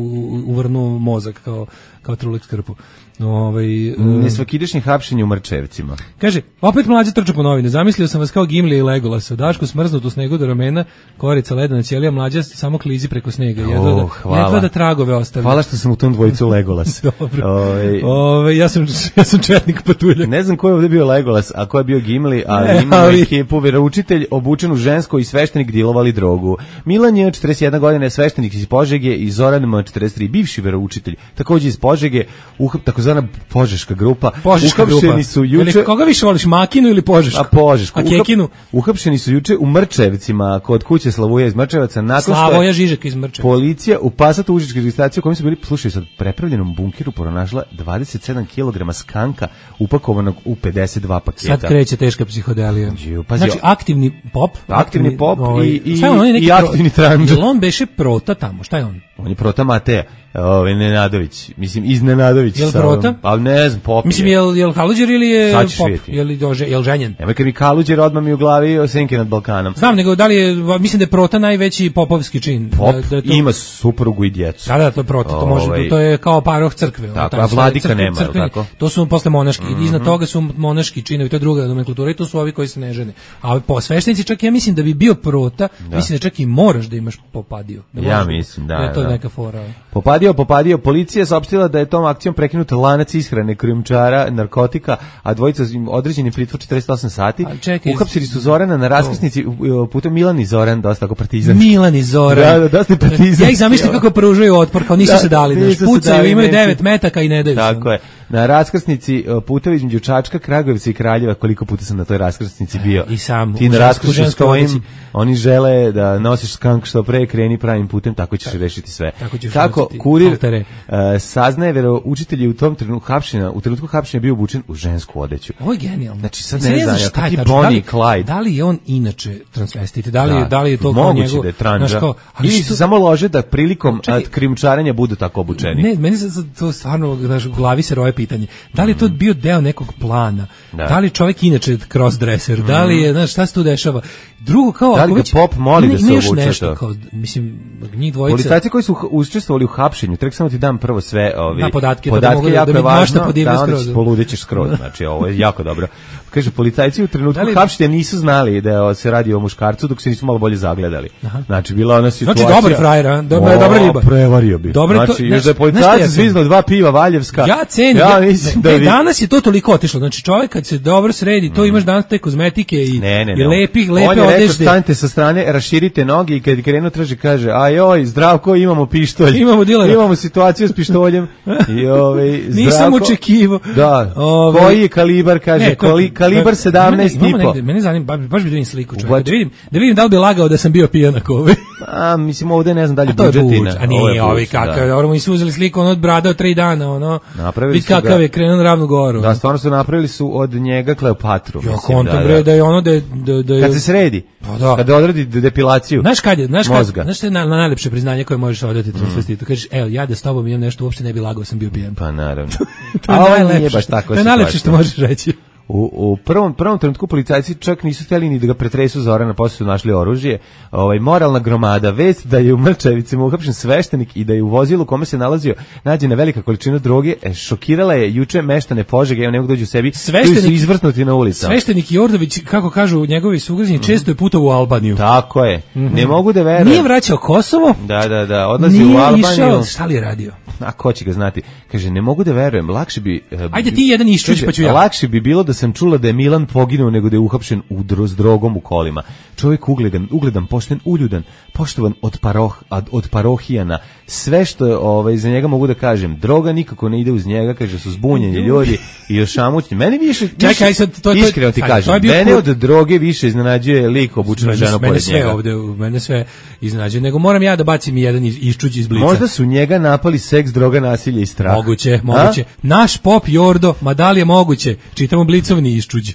uvrnuo mozak kao, kao trulek skrpu. Ovaj nesvakidašnje hapšenje u Mrčevcima. Kaže, opet mlađe trča po novine. Zamislio sam vas kao Gimli i Legolasa. Daško smrznut u snegu do ramena, korica ledena ćelija, mlađa samo klizi preko snega. Jedva da, hvala. jedva da tragove ostavlja. Hvala što sam u tom dvojicu Legolas. Dobro. Ove, Ove, ja sam ja sam četnik patuljak. Ne znam ko je ovdje bio Legolas, a ko je bio Gimli, ali Ne, imamo ali- ekipu, veroučitelj obučen u žensko i sveštenik dilovali drogu. Milan je četrdeset jedna godine, sveštenik iz Požege, i Zoran M četrdeset tri, bivši veroučitelj, takođe iz Požege, uhap, takozvana Požeška grupa. Požeška Uhapšeni grupa. su juče... Jeli, koga više voliš, Makinu ili Požešku? A Požešku. A Kekinu? Uhapšeni su juče u Mrčevcima, kod kuće Slavoja iz Mrčevaca, nakon što Slavoja je Žižek iz Mrčeva. policija u Pasatu užičke registracije u kojem su bili, slušaj, sad prepravljenom bunkiru pronašla dvadeset sedam kilograma skanka upakovanog u pedeset dva paketa. Sad kreće teška psihodelija. Điju, pazi, Znači, aktivni pop. Aktivni pop i- i- šta je on, on je neki i pro- aktivni tranđ. Jel on beše prota tamo, šta je on? On je Prota Mateja, ovaj Nenadović, mislim iz Nenadović. Jel sa- Prota? Ali ne znam, pop. Mislim, je. jel, jel Haluđer ili je Sad ćeš pop? vidjeti. Jel, jel, jel ženjen? Nemoj kad mi Kaluđer odmah mi u glavi o Senke nad Balkanom. Znam, nego da li je, mislim da je prota najveći popovski čin. Pop da, da je to, ima suprugu i djecu. Da, da, to je prota, to može, Ovaj. to je kao paroh crkve. ono, Tako, tamo a sve vladika crkve- nema, jel crkveni. tako? To su posle monaški, iznad toga su monaški činovi, to je druga nomenklatura i to su ovi koji se ne žene. A po sveštenici čak ja mislim da bi bio prota, mislim da čak i moraš da imaš popadio. Da Ja možeš- mislim, da, je to da. neka fora. Popadio, popadio, policija je saopštila da je tom akcijom prekinut lanac ishrane krijumčara narkotika, a dvojica su im određeni pritvor četrdeset osam sati. A čekaj, Uhapsili su Zorana na raskrsnici, u- putem Milan i Zoran, dosta tako partizan. Milan i Zoran. Da, da, dosta je partizan. Ja ih zamišljam kako pružaju otpor, kao nisu Da, se dali, znaš, nisu se pucaju, dali, imaju neće. devet metaka i ne daju se. Tako je. Na raskrsnici uh, putevi između Čačka, Kragujevca i Kraljeva, koliko puta sam na toj raskrsnici bio. I sam, Ti u na ženskoj- raskrsnici ženskoj stojim, odjeći. oni žele da nosiš skank što pre, kreni pravim putem, tako ćeš rešiti sve. tako ćeš Kako nositi kurir altere. uh, saznaje, veroučitelj je u tom trenutku hapšenja, u trenutku hapšenja bio obučen u žensku odeću. Ovo je genijalno. Znači, sad Sad ne znam znam, šta je kakvi tačno. Bonnie Da li- i Clyde. Da li je on inače transvestit? Da li, Da, je, da li je to kao moguće njegov... da je tranđa. znaš, kao, ali Ili što- se samo lože da prilikom Čekaj. uh, krijumčarenja budu tako obučeni. Ne, meni se sad to stvarno, znaš, u glavi se roje pitanje. Da li je to bio deo nekog plana? Da. Da li je čovjek inače crossdresser? Da li je, znaš, šta se tu dešava? Drugo, kao... Da li ako ga već- pop moli ima- da se ima još obuče nešto, to? kao, mislim, njih dvojica... Policajci koji su h- učestvovali u hapšenju, tek samo ti dam prvo sve ovi Da, podatke, pa da podatke mogu da- jako da mi je važno, mašta podivlja da onda skroz. ćeš poludećeš skroz, znači ovo je jako dobro. Kaže, policajci u trenutku Da li- hapšenja nisu znali da se radi o muškarcu dok se nisu malo bolje zagledali. Znači, bila ona situacija... dobar je frajer, a? Dobra- O, dobra riba. Prevario bi. Dobro je to- znači, znaš- još da je znaš šta policajac ja cenim? zviznuo dva piva Valjevska. Ja cenim, Ja ja, mislim ne, da bi... danas je to toliko otišlo. Znači čovjek kad se dobro sredi, to imaš danas te kozmetike i, Ne, ne, i ne. lepih, On lepe je rekao, odežde. stanite sa strane, raširite noge i kad je krenuo traži kaže, ajoj, Zdravko, imamo pištolj. Imamo dilera. Imamo situaciju s pištoljem. I ovaj Nisam Zdravko- očekivao. Da. Ovaj- Koji je kalibar, kaže, Ne, to- kali- kalibar sedamnaest Imamo i po. negde, mene zanima, baš, baš bi da vidim sliku čovjeka, What? da vidim, da vidim da li bi lagao da sam bio pijan ako ovaj. A, mislim, ovde ne znam da li A to je budžetina. buđ, a Ovo je nije, ovi buđ, kakav, da. dobro, mi su uzeli sliku, ono od brada od tri dana, ono, Napravili vidi su ga- kakav je krenuo na Ravnu goru. Da, stvarno su napravili su od njega Kleopatru. Ja mislim, kontam, da, bre, da. da je ono da je, da, da je... Kad se sredi, Pa da. kada odradi de- depilaciju Znaš kad je, znaš kad, mozga. znaš što je na, na najlepše priznanje koje možeš odati transvestitu. Kažeš, evo, ja da s tobom imam nešto, uopšte ne bi lagao, sam bio pijan. Pa naravno. To je A ovo najlepše nije baš što- tako To je najlepše što možeš reći. U, u prvom prvom trenutku policajci čak nisu htjeli ni da ga pretresu Zorana, posle su našli oružje. Ovaj moralna gromada, vest da je u Mrčevicima uhapšen sveštenik i da je u vozilu u kome se nalazio nađena velika količina droge, e, šokirala je juče meštane Požege, evo ne mogu dođu u sebi, Sveštenik- koji su izvrtnuti na ulicama. Sveštenik Jordović, kako kažu njegovi sugrađani, često je putovao u Albaniju. Tako je. Ne mogu da verujem. Nije vraćao Kosovo, Da, da, da, odlazi nije u Albaniju. išao, šta li je radio? A ko će ga znati? Kaže, ne mogu da verujem, lakše bi... e, Ajde bi- ti jedan iščuć, kaže, pa ću ja. Lakše bi bilo da sam čula da je Milan poginuo nego da je uhapšen u dro, s drogom u kolima. Čovjek ugledan, ugledan, pošten, uljudan, poštovan od, paroh, od, od parohijana. Sve što je, ovaj, za njega mogu da kažem, droga nikako ne ide uz njega, kaže, su zbunjeni ljudi i ošamućni. Meni više, Čekaj, više sad, to- to- iskreno ti sad, to je kažem, bio mene kur- od droge više iznenađuje lik obučena Mene- žena mene pored sve njega. ovde, mene sve iznenađuje. Nego moram ja da bacim jedan iz- iščuć iz blica. Možda su njega napali seks, droga, nasilje i strah. Moguće, A? moguće. Naš pop Jordo, ma da li je moguće? Čitamo blicovni iščuđ.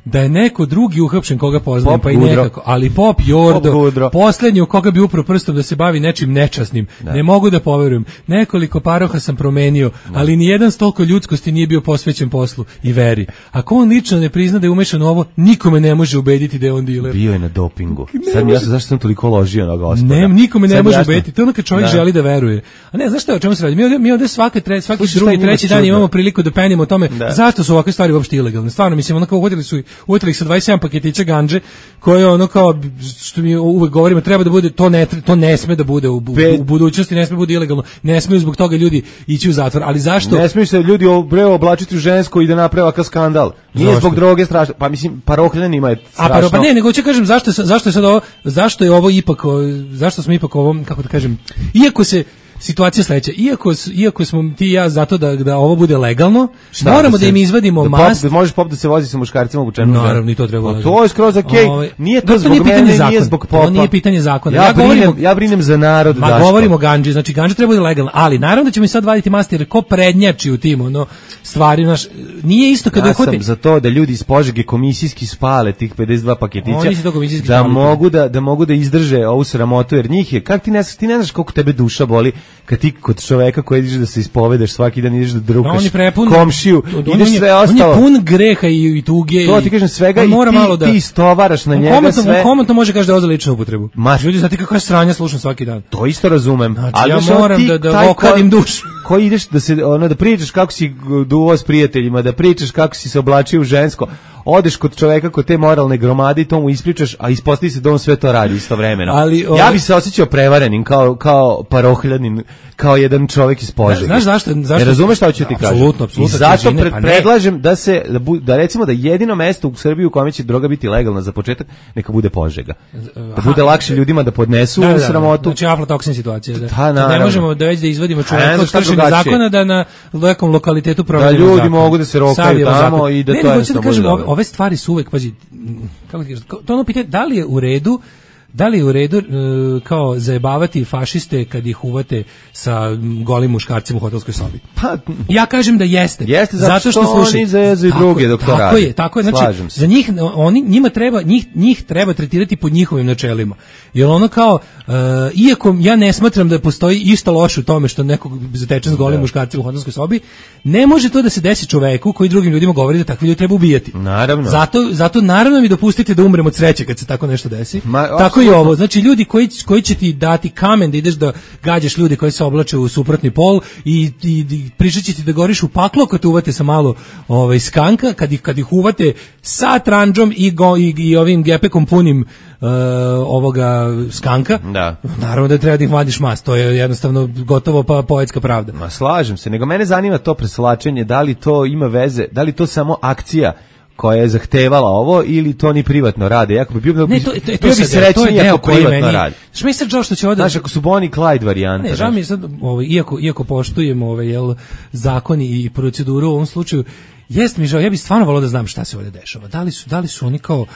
da je neko drugi uhapšen koga poznajem, Pop pa i Gudro. nekako, ali Pop Jordo, Pop Gudro. poslednji u koga bi upro prstom da se bavi nečim nečasnim. Da. Ne mogu da poverujem. Nekoliko paroha sam promenio, ali ni jedan stolko ljudskosti nije bio posvećen poslu i veri. Ako on lično ne prizna da je umešan u ovo, nikome ne može ubediti da je on diler. Bio je na dopingu. Sad mi jasno zašto sam toliko ložio na gospoda. Ne, nikome ne Sad može jasno. ubediti. To je ono kad čovjek Da. želi da veruje. A ne, znaš šta je, o čemu se radi? Mi ovde, mi ovde svake tre, svaki Slušaj, šta je drugi, njima treći dan čudno? imamo priliku da penimo o tome Da. zašto su ovakve stvari uopšte ilegalne. Stvarno, mislim, ono kao uhvatili su, uhvatili ih sa dvadeset sedam paketića gandže, koje ono kao, što mi uvek govorimo, treba da bude, to ne, to ne sme da bude u, u, u budućnosti, ne sme da bude ilegalno. Ne smeju zbog toga ljudi ići u zatvor. Ali zašto? Ne smiješ se ljudi bre oblačiti u žensko i da naprave ovakav skandal. Nije Zašto? zbog droge strašno. Pa mislim, parohljanima je strašno. A pa, pa ne, nego ću kažem zašto, je sa- zašto je sad ovo, zašto je ovo ipak, o, zašto smo ipak ovo, kako da kažem, iako se situacija sledeća, iako, s- iako smo ti i ja zato da, da ovo bude legalno, Šta, moramo da, se- im izvadimo da mast. Pop, da možeš pop da se vozi sa muškarcima obučenom. Naravno, i to treba Pa uraditi. to je skroz okej. Ovaj, Nije to da, to zbog nije pitanje mene, zakona. nije zbog To popa. nije pitanje zakona. Ja, Ja brinem, govorim- ja brinem za narod, Ma Daško. govorimo o ganđi, znači ganđa treba bude legalna, ali naravno da ćemo i sad vaditi mast jer ko prednjači u tim ono stvari, naš nije isto kada Ja uhvate. sam za to da ljudi iz Požege komisijski spale tih pedeset dva paketića. Oni su to komisijski da spali. mogu da da mogu da izdrže ovu sramotu jer njih je kako ti ne ti ne znaš koliko tebe duša boli kad ti kod čoveka koji ideš da se ispovedaš svaki dan ideš da drukaš On je prepun komšiju, on ideš je- sve On ostalo. je pun greha i, i tuge. To i- ti kažem svega on i mora ti, malo da ti istovaraš na On njega komotno, sve. on komotno može kaže da je za ličnu upotrebu. Ma- Ljudi, znate kako je sranja slušam svaki dan. To isto razumem. Znači, ja znaš, ono, moram ti da- da taj ko- okadim dušu. Ko ideš da se ono da pričaš kako si duvo s prijateljima, da pričaš kako si se oblačio u žensko, odeš kod čoveka kod te moralne gromade i to mu ispričaš, a ispostavi se da on sve to radi istovremeno. Ali, ja ovaj- bi se osjećao prevarenim kao kao parohljanin, kao jedan čovjek iz Požege. Znaš zašto- zašto- Ne razumeš šta hoću ti kažem? Apsolutno, apsolutno, I zato težine, pred, pa ne. predlažem da se da, bu, da recimo da jedino mesto u Srbiji u kome će droga biti legalna za početak neka bude Požega. Da bude lakše ljudima da podnesu Da, da, da. sramotu. Znači aflatoksin situacija. Da. Pa, Da ne naravno. možemo da već da izvadimo A ne čoveka znam od šta kršenja drugačije. zakona da na nekom lokalitetu provedemo ljudi zakon. mogu da se rokaju Savijemo tamo zakon. i da ne, to nego hoću jednostavno da kažem, bude ove, dobro. ove stvari su uvek, pazi, m, kako ti kažem, to je ono pitanje, da li je u redu da li je u redu e, kao zajebavati fašiste kad ih uvate sa m, golim muškarcima u hotelskoj sobi? Pa, Ja kažem da jeste. Jeste, zato što slušaj, oni zezaju tako druge je, dok to tako rade. je, tako je, znači Slažem se. za njih oni njima treba njih njih treba tretirati po njihovim načelima. Jer ono kao e, iako ja ne smatram da postoji išta loše u tome što nekog zateče s golim muškarcima u hotelskoj sobi, ne može to da se desi čoveku koji drugim ljudima govori da takvi ljudi treba ubijati. Naravno. Zato zato naravno mi dopustite da umrem od sreće kad se tako nešto desi. Ma, tako i apsolutno. ovo. Znači ljudi koji koji će ti dati kamen da ideš da gađaš ljude koji se oblače u suprotni pol i, i, i pričat će ti da goriš u paklo kad te uvate sa malo ovaj, skanka, kad ih, kad ih uvate sa tranđom i, go, i, i ovim gepekom punim uh, ovoga skanka, Da. naravno da treba da ih vadiš mas, to je jednostavno gotovo pa poetska pravda. Ma slažem se, nego mene zanima to preslačenje, da li to ima veze, da li to samo akcija koja je zahtevala ovo ili to ni privatno rade. Jako bi bio, Ne, to, to, to, bio bi sad, to je srećniji deo ako koji privatno meni... radi. Što mi je sad žao što će ovdje... Znaš, ako su Bonnie Clyde varijante. Ne, žao mi je sad, ovaj, iako, iako poštujemo ovaj, jel, zakon i proceduru u ovom slučaju, jest mi žao, ja bih stvarno volao da znam šta se ovdje dešava. Da li su, da li su oni kao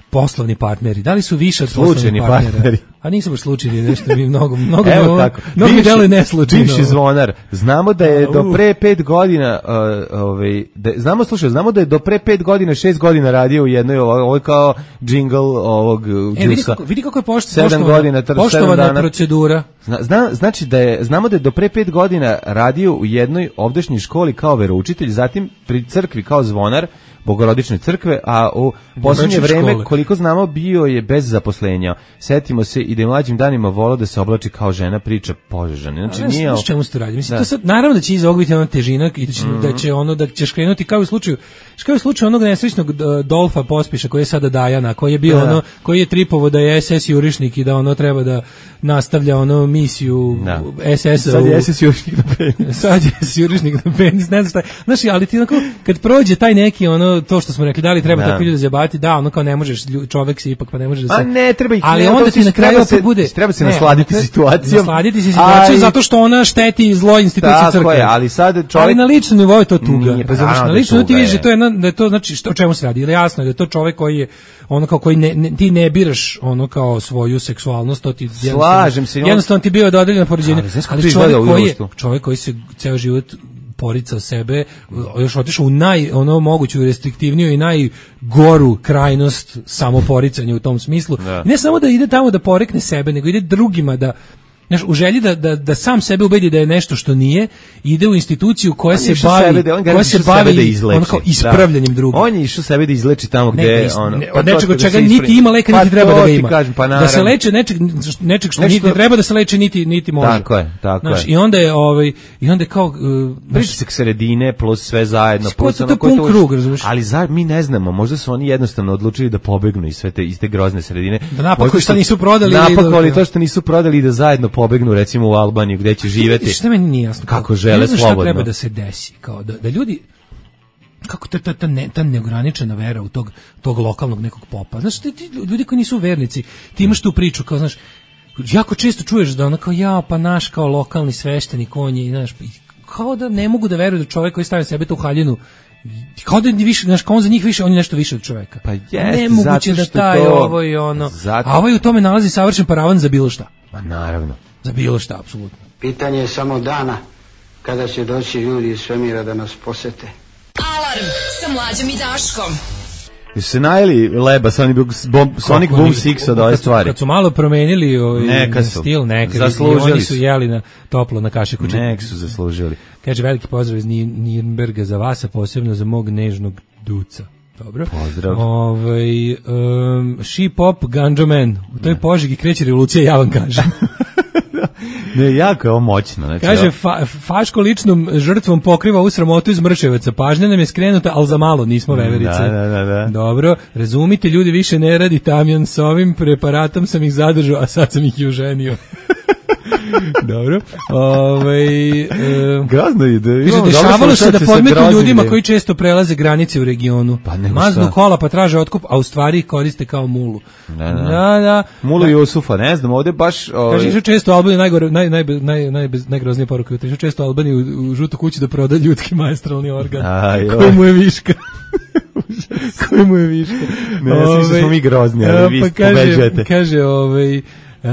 poslovni partneri, da li su više od Slučajni poslovnih partnera? partneri. A nisu baš slučajni, nešto mi mnogo, mnogo, Evo mnogo, tako. mnogo mi Bivši- deluje neslučajno. Bivši zvonar. Znamo da je do Au. pre pet godina, uh, ovaj, da, znamo, slušaj, znamo da je do pre pet godina, šest godina radio u jednoj, ovo, ovo je kao džingl ovog uh, E, vidi džusa. kako, vidi kako je pošt, Sedam poštovana, godina, tr- poštovana sedam dana. procedura. Zna, zna, znači da je, znamo da je do pre pet godina radio u jednoj ovdašnjoj školi kao veroučitelj, zatim pri crkvi kao zvonar, Bogorodične crkve, a u posljednje Bogorodične vreme, škole. koliko znamo, bio je bez zaposlenja. Setimo se i da je mlađim danima volao da se oblači kao žena, priča Požežane. Znači, Znaš, nije... znaš čemu se to radi? Mislim, Da. to sad, naravno da će iza ovog biti ona težina i da će, da će ono, da ćeš krenuti kao u slučaju, kao u slučaju onog nesrećnog uh, Dolfa Pospiša koji je sada Dajana, koji je bio Da. ono, koji je tripovo da je es es jurišnik i da ono treba da nastavlja ono misiju Da. es es-a. Sad u- je S S jurišnik na penis. sad je jurišnik na penis, ne znam šta je. Znaš, ali ti onako, kad prođe taj neki, ono, to što smo rekli, da li treba Da. takvi ljudi zabaviti, da, ono kao ne možeš, lju- čovek si ipak, pa ne može da se... A ne, treba ih- ali ne, onda to ti si- na kraju treba opet se- bude... treba se ne, nasladiti onda- situacijom. Nasladiti se situacijom Ali- zato što ona šteti zlo institucije Tako crkve. je, ali sad čovjek- Ali na ličnom nivou je to tuga. Nije, pa razumeš, naravno na da je ličnom ti tuga, vidiš da je. to je, na- da je to, znači, što, o čemu se radi? Ili jasno je da je to čovek koji je, ono kao koji ne, ne, ti ne biraš ono kao svoju seksualnost, to ti jednostavno- Slažem se, on- jednostavno ti bio dodeljeno poređenje, Ali znaš kako ali to čovjek izgleda u koji je, društvu? čovjek koji se ceo život poricao sebe, još otišao u naj, ono moguću restriktivniju i najgoru krajnost samoporicanja u tom smislu. Da. Ne samo da ide tamo da porekne sebe, nego ide drugima da, znaš, u želji da, da, da sam sebe ubedi da je nešto što nije, ide u instituciju koja on se bavi, da, koja se bavi da ono kao ispravljanjem drugih. On je išao sebe da izleči tamo gde ne, ono, ne, od nečeg od čega niti ima leka, niti pa treba da ga ima. Kažem, pa da se leče nečeg, nečeg što niti treba da se leči, niti niti može. Tako je, tako znaš, je. I onda je ovaj i onda je kao uh, pritisak sredine plus sve zajedno plus ono koji to krug, razumeš? Ali za, mi ne znamo, možda su oni jednostavno odlučili da pobegnu iz sve te iz te grozne sredine. Da napakuju što nisu prodali, napakovali to što nisu prodali i da zajedno pobegnu recimo u Albaniju gde će živeti. Šta meni nije jasno? Kako žele slobodno. Šta treba da se desi, kao da, da ljudi kako ta ta ta, ne, ta neograničena vera u tog tog lokalnog nekog popa. Znaš, ti, ti ljudi koji nisu vernici, ti imaš tu priču kao, znaš, jako često čuješ da ona kao ja pa naš kao lokalni sveštenik on je, znaš, kao da ne mogu da veruju da čovjek koji stavlja sebe tu u haljinu kao da više, znaš, kao on za njih više, on je nešto više od čoveka. Pa jest, nemoguće da taj to, ovo i ono, zato... a ovaj u tome nalazi savršen paravan za bilo šta. Pa naravno. Za bilo šta, apsolutno. Pitanje je samo dana kada će doći ljudi iz svemira da nas posete. Alarm sa Mlađom i Daškom. Jesu se najeli leba Sonic Boom, Sonic Boom šest od ove stvari? Kad su malo promenili ovaj neka su, stil, neka zaslužili oni su jeli na toplo na kašiku. Nek su zaslužili. Kaže veliki pozdrav iz Nirnberga za vas, a posebno za mog nežnog Duca. Dobro. Pozdrav. Ovaj um, She Pop Ganja Man. U toj Požegi kreće revolucija, ja vam kažem. Ne, jako je ovo moćno. Znači, kaže, fa, Faško ličnom žrtvom pokriva u sramotu iz Mrševaca. Pažnja nam je skrenuta, ali za malo nismo veverice. Da, da, da, da. Dobro, razumite, ljudi više ne radi tamjan, s ovim preparatom sam ih zadržao, a sad sam ih i uženio. Dobro. Ovaj e, gazno ide. Kaže, dešavalo se da podmetnu ljudima koji često prelaze granice u regionu. Pa maznu kola pa traže otkup, a u stvari ih koriste kao mulu. Da, da. da, da. Mulu Jusufa, ne znam, ovde baš ovaj... Kaže, često Albanija najgore naj naj naj naj najgroznije poruke, kaže često Albanija u, u žutu kuću da proda ljudski maestralni organ. Aj, koji mu je viška. koji mu je viška. Ne, ja sam mislio smo mi grozni, ali vi pa pobeđujete. Kaže, ovaj E,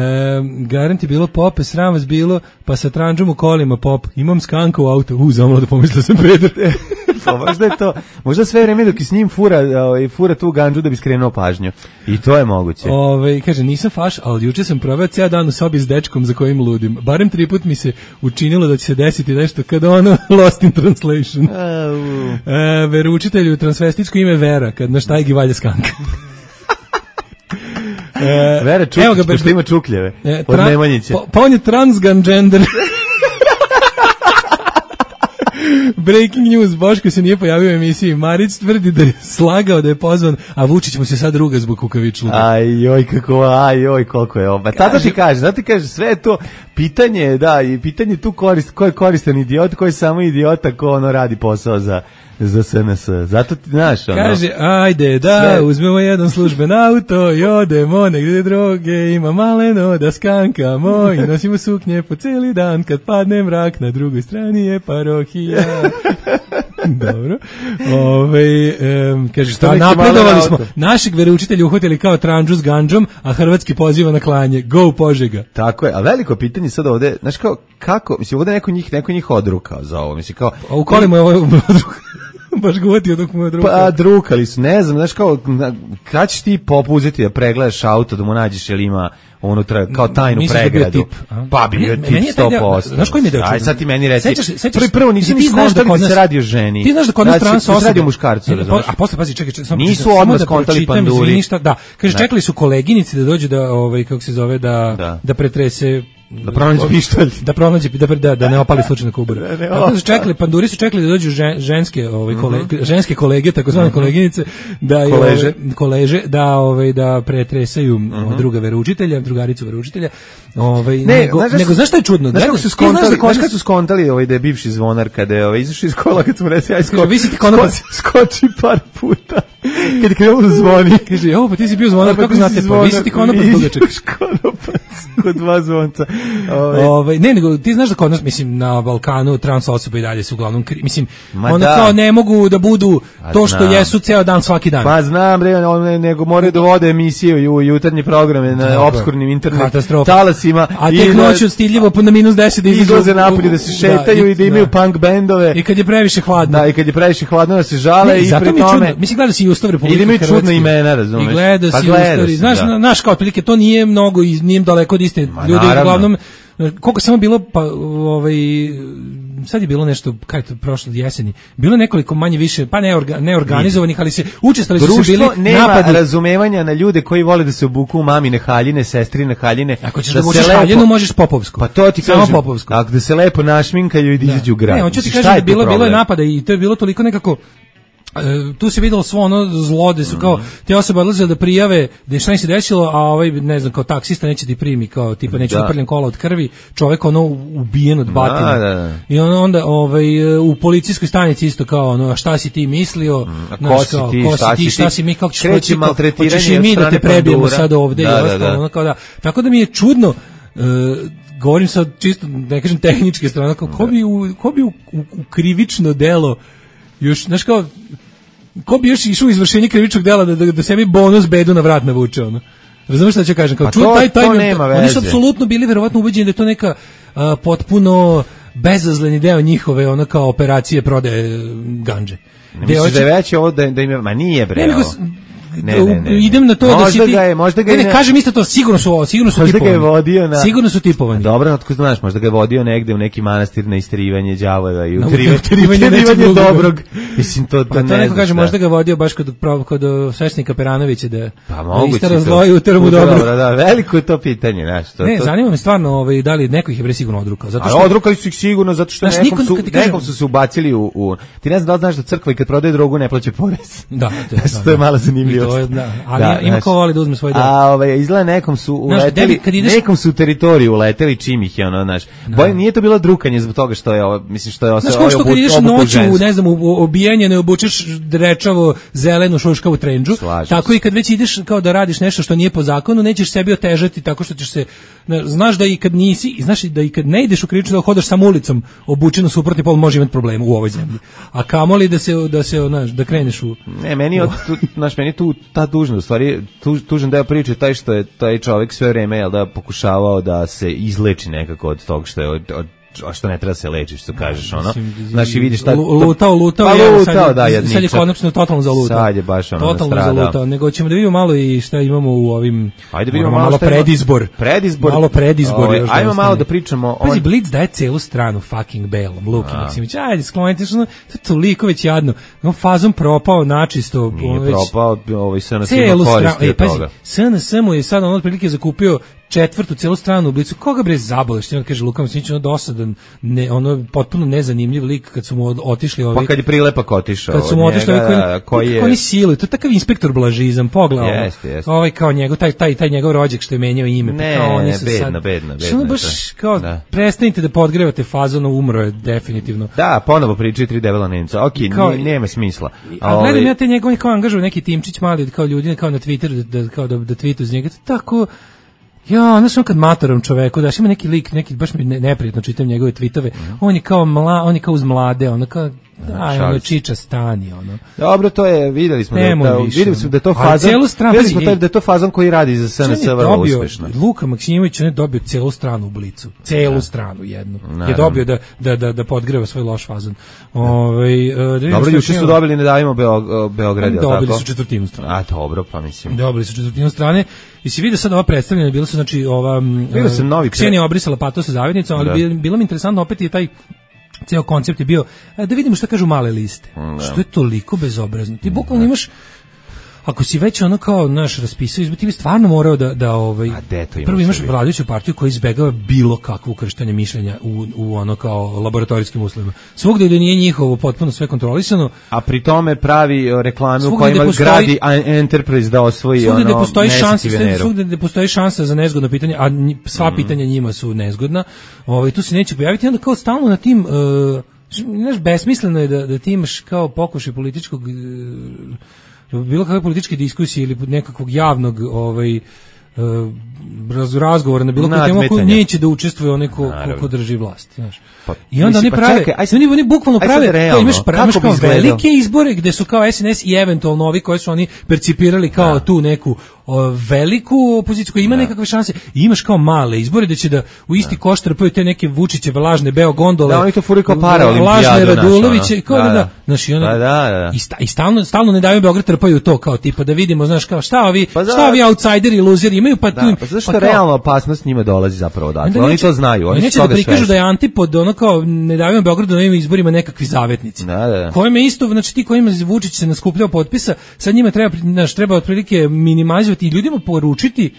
garant je bilo pope, sram vas bilo, pa sa tranđom u kolima pop, imam skanka u auto, u, zamalo da pomislio sam Pedro. Pa možda je to, možda sve vreme dok je s njim fura, ovaj, fura tu ganđu da bi skrenuo pažnju. I to je moguće. Ove, kaže, nisam faš, ali juče sam proveo cijel dan u sobi s dečkom za kojim ludim. Barem tri put mi se učinilo da će se desiti nešto kada ono Lost in Translation. E, veroučitelju transvestičko ime Vera, kad na štajgi valja skanka. E, Vera Čukić, pošto ima čukljeve e, od Nemanjića. Pa, pa on je transgender. Breaking news, Boško se nije pojavio u emisiji. Marić tvrdi da je slagao da je pozvan, a Vučić mu se sad ruga zbog kukavičluka. Aj joj kako, aj joj koliko je ovo. Tata ti kaže, zato ti kaže, sve je to pitanje, da, i pitanje tu korist, ko je koristan idiot, ko je samo idiota, ko ono radi posao za za S N S. Zato ti znaš, ono. Kaže, ajde da sve... uzmemo jedan služben auto i odemo negdje droge, ima maleno da skankamo i nosimo suknje po cijeli dan, kad padne mrak, na drugoj strani je parohija. Dobro. Ove, um, kaže, šta napredovali smo. Našeg veroučitelja uhvatili kao tranđu s ganđom, a hrvatski poziva na klanje. Go Požega. Tako je, a veliko pitanje sad ovde, znaš kao, kako, mislim, ovde neko njih, neko njih odrukao za ovo, mislim, kao... A u kolima je ovo odrukao. Baš govatio dok mu je drukao. Pa drukali su, ne znam, znaš kao, kad ćeš ti pop uzeti da pregledaš auto, da mu nađeš ili ima unutra kao tajnu Misliš pregradu. Da tip, pa bi bio tip sto posto. Znaš koji mi je deo? Aj sad ti meni reci. Sećaš, sećaš, prvo, prvo nisi ni skontali da se radi o ženi. Ti znaš da kod nas trans osobe. Se radi o muškarcu, a posle pazi, čekaj, čekaj, samo nisu odmah skontali panduri. Ništa, da. Kaže, čekali su koleginici da dođu da, ovaj, kako se zove, da, da. da pretrese da pronađe pištolj, da pronađe da da, da ne opali slučajno kubura. Tako su čekali, panduri su čekali da dođu žen, ženske, ovaj kolege, mm-hmm. ženske kolege, takozvane mm-hmm. koleginice, da je koleže, ove, koleže da ovaj da pretresaju mm-hmm. druga veroučitelja, drugaricu veroučitelja. Ovaj ne, nego, znaš, nego znaš šta je čudno? Znaš kako su skontali, znaš kad su skontali ovaj da je bivši zvonar kada je ovaj izašao iz kola kad smo rekli aj skoči. Vi si ti konopac skoči par puta. Kad je krenuo da zvoni. Kaže, evo, pa ti si bio zvonar, kako znate, pa vi si ti konopac dugačak. Konopac, kod dva zvonca. Ove. Ove, ne, nego, ti znaš da kod nas, mislim, na Balkanu trans osobe i dalje su uglavnom, kri, mislim, ono da. Kao ne mogu da budu to što jesu ceo dan, svaki dan. Pa znam, bre, on, nego moraju da vode emisije u jutarnje programe na Dobro. Obskurnim internet talasima. A tek noću stidljivo na minus deset izlaze napolje da se šetaju da, i, i da imaju da. Punk bendove. I kad je previše hladno. Da, i kad je previše hladno da se žale ne, i pri tome. Mislim, gleda si i Ustav Republike Hrvatske. I da imaju čudna imena, razumeš? I gleda pa si Ustav. Znaš, da. Naš kao otprilike, to nije mnogo, nije daleko od istine. Ljudi uglavnom, koliko samo bilo, pa ovaj, sad je bilo nešto, kaj to prošlo jeseni, bilo nekoliko manje više, pa neorga, neorganizovanih, ali se učestvali su se bili nema napadi. Razumevanja na ljude koji vole da se obuku u mamine haljine, sestrine haljine. Ako ćeš da, da obučeš haljinu, možeš popovsku. Pa to ti kažem, popovsku. Ako da se lepo našminkaju i da izađu u grad. Ne, on će ti kažem da bilo, bilo je napada i to je bilo toliko nekako, Uh, tu se videlo svo ono zlo da su kao te osobe odlazile da prijave da je šta im se desilo, a ovaj ne znam kao taksista neće ti primi kao tipa neće da. Uprljen kola od krvi, čovjek ono ubijen od batine. Da, da, da. I on onda ovaj u policijskoj stanici isto kao ono a šta si ti mislio, mm, ko si ti, ko šta, si ti, šta si mi kako ćeš kreći maltretiranje, hoćeš i mi da te prebijemo sad ovde da, i ostalo da, da. Ono kao da. Tako da mi je čudno uh, govorim sad čisto ne kažem tehničke strane kao ko bi u, ko bi u, u, u krivično delo još znaš kao ko bi još išao u izvršenje krivičnog dela da, da, da sebi bonus bedu na vrat navuče ono. Razumeš šta ću kažem? Kao, pa to, taj, taj, to nema veze. Oni su apsolutno bili verovatno ubeđeni da je to neka uh, potpuno bezazleni deo njihove ono kao operacije prodaje gandže. Ne misliš da je već ovo da, da im ma nije bre. Ne, Ne, ne, ne. Idem na to možda da si ti. Ga je, možda ga je, ne, ne, kažem isto to, sigurno su, sigurno su možda tipovani. Ga je vodio na, sigurno su tipovani. Dobro, otko znaš, možda ga je vodio negde u neki manastir na isterivanje đavola i utrivanje, utrivanje, utrivanje dobrog. Mislim, to, to pa ne to neko kaže, možda ga vodio baš kod, kod sveštenika Peranovića da, pa, da istara zlo i utera mu dobro. Dobro, da, veliko je to pitanje. Znaš, to, ne, to... zanima me stvarno ovaj, da li neko ih je bre sigurno odrukao. Zato što... A odrukali su ih sigurno, zato što znaš, nekom, niko, su, kažem... nekom su se ubacili u, u... Ti ne znam da li znaš da crkva i kad prodaje drogu ne plaća porez. Da, to je malo zanimljivo. Da, ima ko voli da uzme svoj deo. A ovaj izgleda nekom su uleteli, ideš... nekom su teritoriju uleteli čim ih je ono, znaš. Boj nije to bilo drukanje zbog toga što je ovo, mislim što je ovo. Znaš, što kad ideš noću, ne znam, u obijanje ne obučeš drečavo zelenu šuškavu trendžu, tako i kad već ideš kao da radiš nešto što nije po zakonu, nećeš sebi otežati tako što ćeš se, znaš da i kad nisi, znaš da i kad ne ideš u krivično da hodaš sam ulicom obučen u suprotni pol može imati problema u ovoj zemlji. A kamoli da se da se znaš, da kreneš u ne, meni od znaš, meni tu ta dužnost, stvari tu, tužan deo priče taj što je taj čovjek sve vreme jel da pokušavao da se izleči nekako od tog što je od, od a što ne treba se lečiš, što kažeš ono. Znači vidiš šta lutao, lutao, pa, je, lutao sad, da, je, sad je konačno totalno zalutao. Sad je baš ono totalno zalutao, nego ćemo da vidimo malo i šta imamo u ovim. Ajde vidimo malo, malo predizbor. Predizbor. Malo predizbor. Ovaj, ajmo malo da pričamo o. Pazi, Blitz daje celu stranu fucking belom, Luki Maksimović. Ajde, sklonite što to toliko već jadno. On fazom propao načisto, nije već propao, ovaj S N S ima koristi od toga. S N S mu je sad on otprilike zakupio četvrtu celu stranu u Blicu. Koga bre zaboleš? Ti on kaže Luka Maksimović, ono dosadan, ne, ono potpuno nezanimljiv lik kad su mu otišli ovi. Pa kad je Prilepak otišao. Kad su mu otišli ovi koji, koji je oni siluju. To je takav inspektor blažizam, pogledaj. Jeste, jeste. Ovaj kao njegov taj taj taj njegov rođak što je menjao ime, ne, pa kao oni ne, su bedno, sad. bedno, bedno. Što baš kao da. Prestanite da podgrevate fazon, umro je definitivno. Da, ponovo pričaju tri debela Nemca. Okej, okay, nema smisla. A gledam ja te njegove kao angažuju neki timčić mali kao ljudi kao na Twitteru da kao da da tweetu iz njega tako. Ja, znaš, on kad matorom čoveku, daš, ima neki lik, neki, baš mi ne, neprijatno čitam njegove tweetove, mm. on je kao mla, on je kao uz mlade, ono kao, daj, ono, čiča stani, ono. Dobro, to je, videli smo, da, da, videli smo da je to fazan, videli smo da je to fazan koji radi za S N S vrlo uspešno. Luka Maksimović, on je dobio celu stranu u Blicu, celu da. stranu jednu, naravno. Je dobio da, da, da, da podgreva svoj loš fazan. Ove, da dobro, juče su dobili, ne davimo Beograd, je li tako? Dobili su četvrtinu strane. A, dobro, pa mislim. Dobili su četvrtinu strane. I si vidio sad ova predstavljena, bilo su znači ova uh, Ksenija obrisala pato sa zajednicom, ali bilo, bilo mi interesantno opet je taj ceo koncept je bio da vidimo šta kažu male liste. Da. Što je toliko bezobrazno. Ti bukvalno imaš ako si već ono kao naš raspisao izbor, ti bi stvarno morao da da ovaj prvo imaš vladajuću partiju koja izbegava bilo kakvo ukrštanje mišljenja u u ono kao laboratorijskim uslovima. Svugde gde nije njihovo potpuno sve kontrolisano, a pri tome pravi reklame u kojima gradi Enterprise da osvoji ono. Svugde gde postoji šansa, svugde gde postoji šansa za nezgodno pitanje, a sva mm. pitanja njima su nezgodna. Ovaj tu se neće pojaviti, onda kao stalno na tim uh, znaš, besmisleno je da da ti imaš kao pokušaj političkog uh, bilo kakve političke diskusije ili nekakvog javnog ovaj raz, razgovora na bilo koju temu koju neće da učestvuje onaj ko, ko, ko drži vlast, znaš. Pa, I onda oni prave, čekaj, aj, oni, oni bukvalno prave, realno, to imaš, pra, imaš kao velike izbore gde su kao S N S i eventualno ovi koji su oni percipirali kao da. tu neku o, veliku opoziciju koja ima da. nekakve šanse i imaš kao male izbore gde će da u isti da. koš trpaju te neke Vučićeve lažne beo gondole. Da, oni to furaju kao para olimpijadu. Lažne Raduloviće, kao da, da, da, znaš, i, ono, da, da, da. i, sta, i stalno, stalno ne daju Beograd trpaju to kao tipa da vidimo, znaš, kao šta ovi, pa šta ovi outsideri i luzeri imaju, pa tu... Pa zašto realna opasnost njima dolazi zapravo odatle? Oni to znaju, oni neće da prikažu da je antipod ono kao ne daju Beogradu na ovim izborima nekakvi zavetnici. Da, da. Kojima isto, znači ti kojima Vučić se naskupljao potpisa, sad njima treba, znaš, treba otprilike minimalizovati i ljudima poručiti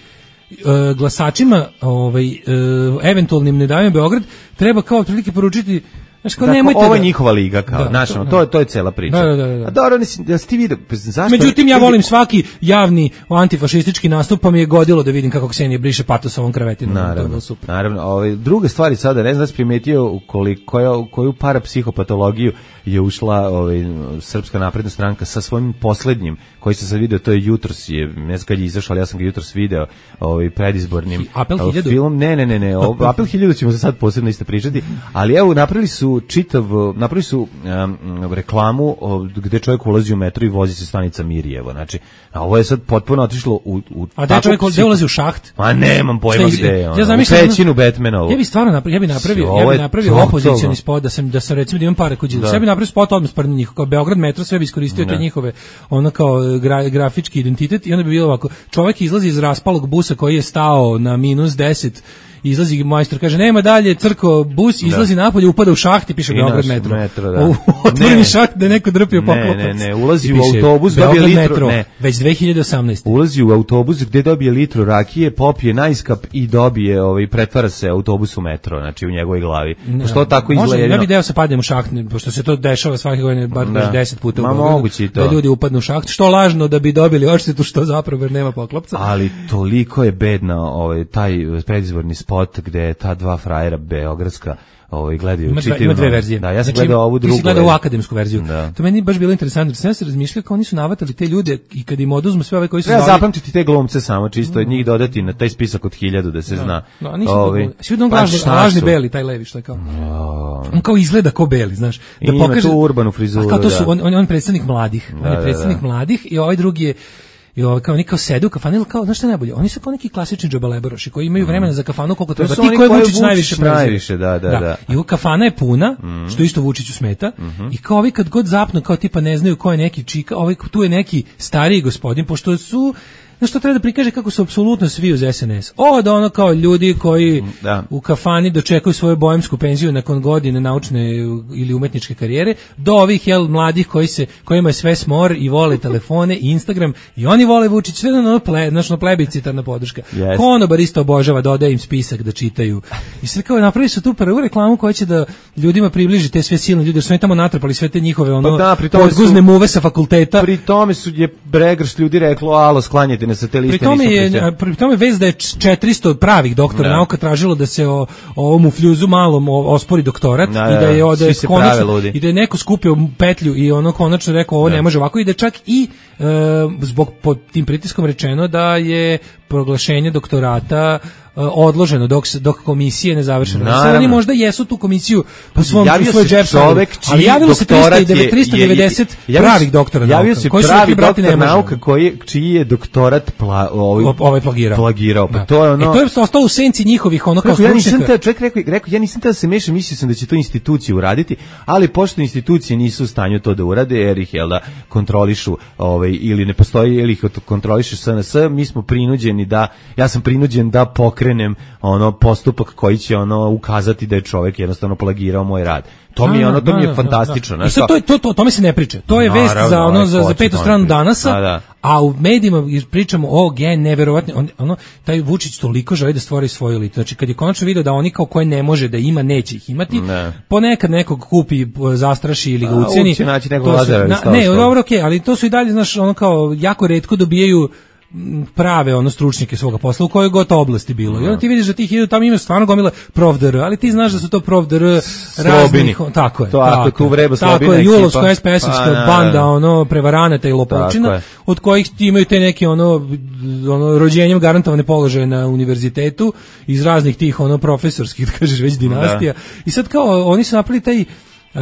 uh, glasačima, ovaj uh, eventualnim ne daju Beograd, treba kao otprilike poručiti. Znači, kao, dakle, ovo je da, njihova liga, kao, da, znaš, to, to, to je cela priča. Da, da, da. A dobro, da si ti vidio, zašto... Međutim, ja volim svaki javni antifašistički nastup, pa mi je godilo da vidim kako Ksenija briše patos ovom krevetinom. Naravno, naravno. Ovaj, druga stvari sada, ne znam da si primetio koliko, koju, koju parapsihopatologiju je ušla ovaj, Srpska napredna stranka sa svojim poslednjim, koji se sad video, to je jutros, je, ne znam kad je izašao, ali ja sam ga jutros video, ovaj, predizbornim Apel hiljadu? Film. Ne, ne, ne, ne, ovaj, Apel hiljadu ćemo za sad posebno isto pričati, ali evo, napravili su čitav, napravili su um, reklamu o, gde čovjek ulazi u metro i vozi se stanica Mirjevo, znači, a ovo je sad potpuno otišlo u... u a da čovjek gde ulazi u šaht? Ma nemam pojma gde je, ono, ja u pećinu Batmanovu. Ja bih stvarno napravio, ja bih napravio, ja bih napravio opozicioni spot, da sam, da sam recimo da imam pare kod Đilasa, ja bih napravio spot odmah spred njih, kao Beograd metro, sve bi iskoristio te njihove, ono kao gra, grafički identitet i onda bi bilo ovako, čovjek izlazi iz raspalog busa koji je stao na minus deset, izlazi majstor, kaže nema dalje, crko bus, izlazi da. napolje, upada u šaht i piše I Beograd metro. metro da. Otvoreni šaht da je neko drpio poklopac. Ne, ne, ne, ulazi u autobus, dobije litru, metro, ne. Već dve hiljade osamnaeste. Ulazi u autobus gde dobije litru rakije, popije najskap i dobije, ovaj, pretvara se autobus u metro, znači u njegovoj glavi. Ne, što tako izgleda? Može, ja bih deo se padnem u šaht, pošto se to dešava svake godine, bar da. deset puta Ma, u Beogradu, da ljudi upadnu u šaht, što lažno da bi dobili odštetu, što zapravo jer nema poklopca. Ali toliko je bedna ovaj, taj predizborni spot gde ta dva frajera beogradska ovaj gledaju ima, ima dve verzije. Da, ja sam znači, gledao ovu drugu. Ti si gledao akademsku verziju. Da. To meni baš bilo interesantno. Sam se razmišljao kao oni su navatali te ljude i kad im oduzmu sve ove koji su zvali. Treba zapamtiti te glumce samo čisto od njih dodati na taj spisak od hiljadu da se da. zna. No, oni su ovaj, svi pa, lažni, lažni beli taj levi što je kao. No. On kao izgleda kao beli, znaš. Da I pokaže tu urbanu frizuru. Kao to su on, on, on predstavnik mladih. Da, on je predstavnik da, da. mladih i ovaj drugi je i ovo kao neki kao sede u kafani, kao znaš šta najbolje, oni su kao neki klasični džabalebaroši koji imaju vremena za kafanu koliko treba. Ti koji Vučić najviše najviše, da, da, da, da. I u kafana je puna, mm. što isto Vučiću smeta. Mm-hmm. I kao ovi kad god zapnu, kao tipa ne znaju ko je neki čika, ovaj tu je neki stariji gospodin, pošto su znaš što treba da prikaže kako su apsolutno svi uz S N S. Od ono kao ljudi koji da. u kafani dočekuju svoju bojemsku penziju nakon godine naučne ili umetničke karijere, do ovih jel mladih koji se kojima je sve smor i vole telefone i Instagram i oni vole Vučić, sve ono ple, znači plebiscitarna podrška. Yes. Konobar isto obožava, dodaje im spisak da čitaju. I sve kao napravili su tu prvu reklamu koja će da ljudima približi te sve silne ljude, jer su oni tamo natrpali sve te njihove ono pa da, podguzne muve sa fakulteta. Pri tome su je bregrš ljudi reklo, alo, sklanjajte na sateliste. Pri tome je pri tome vez da je četiristo pravih doktora da. nauka tražilo da se o, o ovom ufljuzu malom ospori doktorat da, i da je da je konačno i da je neko skupio petlju i ono konačno rekao ovo da. ne može ovako i da čak i e, zbog pod tim pritiskom rečeno da je proglašenje doktorata odloženo dok dok komisije ne završe. Sad oni možda jesu tu komisiju po svom javio svoj džep, ali javilo se trista devedeset pravih doktora nauka. Javio se koji pravi doktor nauka koji čiji je doktorat pla, ovaj, ovaj plagirao. plagirao. Pa da. to je ono. E to je ostalo u senci njihovih ono kao ja nisam te čovjek rekao, rekao ja nisam te da se mešam, mislio sam da će to institucije uraditi, ali pošto institucije nisu u stanju to da urade jer ih jel da kontrolišu ovaj ili ne postoji ili ih kontroliše S N S, mi smo prinuđeni da ja sam prinuđen da pokrenem krenem ono postupak koji će ono ukazati da je čovjek jednostavno plagirao moj rad. To mi je ono, to mi je fantastično. I sad to je to to tome se ne priča. To je vest za ono za za petu stranu Danasa. Da, da. A u medijima pričamo o gen neverovatno on, ono taj Vučić toliko želi da stvori svoju elitu. Znači kad je konačno video da oni kao koje ne može da ima, neće ih imati. Ne. Ponekad nekog kupi, zastraši ili ga uceni. Znači nekog Lazara. Ne, dobro, okej, okay, ali to su i dalje znaš ono kao jako retko dobijaju prave ono stručnjake svoga posla u kojoj god oblasti bilo. I onda ti vidiš da tih idu, tamo ima stvarno gomila ProfDR, ali ti znaš da su to ProfDR raznih, tako je. To ako tu vreba Slobina tako je, ekipa. Julovska S P S-ovska pa, banda, ono, prevaranata i lopovčina, od kojih imaju te neke, ono, ono, rođenjem garantovane položaje na univerzitetu, iz raznih tih, ono, profesorskih, da kažeš, već dinastija. Da. I sad kao, oni su napravili taj Uh,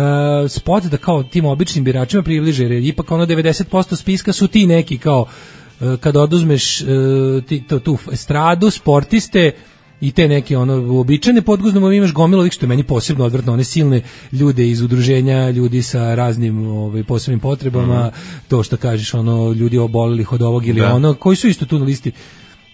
spot da kao tim običnim biračima približe, jer ipak ono devedeset posto spiska su ti neki kao uh, kad oduzmeš uh, ti, to, tu estradu, sportiste i te neke ono uobičajene podguznom, imaš gomilu ovih što je meni posebno odvrtno, one silne ljude iz udruženja, ljudi sa raznim ovaj, posebnim potrebama, mm. to što kažeš, ono, ljudi obolelih od ovog ili da. ono, koji su isto tu na listi.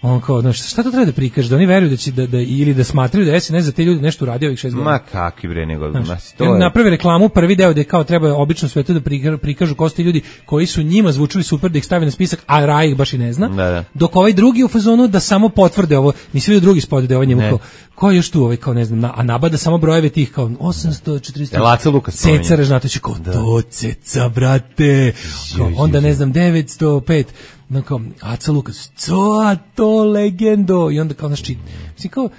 On kao, znaš, šta to treba da prikaže, da oni veruju da će da, da ili da smatraju da S N S za te ljudi nešto uradio ovih šest godina. Ma kakvi bre, nego znaš, to je. Napravi reklamu, prvi deo da je kao treba obično svetu da prikažu ko su ti ljudi koji su njima zvučili super, da ih stavi na spisak, a Raj ih baš i ne zna. Da, da. Dok ovaj drugi u fazonu da samo potvrde ovo, nisi vidio drugi spot da ovaj njemu kao, ko je još tu ovaj kao ne znam, na, a nabada samo brojeve tih kao osamsto četristo. Laca Lukas. Ceca Ražnatović kao da. To Ceca brate. Kao, onda ne znam devetsto pet. No kao, Aca Lukas, co to legendo, i onda kao, znaš, mislim, kao,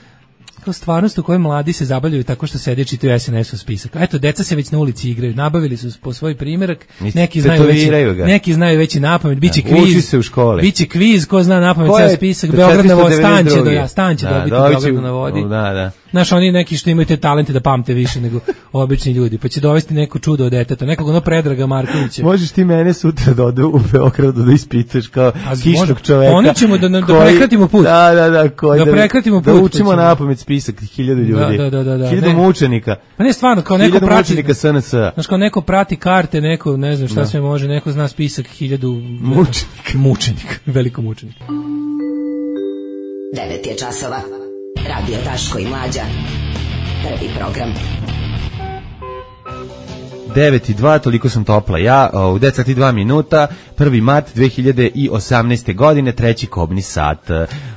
kao stvarnost u kojoj mladi se zabavljaju tako što sede čitaju S N S-ov spisak. Eto, deca se već na ulici igraju, nabavili su po svoj primjerak, neki znaju već, neki znaju već i napamet, biće kviz, uči se u školi. Biće kviz, ko zna napamet ceo spisak, Beograd na vodi, stan će, do, ja, stan će da, dobiti Beograd na vodi. Da, da. Znaš, oni neki što imaju te talente da pamte više nego obični ljudi, pa će dovesti neko čudo od deteta, nekog ono Predraga Markovića. Možeš ti mene sutra da ode u Beogradu da ispitaš kao kišnog čoveka. Oni ćemo da, da koji, prekratimo put. Da, da, da. Koji, da, da prekratimo da put. Da učimo napamet spisak hiljadu ljudi. Da, da, da, da, hiljadu mučenika. Pa ne, stvarno, kao neko prati. Mučenika S N S. Znaš, kao neko prati karte, neko, ne znam šta da. sve može, neko zna spisak hiljadu mučenika. Mučenika, veliko mučenika. devet je časova. Radio Daško i Mlađa. Prvi program. devet i dva, toliko sam topla ja, u devet sati i dva minuta, prvi mart dve hiljade osamnaeste. godine, treći kobni sat.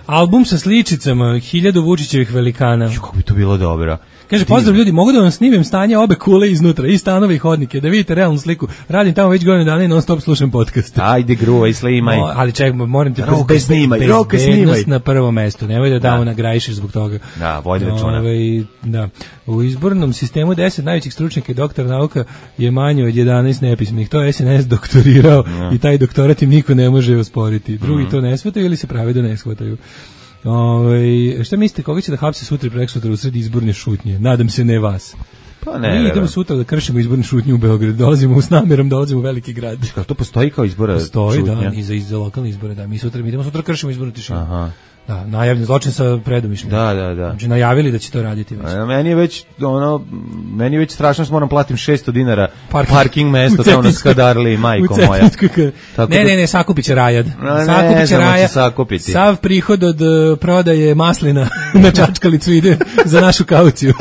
Album sa sličicama, hiljadu Vučićevih velikana. Ju, kako bi to bilo dobro. Kaže, pozdrav ljudi, mogu da vam snimim stanje obe kule iznutra, i stanove i hodnike, da vidite realnu sliku. Radim tamo već godinu dana i non stop slušam podcast. Ajde, gruvaj, snimaj. No, ali čekaj, moram te roka snimaj, roka snimaj. Na prvom mestu, nemoj da tamo nagrajišeš zbog toga. Da, vodi računa. Ove, da. U izbornom sistemu deset najvećih stručnjaka i doktora nauka je manje od jedanaest nepismenih. To je S N S doktorirao no. i taj doktorat im niko ne može osporiti. Drugi mm. to ne shvataju ili se prave da ne shvataju. Ove, šta mislite, koga će da hapse sutra i preksutra u sredi izborne šutnje? Nadam se ne vas. Pa ne. Mi idemo sutra da kršimo izbornu šutnju u Beogradu. Dolazimo s namerom, dolazimo u veliki grad. Kako to postoji kao izbora postoji, šutnja? Postoji, da, i za, i za lokalne izbore, da. Mi sutra mi idemo sutra kršimo izbornu tišinu. Aha. Da, najavljen zločin sa predumišljem. Da, da, da. Znači najavili da će to raditi već. A, meni je već ono meni je već strašno što moram platim šesto dinara parking, parking mesto tamo na Skadarli, majko moja. Tako ne, ne, ne, sakupiće Rajad. Sakupiće Rajad. Sakupiti. Sav prihod od uh, prodaje maslina na Čačkalicu ide za našu kauciju.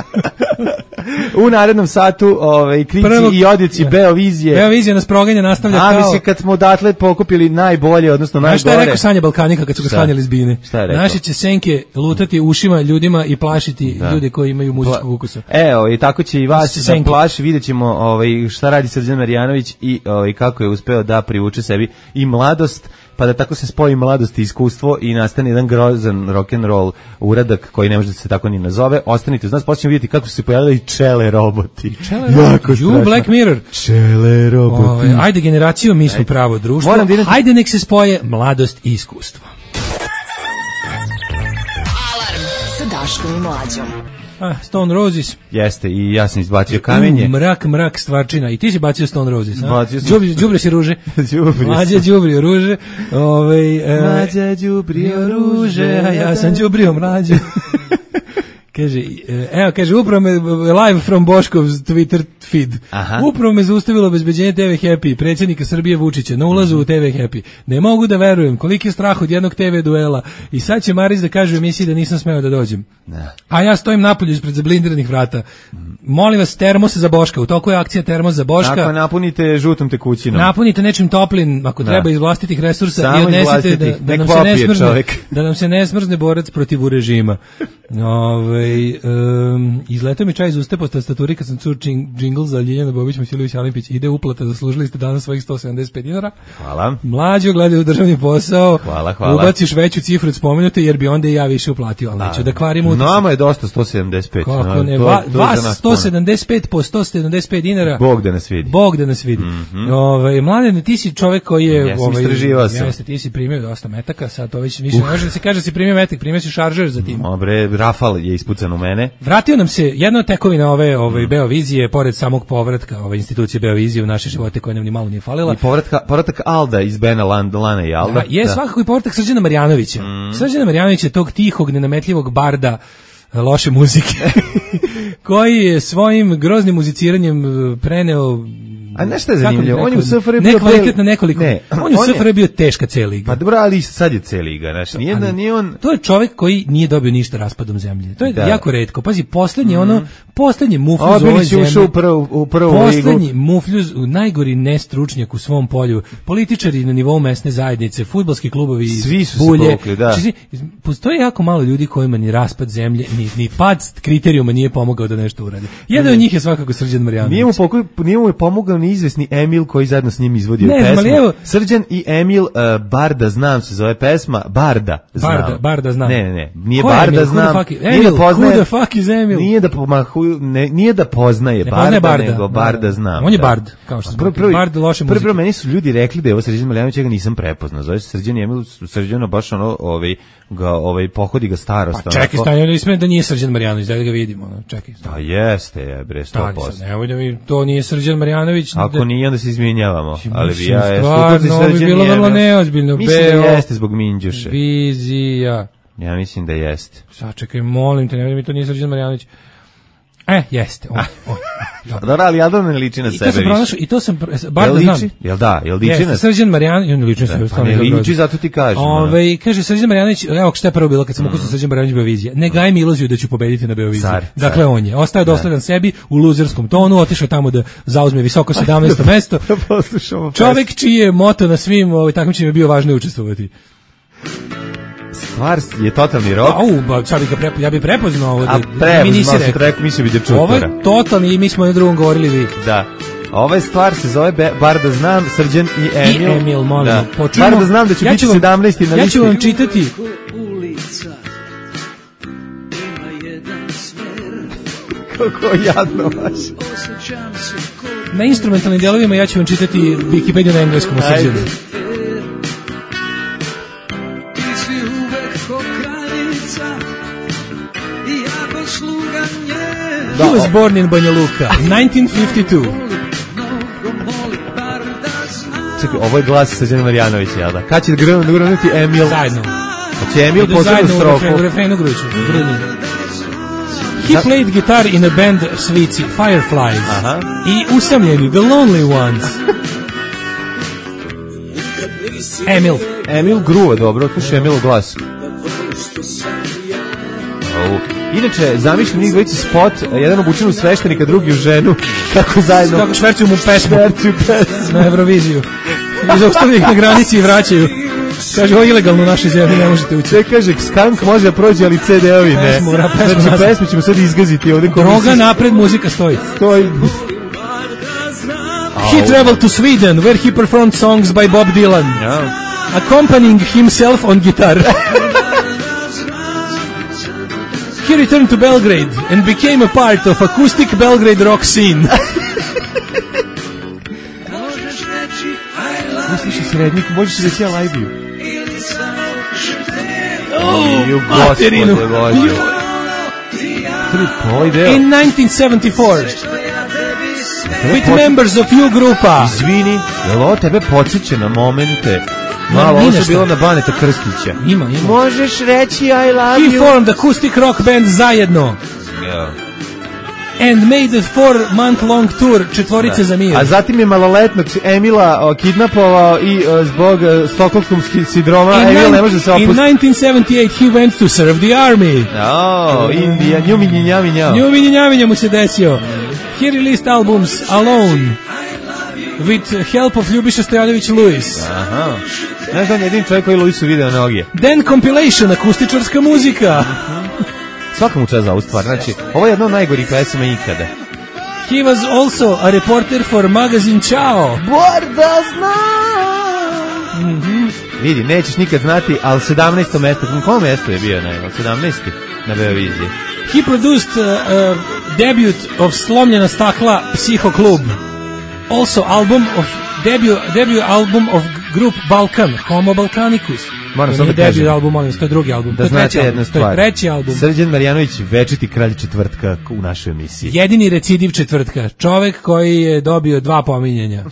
U narednom satu ovaj krici Prvog, i odjeci Beovizije. Beovizija nas proganja, nastavlja kao. A mislim kad smo odatle pokupili najbolje, odnosno najgore. Šta je rekao Sanja Balkanika kad su ga sklanjali s bine? Naši će senke lutati ušima ljudima i plašiti da. ljude koji imaju muzičkog ukusa. Evo, i tako će i vas da plaši, videćemo ovaj šta radi Srđan Marjanović i ovaj kako je uspeo da privuče sebi i mladost, pa da tako se spoji mladost i iskustvo i nastane jedan grozan rock and roll uradak koji ne može da se tako ni nazove. Ostanite uz nas, počnemo vidjeti kako su se pojavili čele roboti. Čele roboti. You Black Mirror. Čele roboti. Ove, ajde generaciju, mi smo ajde. pravo društvo. Da ajde nek se spoje mladost i iskustvo. Alarm sa Daškom i Mlađom. Ah, Stone Roses. Jeste, i ja sam izbacio kamenje. U, mrak, mrak, stvarčina. I ti si bacio Stone Roses, a? Bacio sam. Đubri, đubrio si ruže. Mlađa đubrio ruže. Ovaj e, Mlađa đubrio ruže, a ja sam đubrio mlađu. Kaže, evo, kaže, upravo me, live from Boškov's Twitter feed. Aha. Upravo me zaustavilo obezbeđenje T V Happy, predsjednika Srbije Vučića, na ulazu u T V Happy. Ne mogu da verujem, koliki je strah od jednog T V duela. I sad će Maris da kaže u emisiji da nisam smeo da dođem. Ne. A ja stojim napolju ispred zablindiranih vrata. Molim vas, termos za Boška. U toku je akcija termos za Boška. Tako, napunite žutom tekućinom. Napunite nečim toplim, ako da. treba iz vlastitih resursa. Samo i odnesite da, da, nam se ne smrzne, da nam se ne smrzne borac protiv režima. Ove, Ove, um, izletao mi čaj iz usta po tastaturi kad sam čuo džingl za Ljiljana Bobić, Masilović, Alimpić. Ide uplata, zaslužili ste danas svojih sto sedamdeset pet dinara. Hvala. Mlađo, gledaj u državni posao. Hvala, hvala. Ubaciš veću cifru od spomenute, jer bi onda i ja više uplatio, ali neću da kvarim utisak. Nama je dosta sto sedamdeset pet. Kako ne, to, va, to vas sto sedamdeset pet po sto sedamdeset pet dinara. Bog da nas vidi. Bog da nas vidi. Mm-hmm. Ove, Mladene, ti si čovek koji je... Ja sam ovaj, istraživao sam. Jeste, ti si primio dosta metaka, sad to već više uh. ne može da se kaže da si primio metak, primio si šaržer za tim. Dobre, Rafal je ispucan u mene. Vratio nam se jedna od tekovina ove, ove mm. Beovizije, pored samog povratka ove institucije Beovizije u naše živote koje nam ni malo nije falila. I povratka, povratak Alda iz Bena Land, Lana i Alda. Da, je da. Svakako i povratak Srđana Marjanovića. Mm. Srđana Marjanovića, tog tihog, nenametljivog barda loše muzike, koji je svojim groznim muziciranjem preneo. A nešto je zanimljivo, on je u S F R bio nekvalitetno nekoliko. Ne, on je u S F R bio teška C liga. Pa dobro, ali sad je C liga, znači nije da nije on. To je čovjek koji nije dobio ništa raspadom zemlje. To je da. jako retko. Pazi, poslednji mm. ono, poslednji mufljuz u ovoj zemlji. Ušao u prvu u prvu ligu. Poslednji mufljuz, najgori nestručnjak u svom polju. Političari na nivou mesne zajednice, fudbalski klubovi, svi su bulje. se povukli, da. Či, postoji jako malo ljudi kojima ni raspad zemlje, ni ni pad kriterijuma nije pomogao da nešto uradi. Jedan od njih je svakako Srđan Marjanović. Nije mu pokoj, nije mu pomogao ni izvesni Emil koji zajedno s njim izvodio ne, pesmu. Evo, Srđan i Emil uh, Barda znam se zove pesma Barda znam. Barda, Barda znam. Ne, ne, ne. Nije Ko Barda Emil? znam. Emil, nije da poznaje. Who the fuck is Emil? Nije da pomahu, ne, nije da poznaje, ne Barda, poznaje Barda, nego Barda znam. On je da. Bard, kao što smo. Bard loše muzike. Prvo meni su ljudi rekli da je ovo Srđan Marjanović, ja ga nisam prepoznao. Zove se Srđan i Emil, Srđano baš ono, ovaj ga ovaj pohodi ga starost. Pa čekaj, stanje da isme da nije Srđan Marjanović, da ga vidimo, no, čekaj. Pa jeste, je bre sto posto. Nemoj da mi to nije Srđan Marjanović. Ako da... nije onda se izvinjavamo, ali bi ja je stvarno bi bilo vrlo neozbiljno. Mislim da jeste zbog Minđuše. Vizija. Ja mislim da jeste. Sačekaj, molim te, ne mi to nije Srđan Marjanović. E, jeste. On, on. Dobro, ali Aldan ne liči na I sebe više. I to sam, bar da znam. Jel da, jel liči na... Srđan Marjanović, on liči na sebe. Pa ne liči, zato ti kažem. Ove, kaže, Srđan Marjanović, evo šta je prvo bilo kad sam ukusno Srđan Marjanović Beovizija. Ne gaj mi iluziju da ću pobediti na Beoviziji. Dakle, on je. Ostaje dosledan sebi u luzerskom tonu, otišao tamo da zauzme visoko sedamnaesto mesto. Čovek čiji je moto na svim takmičenjima je bio važno učestvovati. Stvar je totalni rok. Au, ba, sad bih ga prepo, ja bih prepoznao ovo. A da mi nisi rekao, mislio bi da čutura. Ovo je totalni i mi smo na drugom govorili vi. Da. Ova stvar se zove Be, bar da znam, Srđan i Emil. I Emil, molim. Da. Počujemo, bar da znam da će ja biti vam, sedamnaesti na listi. Ja ću vam čitati. Kako jadno vaš. Na instrumentalnim delovima ja ću vam čitati Wikipediju na engleskom o Srđanu. He was born in Banja Luka, nineteen fifty-two. Čekaj, ovo je glas Srđana Marjanovića, jel da? Kad će grunuti Emil? Zajedno. Pa će Emil posebnu strofu? U refrenu gruću. He played guitar in a band Svici, Fireflies. Aha. I usamljeni, The Lonely Ones. Emil. Emil gruva, dobro, slušaj Emil glas. Au. Inače, zamišljam njih dvojici spot, jedan obučen u sveštenika, drugi u ženu, kako zajedno... Kako švercuju mu pesmu. Švercuju pesmu. Na Euroviziju. I zaustavljaju ih na granici i vraćaju. Kaže, ovo je ilegalno u našoj zemlji, ne možete ući. Sve kaže, skank može da prođe, ali ce de ovi ne. Pesmu, vra, pesmu, znači, pesmu ćemo sad izgaziti ovdje. Droga napred, muzika stoji. Stoji. He traveled to Sweden, where he performed songs by Bob Dylan, yeah. accompanying himself on guitar. He returned to Belgrade and became a part of acoustic Belgrade rock scene. Slušaj srednik, možeš reći ja lajbiju. Oh, materinu. In nineteen seventy-four, with members of you grupa. Izvini, je li ovo tebe podsjeća na momente? Malo, ovo su bilo na Baneta Krstića. Ima, ima. Možeš reći I love you. He He formed acoustic rock band zajedno. Yeah. And made a four-month-long tour četvorice da. Za mir. A zatim je maloletnog Emila o, kidnapovao i o, zbog stokholmskog sindroma Emil ne može da se opusti. In nineteen seventy-eight he went to serve the army. Oh, Indija, njuminji njami njao. Njuminji njami mu se desio. He released albums Alone, with help of Ljubiša Stojanović Lewis. Aha. Znaš da on je jedin čovjek koji Lewisu video noge. Then compilation, akustičarska muzika. Svaka mu čast za ovu stvar. Znači, ovo je jedna od najgorih pesama ikada. He was also a reporter for magazine Ciao. Borda zna! Mm-hmm. Vidi, nećeš nikad znati, ali sedamnaesto mesto, na kom mestu je bio, ne, sedamnaesti na Beoviziji. He produced uh, uh, debut of Slomljena stakla Psiho Klub. Also album of debut debut album of group Balkan, Homo Balkanicus. Moram samo da debut kažem. album, molim, to je drugi album. Da znate jednu stvar. To je treći album. Srđan Marjanović, večiti kralj četvrtka u našoj emisiji. Jedini recidiv četvrtka. Čovek koji je dobio dva pominjanja.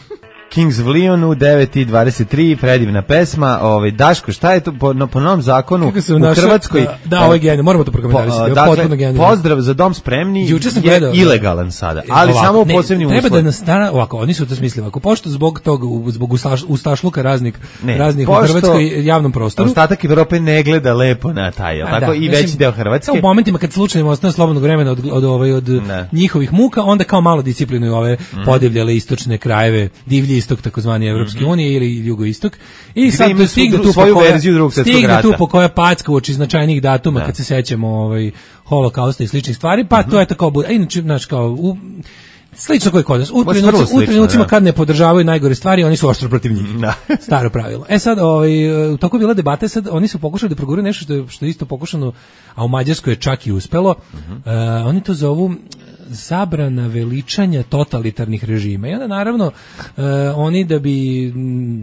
Kings of Leon u devet i dvadeset tri, predivna pesma. Ovaj Daško, šta je to po, no, po novom zakonu u naša, Hrvatskoj? Da, da ovo je genijalno, moramo to prokomentarisati. Dakle, pozdrav za Dom spremni je gledao, ilegalan sada, ali ovako, samo u posebnim uslovima. Treba da nas stara, ovako, oni su to smislili, ako pošto zbog tog, zbog ustašluka raznih, ne, raznih u Hrvatskoj javnom prostoru. Ostatak Evrope ne gleda lepo na taj, tako da, i veći mislim, deo Hrvatske. U momentima kad slučajno ostane slobodnog vremena od, od, od, od, od njihovih muka, onda kao malo disciplinuju ove mm. podivljale istočne krajeve, divlji istok, takozvani Evropske unije ili jugoistok i sad to stigne tu svoju koja, verziju Drugog svjetskog rata. Stigne tu po koja packa uoči značajnih datuma da. Kad se sećamo ovaj holokausta i sličnih stvari, pa mm-hmm. to je tako bude. Inače, znači kao u slično koji kod nas. U trenucima kad ne podržavaju najgore stvari, oni su oštro protiv njih. Da. Staro pravilo. E sad, ovaj, u toku bila debata, sad oni su pokušali da progure nešto što je, što je isto pokušano, a u Mađarskoj je čak i uspelo. Mm-hmm. Uh, oni to zovu zabrana veličanja totalitarnih režima. I onda naravno uh, oni da bi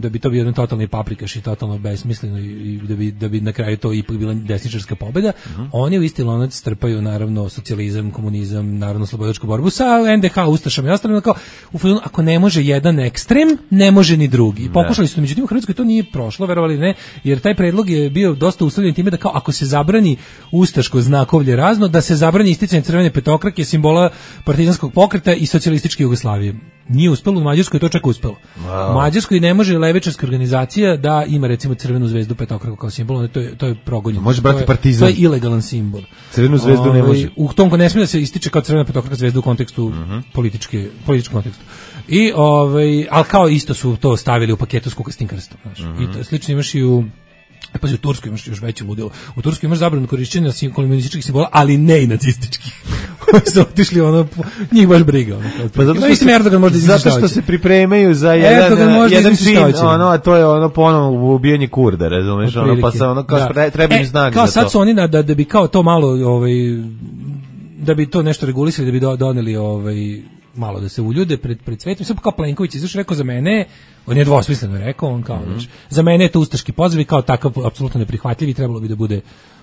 da bi to bio jedan totalni paprikaš i totalno besmisleno i da bi da bi na kraju to ipak bila desničarska pobeda, uh-huh. oni u isti lonac strpaju naravno socijalizam, komunizam, narodno slobodačku borbu sa en de ha ustašama i ostalim, kao u filmu, ako ne može jedan ekstrem, ne može ni drugi. I pokušali su, međutim u Hrvatskoj to nije prošlo, verovali ne, jer taj predlog je bio dosta uslovljen time da kao ako se zabrani ustaško znakovlje razno, da se zabrani isticanje crvene petokrake, simbola partizanskog pokreta i socijalističke Jugoslavije. Nije uspelo, u Mađarskoj to čak uspelo. Wow. U Mađarskoj ne može levičarska organizacija da ima recimo crvenu zvezdu petokraku kao simbol, to je to je progonjeno. Može brati partizan. To je ilegalan simbol. Crvenu zvezdu Ove, ne može. U tom ne smije da se ističe kao crvena petokraka zvezda u kontekstu uh-huh. političke političkom kontekstu. I ovaj al kao isto su to stavili u paketu s kukastim krstom, znači. Uh-huh. I to slično imaš i u E pa u Turskoj imaš još veće ludilo. U Turskoj imaš zabranu korišćenja komunističkih simbola, ali ne i nacističkih. Oni su otišli, ono, njih baš briga. Ono, pa zato što, se, Erdogan možda zato što se pripremaju za jedan, jedan čin, ono, a to je ono ponovno ubijanje Kurda, razumeš, ono, pa se ono, kao da. Treba im snage kao za sad to. Su oni, da, da bi kao to malo, ovaj, da bi to nešto regulisali, da bi do, doneli, ovaj, malo da se uljude pred pred svetom, sve kao Plenković izašao rekao za mene, on je dvosmisleno rekao, on kao, mm-hmm. znači, za mene je to ustaški pozdrav i kao takav apsolutno neprihvatljiv i trebalo bi da bude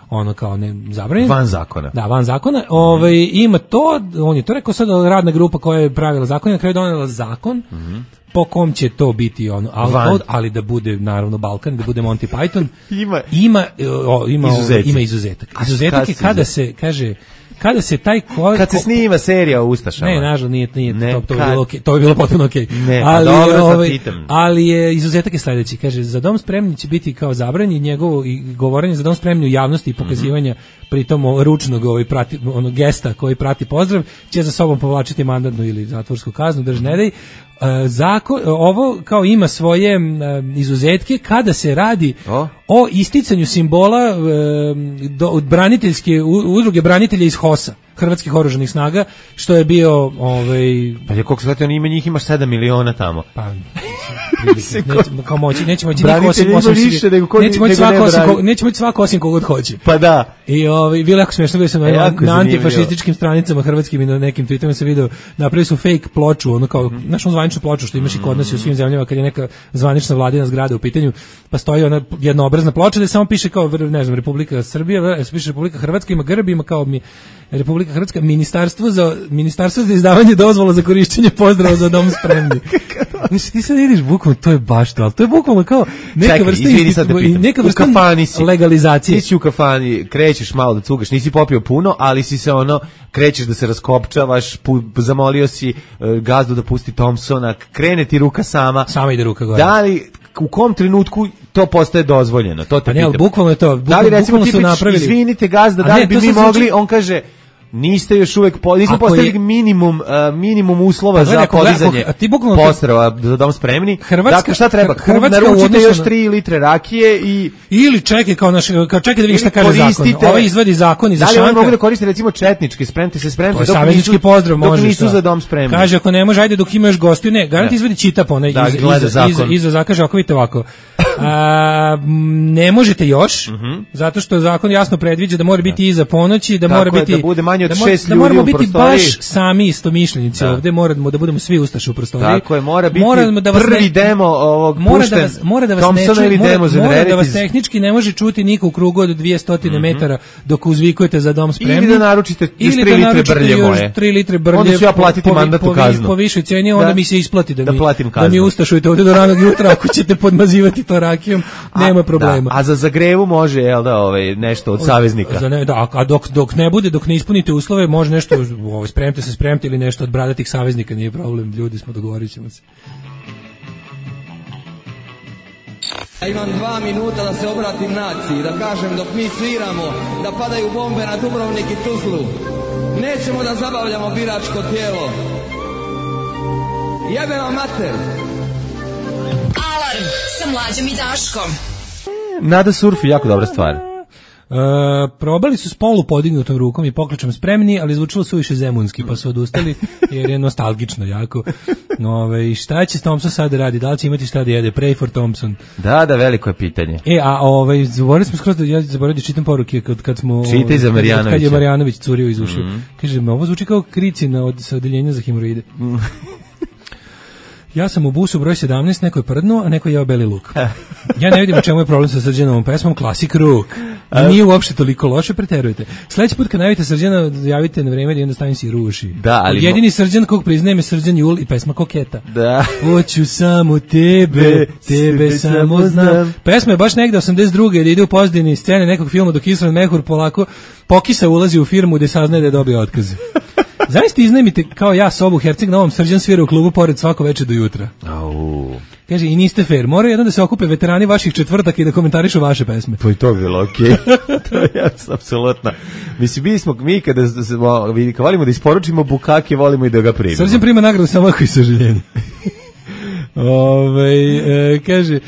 ono kao ne zabranjeno. Van zakona. Da, van zakona. Mm-hmm. Ovaj ima to, on je to rekao, sad radna grupa koja je pravila zakon, na kraju donela zakon. Mm-hmm. Po kom će to biti ono outlaw, ali da bude naravno Balkan, da bude Monty Python. ima ima o, ima Izuzeti. Ima izuzetak. Izuzetak je kada se kaže kada se taj ko, kad se snima serija o ustašama. Ne, nažalost nije nije ne, to, to, kad, bilo okay, to je bilo potpuno okej. Okay. Ne, ali dobro, ovaj, ali je izuzetak je sledeći, kaže za Dom spremni će biti kao zabranjeno njegovo i govorenje za Dom spremni u javnosti i pokazivanja mm-hmm. pritom ručnog ovaj prati onog gesta koji prati pozdrav će za sobom povlačiti mandatnu ili zatvorsku kaznu, drž ne daj. Zakon, ovo kao ima svoje izuzetke kada se radi o, o isticanju simbola do, braniteljske udruge branitelja iz HOS-a, Hrvatskih oružanih snaga, što je bio ovaj pa je koliko se on ima njih ima sedam miliona tamo. Pa nećemo kao moći, nećemo moći niko osim osim nećemo moći svako osim nećemo moći svako osim kogod hoće. Pa da. I ovaj bilo jako smešno, bio sam na, na, na antifašističkim stranicama hrvatskim i na nekim tweetovima se video, napravili su fake ploču, ono kao mm-hmm. našu zvaničnu ploču što imaš i kod nas i u svim zemljama kad je neka zvanična vladina zgrada u pitanju, pa stoji ona jednoobrazna ploča da samo piše kao ne znam Republika Srbija, piše Republika Hrvatska, ima grb, ima kao mi Republika Hrvatska, ministarstvo za ministarstvo za izdavanje dozvola za korišćenje pozdrava za Dom spremni. Znači ti sad ideš bukvalno, to je baš to, ali to je bukvalno kao neka Čekaj, vrsta institu, neka vrsta u kafani si, legalizacije. Ti si u kafani, krećeš malo da cugaš, nisi popio puno, ali si se ono, krećeš da se raskopčavaš, pu, zamolio si uh, gazdu da pusti Thompsona, krene ti ruka sama. Sama ide ruka gore. Da li, u kom trenutku to postaje dozvoljeno? To te pa ne, ali bukvalno je to. Bukvalno, da li recimo ti su napravili... izvinite gazda, da li bi mi mogli, on kaže... Niste još uvek po, nismo Ako postavili je- minimum uh, minimum uslova Pa gledaj, za ako gleda- podizanje ako- a ti bukvalno- postrava za dom spremni. Hrvatska- dakle, šta treba? Hrvatska u Naručite odnosu još na- tri litre rakije i Ili čekaj kao naš kao čekaj da vidiš šta kaže zakon. koristite- Ovaj izvadi zakon iz Da li oni šanka. mogu da koriste recimo četnički, spremite se, spremite To je dok saveznički nisu- pozdrav, dok može. nisu za dom spremni. Kaže ako ne može, ajde dok imaš gostiju, ne, garant izvadi čitap onaj Da, iza, gleda iza, zakon. iza, iza zakaže, ako vidite ovako. A, m, ne možete još, zato što zakon jasno predviđa da mora biti iza ponoći, da Tako mora je, biti da bude manje od da mora- šest da moramo ljudi u biti prostoriji. baš sami istomišljenici Da. ovde, moramo da budemo svi ustaše u prostoriji. Tako je, mora biti Moramo da vas prvi ne- demo ovog mora pušten da vas mora da vas ne Thompsona čuje, ili mora, Demos and mora da vas Rarities. tehnički ne može čuti niko u krugu od dvjesto metara dok uzvikujete za dom spremni. Ili da naručite još Ili tri da litre naručite brlje još moje. tri litre brlje. Onda ću ja po- platiti po, mandatnu po, vi- kaznu. Po višoj cijeni, onda Da. mi se isplati da, Da mi, platim da mi kaznu. ustašujete ovde do ranog jutra ako ćete podmazivati to rakijom, nema problema. Da, a za zagrevu može, jel da, ovaj, nešto od saveznika. Za ne, da, a dok, dok ne bude, dok ne ispunite uslove, može nešto, ovaj, spremite se, spremite ili nešto od bradatih saveznika, nije problem, ljudi smo, dogovorit ćemo se. Ja imam dva minuta da se obratim naciji, da kažem dok mi sviramo, da padaju bombe na Dubrovnik i Tuzlu. Nećemo da zabavljamo biračko tijelo. Jebe vam mater! Alarm sa Mlađom i Daškom. Nada surfi, jako dobra stvar. E, probali su s polu podignutom rukom i pokličem spremni, ali zvučilo suviše zemunski, pa su odustali jer je nostalgično jako. Ove, i šta će Thompson sad da radi? Da li će imati šta da jede? Pray for Thompson. Da, da, veliko je pitanje. E, a ovaj, zaboravili smo skroz da, ja zaboravio da čitam poruke kad, kad smo... Čitaj za Marjanovića. Kad je Marjanović curio iz ušiju. Mhm. Kaže, ovo zvuči kao kricina od, sa odeljenja za hemoroide. Ja sam u busu broj sedamnaest, neko je prdnuo, a neko je jeo beli luk. Ja ne vidim u čemu je problem sa Srđanovom pesmom, klasik ruk. I nije uopšte toliko loše, preterujete. Sledeći put kad najavite Srđana, javite na vreme da onda stavim si ruši. Da, ali jedini Srđan kog priznajem je Srđan Jul i pesma Koketa. Da. Hoću samo tebe, tebe samo znam. Pesma je baš negde osamdeset druge da ide u pozdini scene nekog filma dok Isran Mehur polako pokisa ulazi u firmu gde saznaje da je dobio otkaz. Zaista iznajmite kao ja sobu Herceg Novom, Srđan svira u klubu pored svako veče do jutra. Au. Kaže, i niste fair, moraju jedno da se okupe veterani vaših četvrtaka i da komentarišu vaše pesme. Pa i to bi bilo okej. To je jasno, apsolutno. Mislim, mi smo, mi kada smo, vi- kad volimo da isporučimo bukake, volimo i da ga primimo. Srđan prima nagradu samo ako i sažaljenje. Ove, e, kaže, e,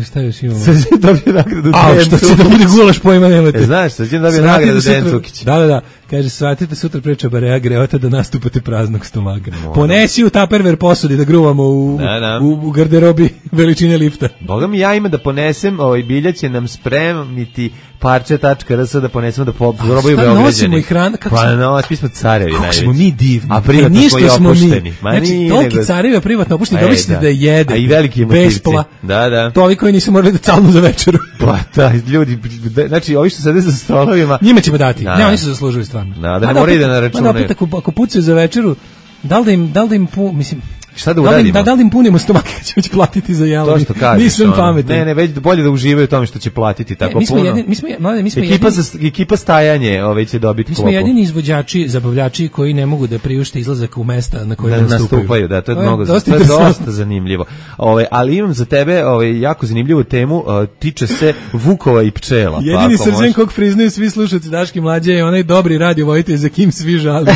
šta još imamo? Srđan dobio nagradu A, Dejan što će da bude gulaš, pojma nemate. E, znaš, Srđan dobio Shvatite nagradu sutra- Dejan Cukić. Da, da, da. Kaže, shvatite sutra preča Barea Greota da nastupate praznog stomaka. Ponesi u Tupperware posudi da gruvamo u, Da, da. u, u garderobi veličine lifta. Boga mi, ja ima da ponesem, ovaj bilja će nam spremiti parče.rs da ponesemo da po- probaju šta Beograđani. nosimo i hrana? Kako Pa smo- no, mi smo carevi Kako najveći. smo mi divni. A privatno E, ništa smo i smo mi. opušteni. Ma Znači, nije, toliki nego- carevi, a privatno opušteni, E, dobili ste da. da jede. A i veliki motivci. Bespla. Da, da. To ovi koji nisu morali da calnu za večeru. Pa da, ljudi, da, znači, ovi što sede za stolovima, Njima ćemo dati. Da. Ne, oni su zaslužili stvarno. Da, da ne Mada moraju opet- da naračunaju. mada opet ako, ako pucaju za večeru, da li da im, da li da im pu, mislim, šta da da li, im- uradimo? da, da li im punimo stomake kad ćemo već platiti za jelo? To što kažeš. Nisam ono. pametan. Ne, ne, već bolje da uživaju u tome što će platiti tako Ne, mi smo puno. jedini, mi smo, mlade, mi smo Ekipa, jedini, za, ekipa stajanje ovaj će dobiti mi smo klopu. jedini izvođači, zabavljači koji ne mogu da priušte izlazak u mesta na kojima Da nastupaju. nastupaju, da, to je mnogo, dosta to je interesantno. dosta zanimljivo. Ovaj, ali imam za tebe ovaj jako zanimljivu temu, uh, tiče se Vukova i pčela. pa Jedini ako Srđan možeš- kog priznaju svi slušalci Daške mlađe je onaj dobri radio vojitelj za kim svi žalimo.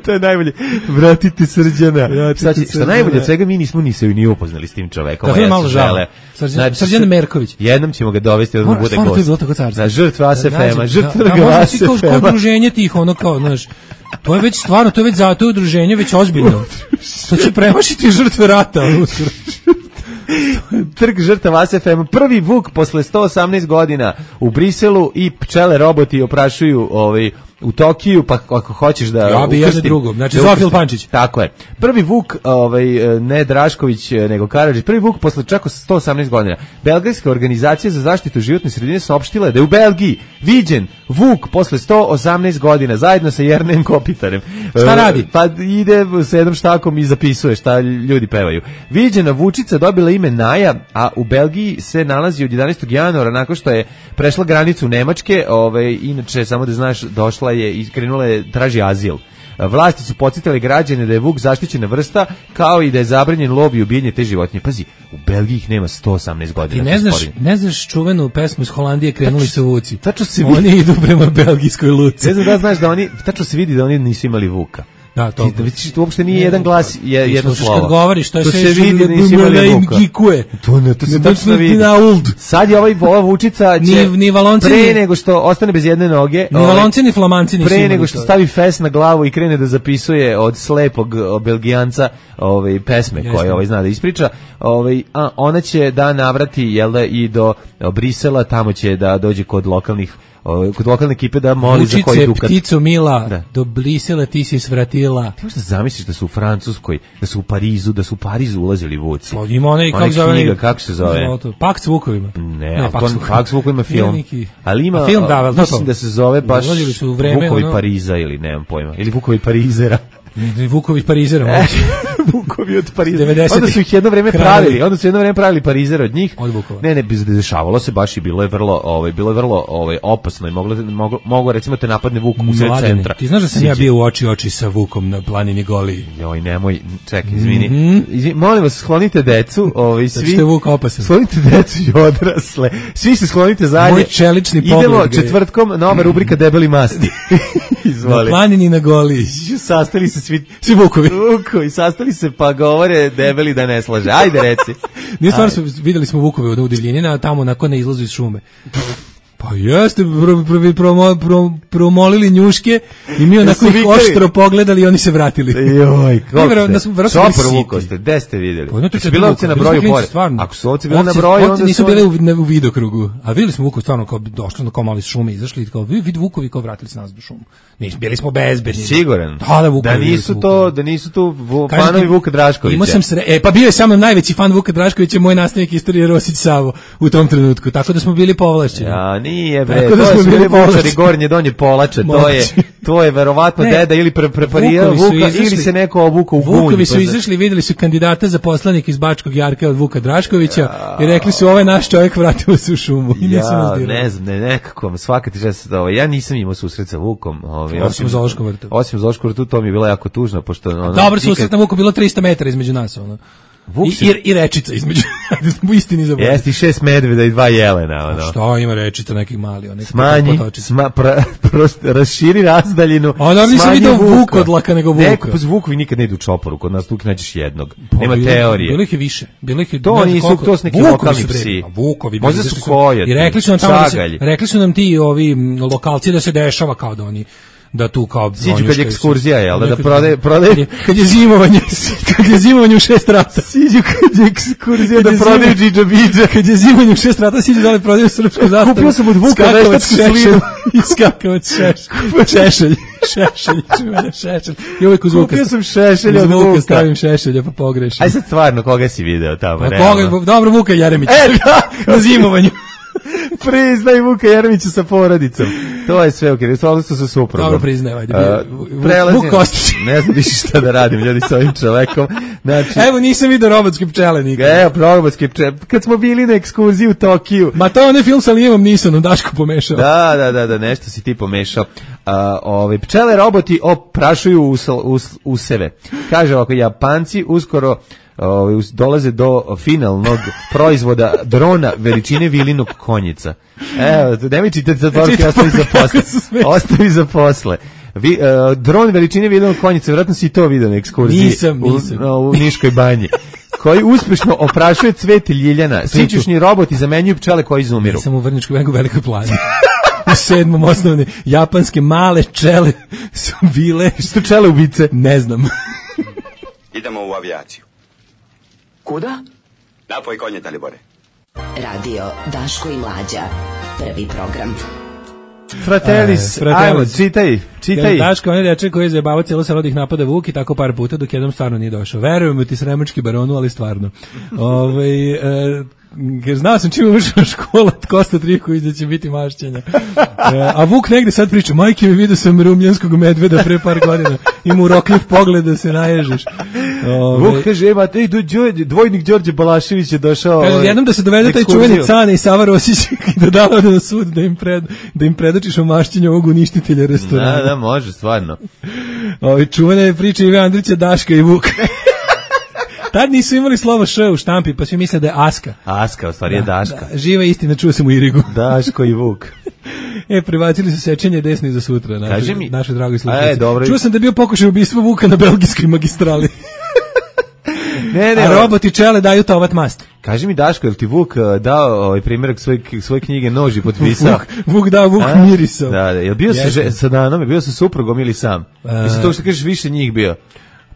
to je najbolje. Vratite Srđana. Vratite Šta, će, šta Srđana. najbolje od svega, mi nismo ni se ni upoznali s tim čovekom. Tako a je ja malo se žao. žele. Srđan- Srđan Merković. Jednom ćemo ga dovesti da Mora, bude stvarno, to je gost. bilo tako carstvo. Da, žrtva A S F M-a, Da, žrtva da, možda A si S F kao, kao M-a. udruženje tih, ono kao, znaš, to je već stvarno, to je već za, to je udruženje već ozbiljno. To će premašiti žrtve rata. ono, uskoro. Trg žrtava A S F M, prvi Vuk posle sto osamnaest godina u Briselu i pčele roboti oprašuju ovaj u Tokiju, pa ako hoćeš da Ja bi jedno ukrstim- drugo, znači da Zofil ukrstim. Pančić. Tako je. Prvi Vuk, ovaj ne Drašković nego Karadžić, prvi Vuk posle čak sto osamnaest godina. Belgijska organizacija za zaštitu životne sredine saopštila da je u Belgiji viđen Vuk posle sto osamnaest godina zajedno sa Jernejem Kopitarem. Šta E, radi? Pa ide sa jednom štakom i zapisuje šta ljudi pevaju. Viđena Vučica dobila ime Naja, a u Belgiji se nalazi od jedanaestog januara nakon što je prešla granicu Nemačke, ovaj inače samo da znaš došla je i krenula je traži azil. Vlasti su podsjetile građane da je vuk zaštićena vrsta, kao i da je zabranjen lov i ubijanje te životinje. Pazi, u Belgiji ih nema sto osamnaest godina. Ti ne znaš, ne znaš čuvenu pesmu iz Holandije Krenuli su vuci. Tačno se oni idu prema belgijskoj luci. Ne znam da znaš da oni, tačno se vidi da oni nisu imali vuka. Da, to. Ti vidiš, to uopšte nije ne, jedan glas, je jedno slovo. Kad govoriš, to je to sve se vidi da nisi imali vuka. To ne, to se tačno vidi. Sad je ovaj ova vučica će ni, ni valonci, pre nego što ostane bez jedne noge, ni valonci ni flamanci nisu pre nego što stavi fes na glavu i krene da zapisuje od slepog Belgijanca ovaj pesme Jeste. koje ovaj zna da ispriča, ovaj a ona će da navrati jel da i do Brisela, tamo će da dođe kod lokalnih kod lokalne ekipe da moli Vučice, za koji dukat. Ptico mila, da. Do Brisela ti si svratila. Ti možda zamisliš da su u Francuskoj, da su u Parizu, da su u Parizu ulazili vuci. O, ima onaj, kako zove, knjiga, kako se zove? Pakt s vukovima. Ne, ne Pakt s vukovima. vukovima film. Neki... Ali ima, film, da, mislim da se zove baš su vreme, Vukovi ono... Pariza ili nemam pojma. Ili Vukovi Parizera. Vukovi Parizera, moći. Vukovi od Parizera. Onda su ih jedno vreme pravili, onda su jedno vreme pravili Parizera od njih. Od Vukova. Ne, ne, dešavalo se baš i bilo je vrlo, ovaj, bilo je vrlo, ovaj, opasno i moglo, moglo, moglo recimo te napadne Vuk u sred centra. Ti znaš da sam Siđe. ja bio u oči oči sa Vukom na planini Goliji. Joj, nemoj, čekaj, izvini. Mm-hmm. Izvini, molim vas, sklonite decu, ovaj, svi. Što je Vuk opasan. Sklonite decu i odrasle. Svi se sklonite zajedno. Moj čelični pogled. Idemo četvrtkom, nova rubrika Debeli masti. Na planini na Goliji. Sastali se svi, svi Vukovi. Vukovi, sastali se pa govore Debeli da ne slaže. Ajde reci. Nije stvarno, su, videli smo Vukove u divljenina, tamo nakon ne izlazu iz šume. Pa jeste, pro, pro, pro, pro, promolili njuške i mi onako ih oštro pogledali i oni se vratili. Joj, kako ste? Da Čopor Vuko ste, gde ste vidjeli? Pa, su bile ovce na broju pored. Ako su ovce bile na broju, onda su... nisu bile u, ne, u vidokrugu. A videli smo Vuko stvarno kao došli, kao malo iz šume izašli, kao vid Vukovi kao vratili se nas do šumu. Nis, bili smo bezbedni. Siguran. Da, da, Vukovi, da nisu to, da nisu tu fanovi Vuka Draškovića. Imao sam sre... E, pa bio je samo najveći fan Vuka Draškovića, moj nastavnik istorije Rosić Savo u tom trenutku. Tako da smo bili povlašćeni. Ja, nije bre. To su bili Vučari gornje donje polače, to je to je verovatno ne, deda ili pre, preparirao Vuka izašli, ili se neko obukao u gunj. Vukovi su izašli, videli su kandidata za poslanik iz Bačkog Jarka od Vuka Draškovića ja. I rekli su ovaj naš čovjek vratio se u šumu. I ja, ne znam, ne, nekako, svaka ti žesa da ovo, ja nisam imao susret sa Vukom. Ovaj, osim u Zoološkom vrtu. Osim u Zoološkom vrtu, to mi je bilo jako tužno. Pošto, ono, dobro, susret na Vuku bilo tristo metara između nas. Ono. I, i, I rečica između, u istini zaboravim. Jeste i šest medveda i dva jelena. Ono. Što ima rečica nekih mali? One smanji, sma, pra, prost, raširi razdaljinu. A da nisam vidio Vuk odlaka nego Vuka. Neko, pa Vukovi nikad ne idu u čoporu, kod nas tu nađeš jednog. Pa, Nema bilo, teorije. Bilo ih je više. Bilo ih je, to nisu, to su neki lokalni psi. Vukovi. Možda su kojati. I rekli su nam tamo da se, rekli su nam ti ovi lokalci da se dešava kao da oni da tu kao siđu kad je ekskurzija, jel da, da prodaje, prodaje, kad je zimovanje, kad je zimovanje u šest rata. Siđu kad je ekskurzija da prodaju džidža bidža. Kad je zimovanje u šest rata, siđu da li prodaju srpsku zastavu. Kupio sam od Vuka veštačku slinu. I skakavac šešelj. Šešelj, čuvena šešelj. I uvijek uz Vuka. Kupio sam šešelj od Vuka. Stavim šešelja pa pogrešim. Aj sad stvarno, koga si video tamo? Pa koga, dobro, Vuka Jeremić. E, da! Na zimovanju. Priznaj Vuka Jeremića sa porodicom. To je sve okej, okay. Odnosno sa suprugom. Dobro, priznaj, ajde. Uh, Vuk Kostić. Ne znam više šta da radim, ljudi, sa ovim čovekom. Znači, evo, nisam vidio robotske pčele nikad. Evo, robotske pčele. Kad smo bili na ekskurziji u Tokiju. Ma to onaj film sa Lijevom Nisonom, Daško pomešao. Da, da, da, da, nešto si ti pomešao. Uh, ove, pčele roboti oprašuju usel, us, useve. Kaže ovako, Japanci uskoro Uh, dolaze do finalnog proizvoda drona veličine vilinog konjica. Evo, nemoj čitati za poruke, ostavi za posle. Ostavi za posle. Vi, uh, dron veličine vilinog konjica, vjerojatno si to vidio na ekskurziji. Nisam, nisam. U, u Niškoj banji. Koji uspešno oprašuje cvet ljiljana. Sićušni roboti zamenjuju pčele koji izumiru. Nisam u Vrnjačkoj banji u Velikoj plani. U sedmom osnovne japanske male pčele su bile... Što pčele ubice? Ne znam. Idemo u avijaciju. Kuda? Napoj konje, Dalibore. Radio Daško i Mlađa. Prvi program. Fratellis, e, ajmo, čitaj, čitaj. Daško, on je dečak koji je zajebavao cijelo selo da ih napada Vuk i tako par puta dok jednom stvarno nije došao. Verujem ti sremački baronu, ali stvarno. Ove, e, jer znao sam čim ušao škola od Kosta Trivković da će biti mašćenja. E, a Vuk negde sad priča, majke mi vidio sam rumljanskog medveda pre par godina. Ima urokljiv pogled da se naježiš. Ove, Vuk kaže, ima, ej, do, Đorđe, dvojnik Đorđe Balašević je došao. kaže, ovaj, jednom da se dovede taj ekskurziju. čuveni Cane i Sava Rosić i da da ode na sud da im, pred, da im predočiš omašćenje ovog uništitelja restorana. Da, da, može, stvarno. Ove, čuvene priče Ive Andrića, Daška i Vuka. Tad nisu imali slovo š u štampi, pa svi misle da je Aska. Aska, u stvari je Daška. Da, živa istina, čuo sam u Irigu. Daško i Vuk. E, prebacili su sečenje desni za sutra. Naši, Kaži mi. Naše dragi slušalci. E, dobro. Čuo sam da je bio pokušaj ubistva Vuka na belgijskoj magistrali. Ne, ne, A roboti čele daju tomat mast. Kaži mi, Daško, je li ti Vuk uh, dao ovaj primjerak svoje, svoje knjige Nož i potpisao? Vuk, Vuk dao, Vuk A? mirisao. Da, da. Je li bio sa, že, sa Danom, je bio sa suprugom ili sam? Uh, Mislim, to što kažeš, više njih bio.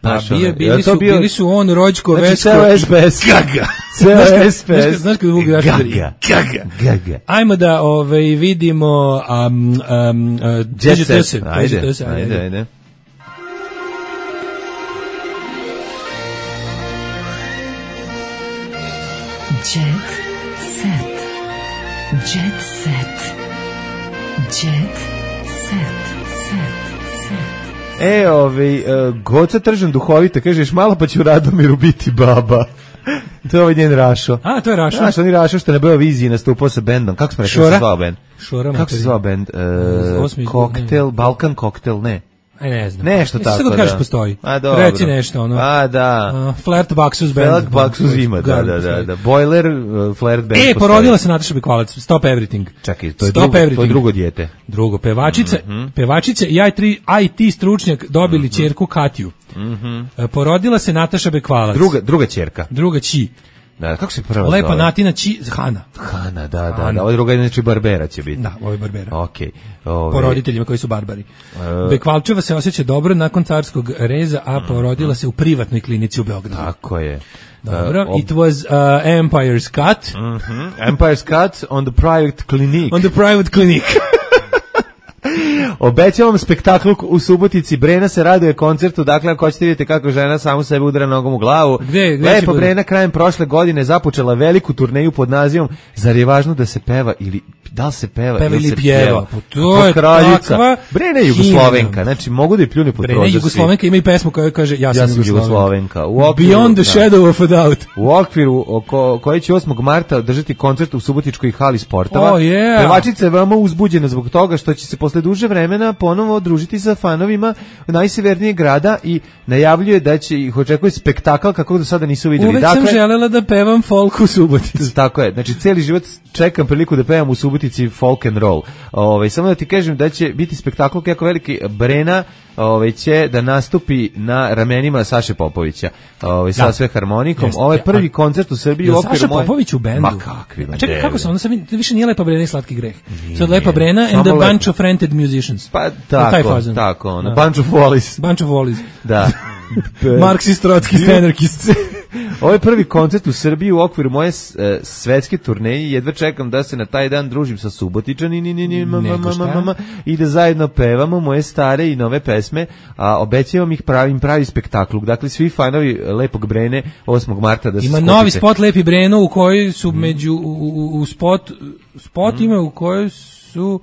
Pa Znaš, bio, ono, bili, je to su, bio- bili su on, Rođko, Znači, Vesko. ceo S P S. Gaga. Ceo S P S. Znaš, znaš kada Vuk daš? Gaga. Gaga. Gaga. Ajmo da ovaj, vidimo um, um, uh, Jet to se, set. dođe Ajde, to se, ajde, ajde. Jet set. Jet set. Jet set. Set. Set. E, ovaj, uh, Goca Tržan duhovita, kažeš malo pa će u Radomiru biti baba. To je ovaj njen Rašo. A, to je Rašo. Znaš, on je Rašo što je na Beoviziji nastupao sa bendom. Kako smo rekli da Šora? se zvao bend? Šora, Kako se materi. zvao bend? Uh, Osmi- koktel, Balkan koktel, ne. Aj, ne znam. Nešto Mislim, tako, sad kad kažeš da. postoji. A, dobro. Reci nešto, ono. A, da. Uh, Flirt Baxus band. Felak Baksuz ima, da, da, da, da. Boiler, uh, Flared band. E, postoji. porodila se Nataša Bekvalac. Stop Everything. Čekaj, to je, Stop drugo, Everything. to je drugo dijete. Drugo, pevačice, Mhm. pevačice i I T, I T stručnjak dobili ćerku Katiju. E, Porodila se Nataša Bekvalac. Druga, druga ćerka. Druga Ći. Da, kako se prva Lepa zove? Natina Ći, Hana. Hana, da, da, Hana. da. Ova druga je znači Barbera će biti. Da, ovo je Barbera. Okej. Ove, Po roditeljima koji su barbari. E. Bekvalčeva se osjeća dobro nakon carskog reza, a porodila se u privatnoj klinici u Beogradu. Tako je. Dobro, Uh, ob- it was uh, Empire's Cut Mhm. Empire's Cut on the private clinic. on the private clinic. Obećavam spektakl u Subotici. Brena se raduje koncertu, dakle ako hoćete vidjeti kako žena samu sebe udara nogom u glavu. Gde- gde će Lepo bude? Brena krajem prošle godine započela veliku turneju pod nazivom Zar je važno da se peva ili da li se peva, Peva ili se pjeva? Pa to Kao je kraljica. takva Brena je Jugoslovenka, znači mogu da je pljune pod Brena prozor svi. Jugoslovenka ima i pesmu koja kaže ja sam, Ja sam Jugoslovenka. U okviru- Beyond the da. shadow of a doubt. U okviru oko, koji će osmog marta održati koncert u Subotičkoj hali sportova. Oh, yeah. Pevačica je veoma uzbuđena zbog toga što će se posle duže vremena ponovo družiti sa fanovima najsevernijeg grada i najavljuje da će ih očekuje spektakl kako do sada nisu vidjeli. Uvek dakle, sam želela da pevam folk u Subotici. Tako je, znači cijeli život čekam priliku da pevam u Subotici folk and roll. Ove, samo da ti kažem da će biti spektakl kako veliki. Brena ove, će da nastupi na ramenima Saše Popovića ove, sa Da. sve harmonikom. Jeste. Ovo je prvi A- koncert u Srbiji u Jel okviru Saša moje- Popović u bendu? Ma kakvi, A čekaj, ne, kako se ne. onda sad vidi- više nije Lepa Brena i Slatki greh. Sad Lepa Brena and Samo a bunch Lepa. of rented musicians. Pa Taj tako, fazon. tako, ono, Da. bunch of wallis. Bunch of Wallis. Da. Marksist, Trockist, Anarchist. Ovo je prvi koncert u Srbiji u okviru moje s- e, svetske turneje i jedva čekam da se na taj dan družim sa Subotičanima Nego šta? i da zajedno pevamo moje stare i nove pesme, a obećavam ih pravim pravi spektakl. Dakle, svi fanovi Lepog Brene osmog marta da se Ima skupite. novi spot Lepi Breno u kojoj su Mhm. među u, u, u spot spot ima u kojoj su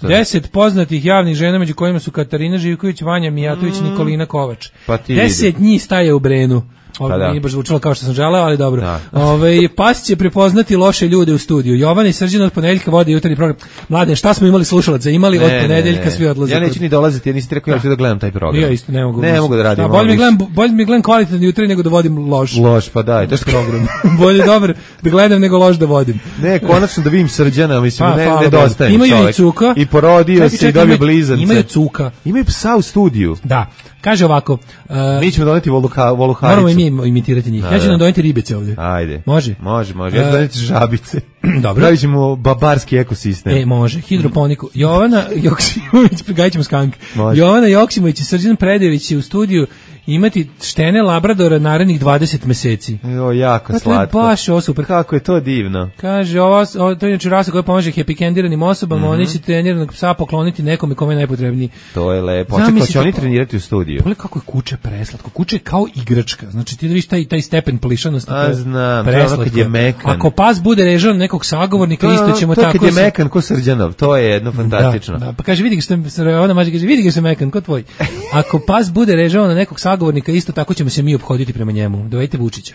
deset poznatih javnih žena među kojima su Katarina Živković, Vanja Mijatović, Nikolina Kovač. Pa ti Deset vidi. njih staje u Brenu. Ovo Pa da. nije baš zvučalo kao što sam želeo, ali dobro. Da. Ove, pas će prepoznati loše ljude u studiju. Jovana i Srđan od ponedeljka vode jutarnji program. Mlade, šta smo imali slušalaca? Imali od Ne, ne, ponedeljka ne. svi odlaze. Ja neću kod- ni dolaziti, ja nisi ti rekao ja ću da gledam taj program. Ja isto ne mogu. Ne mogu da radim. Da, bolje mi ono gledam, bolje mi gledam kvalitetan jutro nego da vodim loš. Loš, pa daj, to je program. Bolje dobar da gledam nego loš da vodim. Ne, konačno da vidim Srđana, mislim, Pa, ne, hvala nedostaje mi Bogu. Imaju i čovek. cuka. I porodio Čekaj, se i čekaj, dobio imaju- blizance. Imaju cuka. Imaju psa u studiju. Da. Kaže ovako. Uh, Mi ćemo doneti voluha, voluharicu. moramo i mi imitirati njih. Da, Ja ću da. nam doneti ribice ovdje. Ajde. Može? Može, može. Ja ću E, doneti žabice. Dobro. Pravit ćemo babarski ekosistem. E, može. Hidroponiku. Jovana Joksimović, gajit ćemo skank. Može. Jovana Joksimović i Srđan Predević će u studiju imati štene labradora narednih dvadeset meseci. Jo, jako Dakle, slatko. baš ovo super. Kako je to divno. Kaže, ovo, ovo to je inače rasa koja pomaže hepikendiranim osobama, oni će treniranog psa pokloniti nekome kome je najpotrebniji. To je lepo. Zamisli Očekao će oni kako- trenirati u studiju. Pogledaj kako je kuće preslatko. Kuće je kao igračka. Znači ti da vidiš taj, taj stepen plišanosti. A, to je znam, to je ono preslatko. kad je mekan. Ako pas bude režao nekog sagovornika, To je isto ono- ćemo to je tako... kad je se- mekan ko Srđanov, to je jedno fantastično. Da, da, pa kaže, vidi ga što ona mađa kaže, vidi ga što je mekan, ko tvoj. ako pas bude režao na nekog sagovornika, isto tako ćemo se mi ophoditi prema njemu. Dovedite Vučića.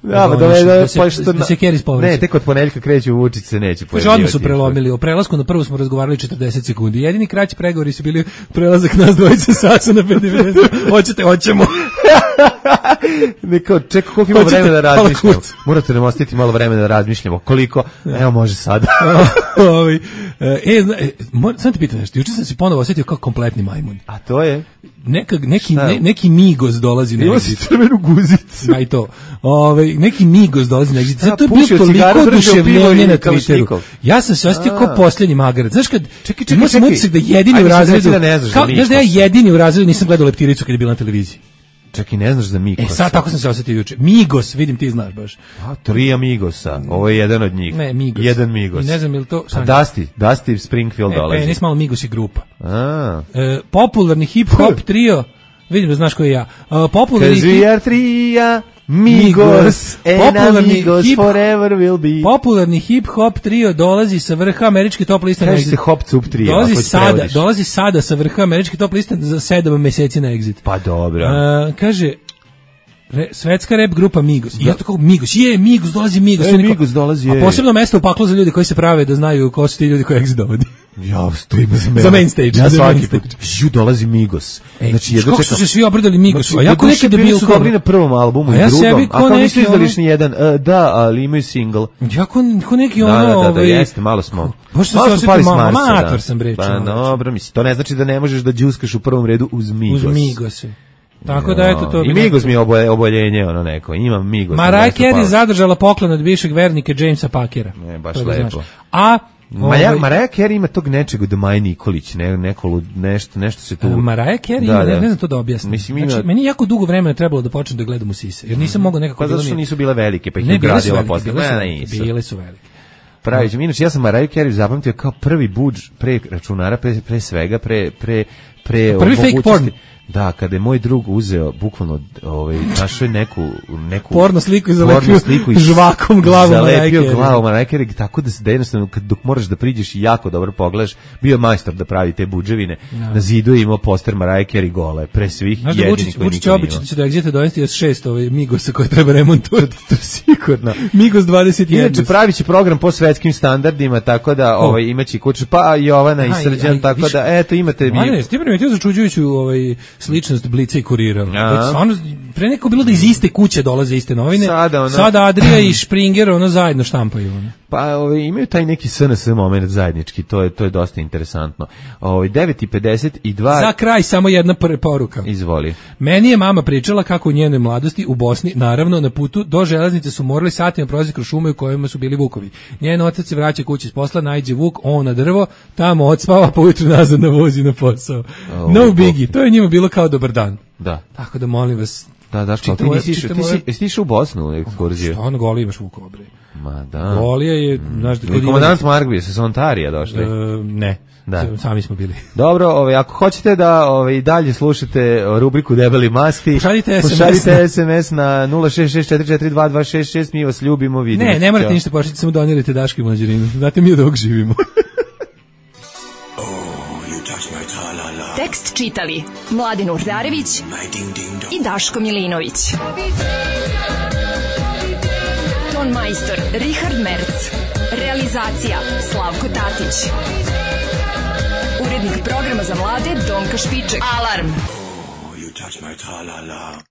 Da, da, da, da, da, se, što, da se Keris povreće. Ne, tek od ponedjeljka kreću Vučić se neće pojavljivati. Kaže, odmah su prelomili. O prelasku na prvu smo razgovarali četrdeset sekundi. Jedini kraći pregovori su bili prelazak nas dvojice sasa na pet devedeset. Hoćete, hoćemo. Neko, čekaj, koliko ima vremena da razmišljamo? Morate nam ostaviti malo vremena da razmišljamo. Koliko? Evo, može sada. e, zna, e, sam te pitam nešto. Juče sam se ponovo osjetio kao kompletni majmun. A to je? Neka, neki, ne, neki Migos dolazi na exit. Ima si crvenu guzicu. Ma i to. Ove, neki Migos dolazi na exit. Zato je bilo toliko oduševljenje na Twitteru. Ja sam se osjetio kao posljednji magarac. Znaš kad, čekaj, čekaj, imao sam utisak da jedini Ajde, u razredu, da kao, znaš da ja jedini u razredu nisam gledao Leptiricu kad je bila na televiziji. Čekaj, ne znaš za Migos. E, sad tako sam se osjetio juče. Migos, vidim ti znaš baš. A, tri Migosa, ovo je jedan od njih. Ne, Migos. Jedan Migos. I ne znam ili to... A Dusty, Dusty Springfield e, dolazi. E, nis malo Migos i grupa. A. E, popularni hip-hop trio, vidim da znaš ko je ja. Uh, popularni Cause we are tria, Migos, and amigos forever will be. Popularni hip-hop trio dolazi sa vrha američke top liste na Exit. Exit. Se hop cup trio. Dolazi sada, dolazi sada sa vrha američke top liste za sedam meseci na Exit. Pa dobro. Uh, kaže... Re, svetska rap grupa Migos. I ja to kao Migos. Je, Migos, dolazi Migos. E, Migos dolazi, je. A posebno mesto u paklu za ljudi koji se prave da znaju ko su ti ljudi koji Exit dovodi. Ja, stojim za mene. Za main stage. Ja za svaki put. Žu, dolazi Migos. Ej, znači, jedno kako su se svi obradali Migos. A jako neki debil su dobri na prvom albumu a i ja drugom. A kao nisu izdali ono... ni jedan. Uh, da, ali imaju single. Jako ko neki ono... Da, da, da, ovaj... da, jeste, malo smo. Baš malo su pali s Marsa, Marsa, amator sam bre. Pa dobro, mislim, to ne znači da ne možeš da džuskaš u prvom redu uz Migos. Uz Migose. Tako da eto to. I Migos mi je oboje, oboljenje ono neko. Imam Migos. Mariah Carey zadržala poklon od bivšeg vernika Jamesa Pakera. Ne, baš lepo. A Maja, Mariah Carey ima tog nečeg od Maje Nikolić, ne, neko, nešto, nešto se tu... Mariah Carey da, ima, da. ne, ne znam to da objasnim. Mislim, ima... Znači, meni jako dugo vremena trebalo da počnem da gledam u sise, jer nisam mogao nekako... Pa zato što nisu bile velike, pa ih ne, je ugradila posle. Bile, bile, su, bile su velike. Pravić, inače ja sam Mariah Carey zapamtio kao prvi budž pre računara, pre, pre svega, pre... pre, pre prvi fake porn. Da, kada je moj drug uzeo bukvalno ovaj našao neku neku porno sliku i zalepio sliku i žvakom glavom zalepio glavom Mariah Carey, tako da se da jednostavno kad dok moraš da priđeš i jako dobro pogledaš, bio majstor da pravi te budževine. No. Na zidu je imao poster Mariah Carey gole, pre svih znaš jedinih koji nikad nije. Znači da Exit donesti još šest ovaj Migosa koje treba remontovati, to sigurno. Migos dvadeset jedan. Inače praviće program po svetskim standardima, tako da oh. ovaj imaće kuće pa Jovana i Srđan, tako viš, da eto imate mi. Ne, ti primetio začuđujuću ovaj sličnost Blica i Kurira. To stvarno pre neko bilo da iz iste kuće dolaze iste novine. Sada, ono, sada Adrija i Springer ono zajedno štampaju. Ono. Pa ovaj, imaju taj neki S N S moment zajednički, to je to je dosta interesantno. Ovaj devet i pedeset dva. Za kraj samo jedna poruka. Izvoli. Meni je mama pričala kako u njenoj mladosti u Bosni, naravno na putu do železnice su morali satima prolaziti kroz šume u kojima su bili vukovi. Njen otac se vraća kući s posla, naiđe vuk, on na drvo, tamo odspava, pa ujutru nazad na vozi na posao. Oh, no biggie, to je njima bilo kao dobar dan. Da. Tako da molim vas. Da, da, što ti nisi išao, ti si, jesi išao u Bosnu u ekskurziju? Što, ono goli imaš vukova, bre. Ma da. Golija je, znaš, da kod komandant Margvije sa Ontarija došli. E, ne. Da. Sami smo bili. Dobro, ovaj ako hoćete da ovaj dalje slušate rubriku Debeli masti, pošaljite es em es, pošaljite es em es na nula šest šest četiri četiri dva dva šest šest, mi vas ljubimo, vidimo. Ne, ne morate ništa pošaljite, samo donirajte Daško i Mlađarinu. Znate mi od ovog živimo. Tekst čitali Mladin Urdarević i Daško Milinović. Ton majstor Richard Merc. Realizacija Slavko Tatić. Urednik programa za mlade Donka Špiček. Alarm! Oh, you touch my tra-la-la.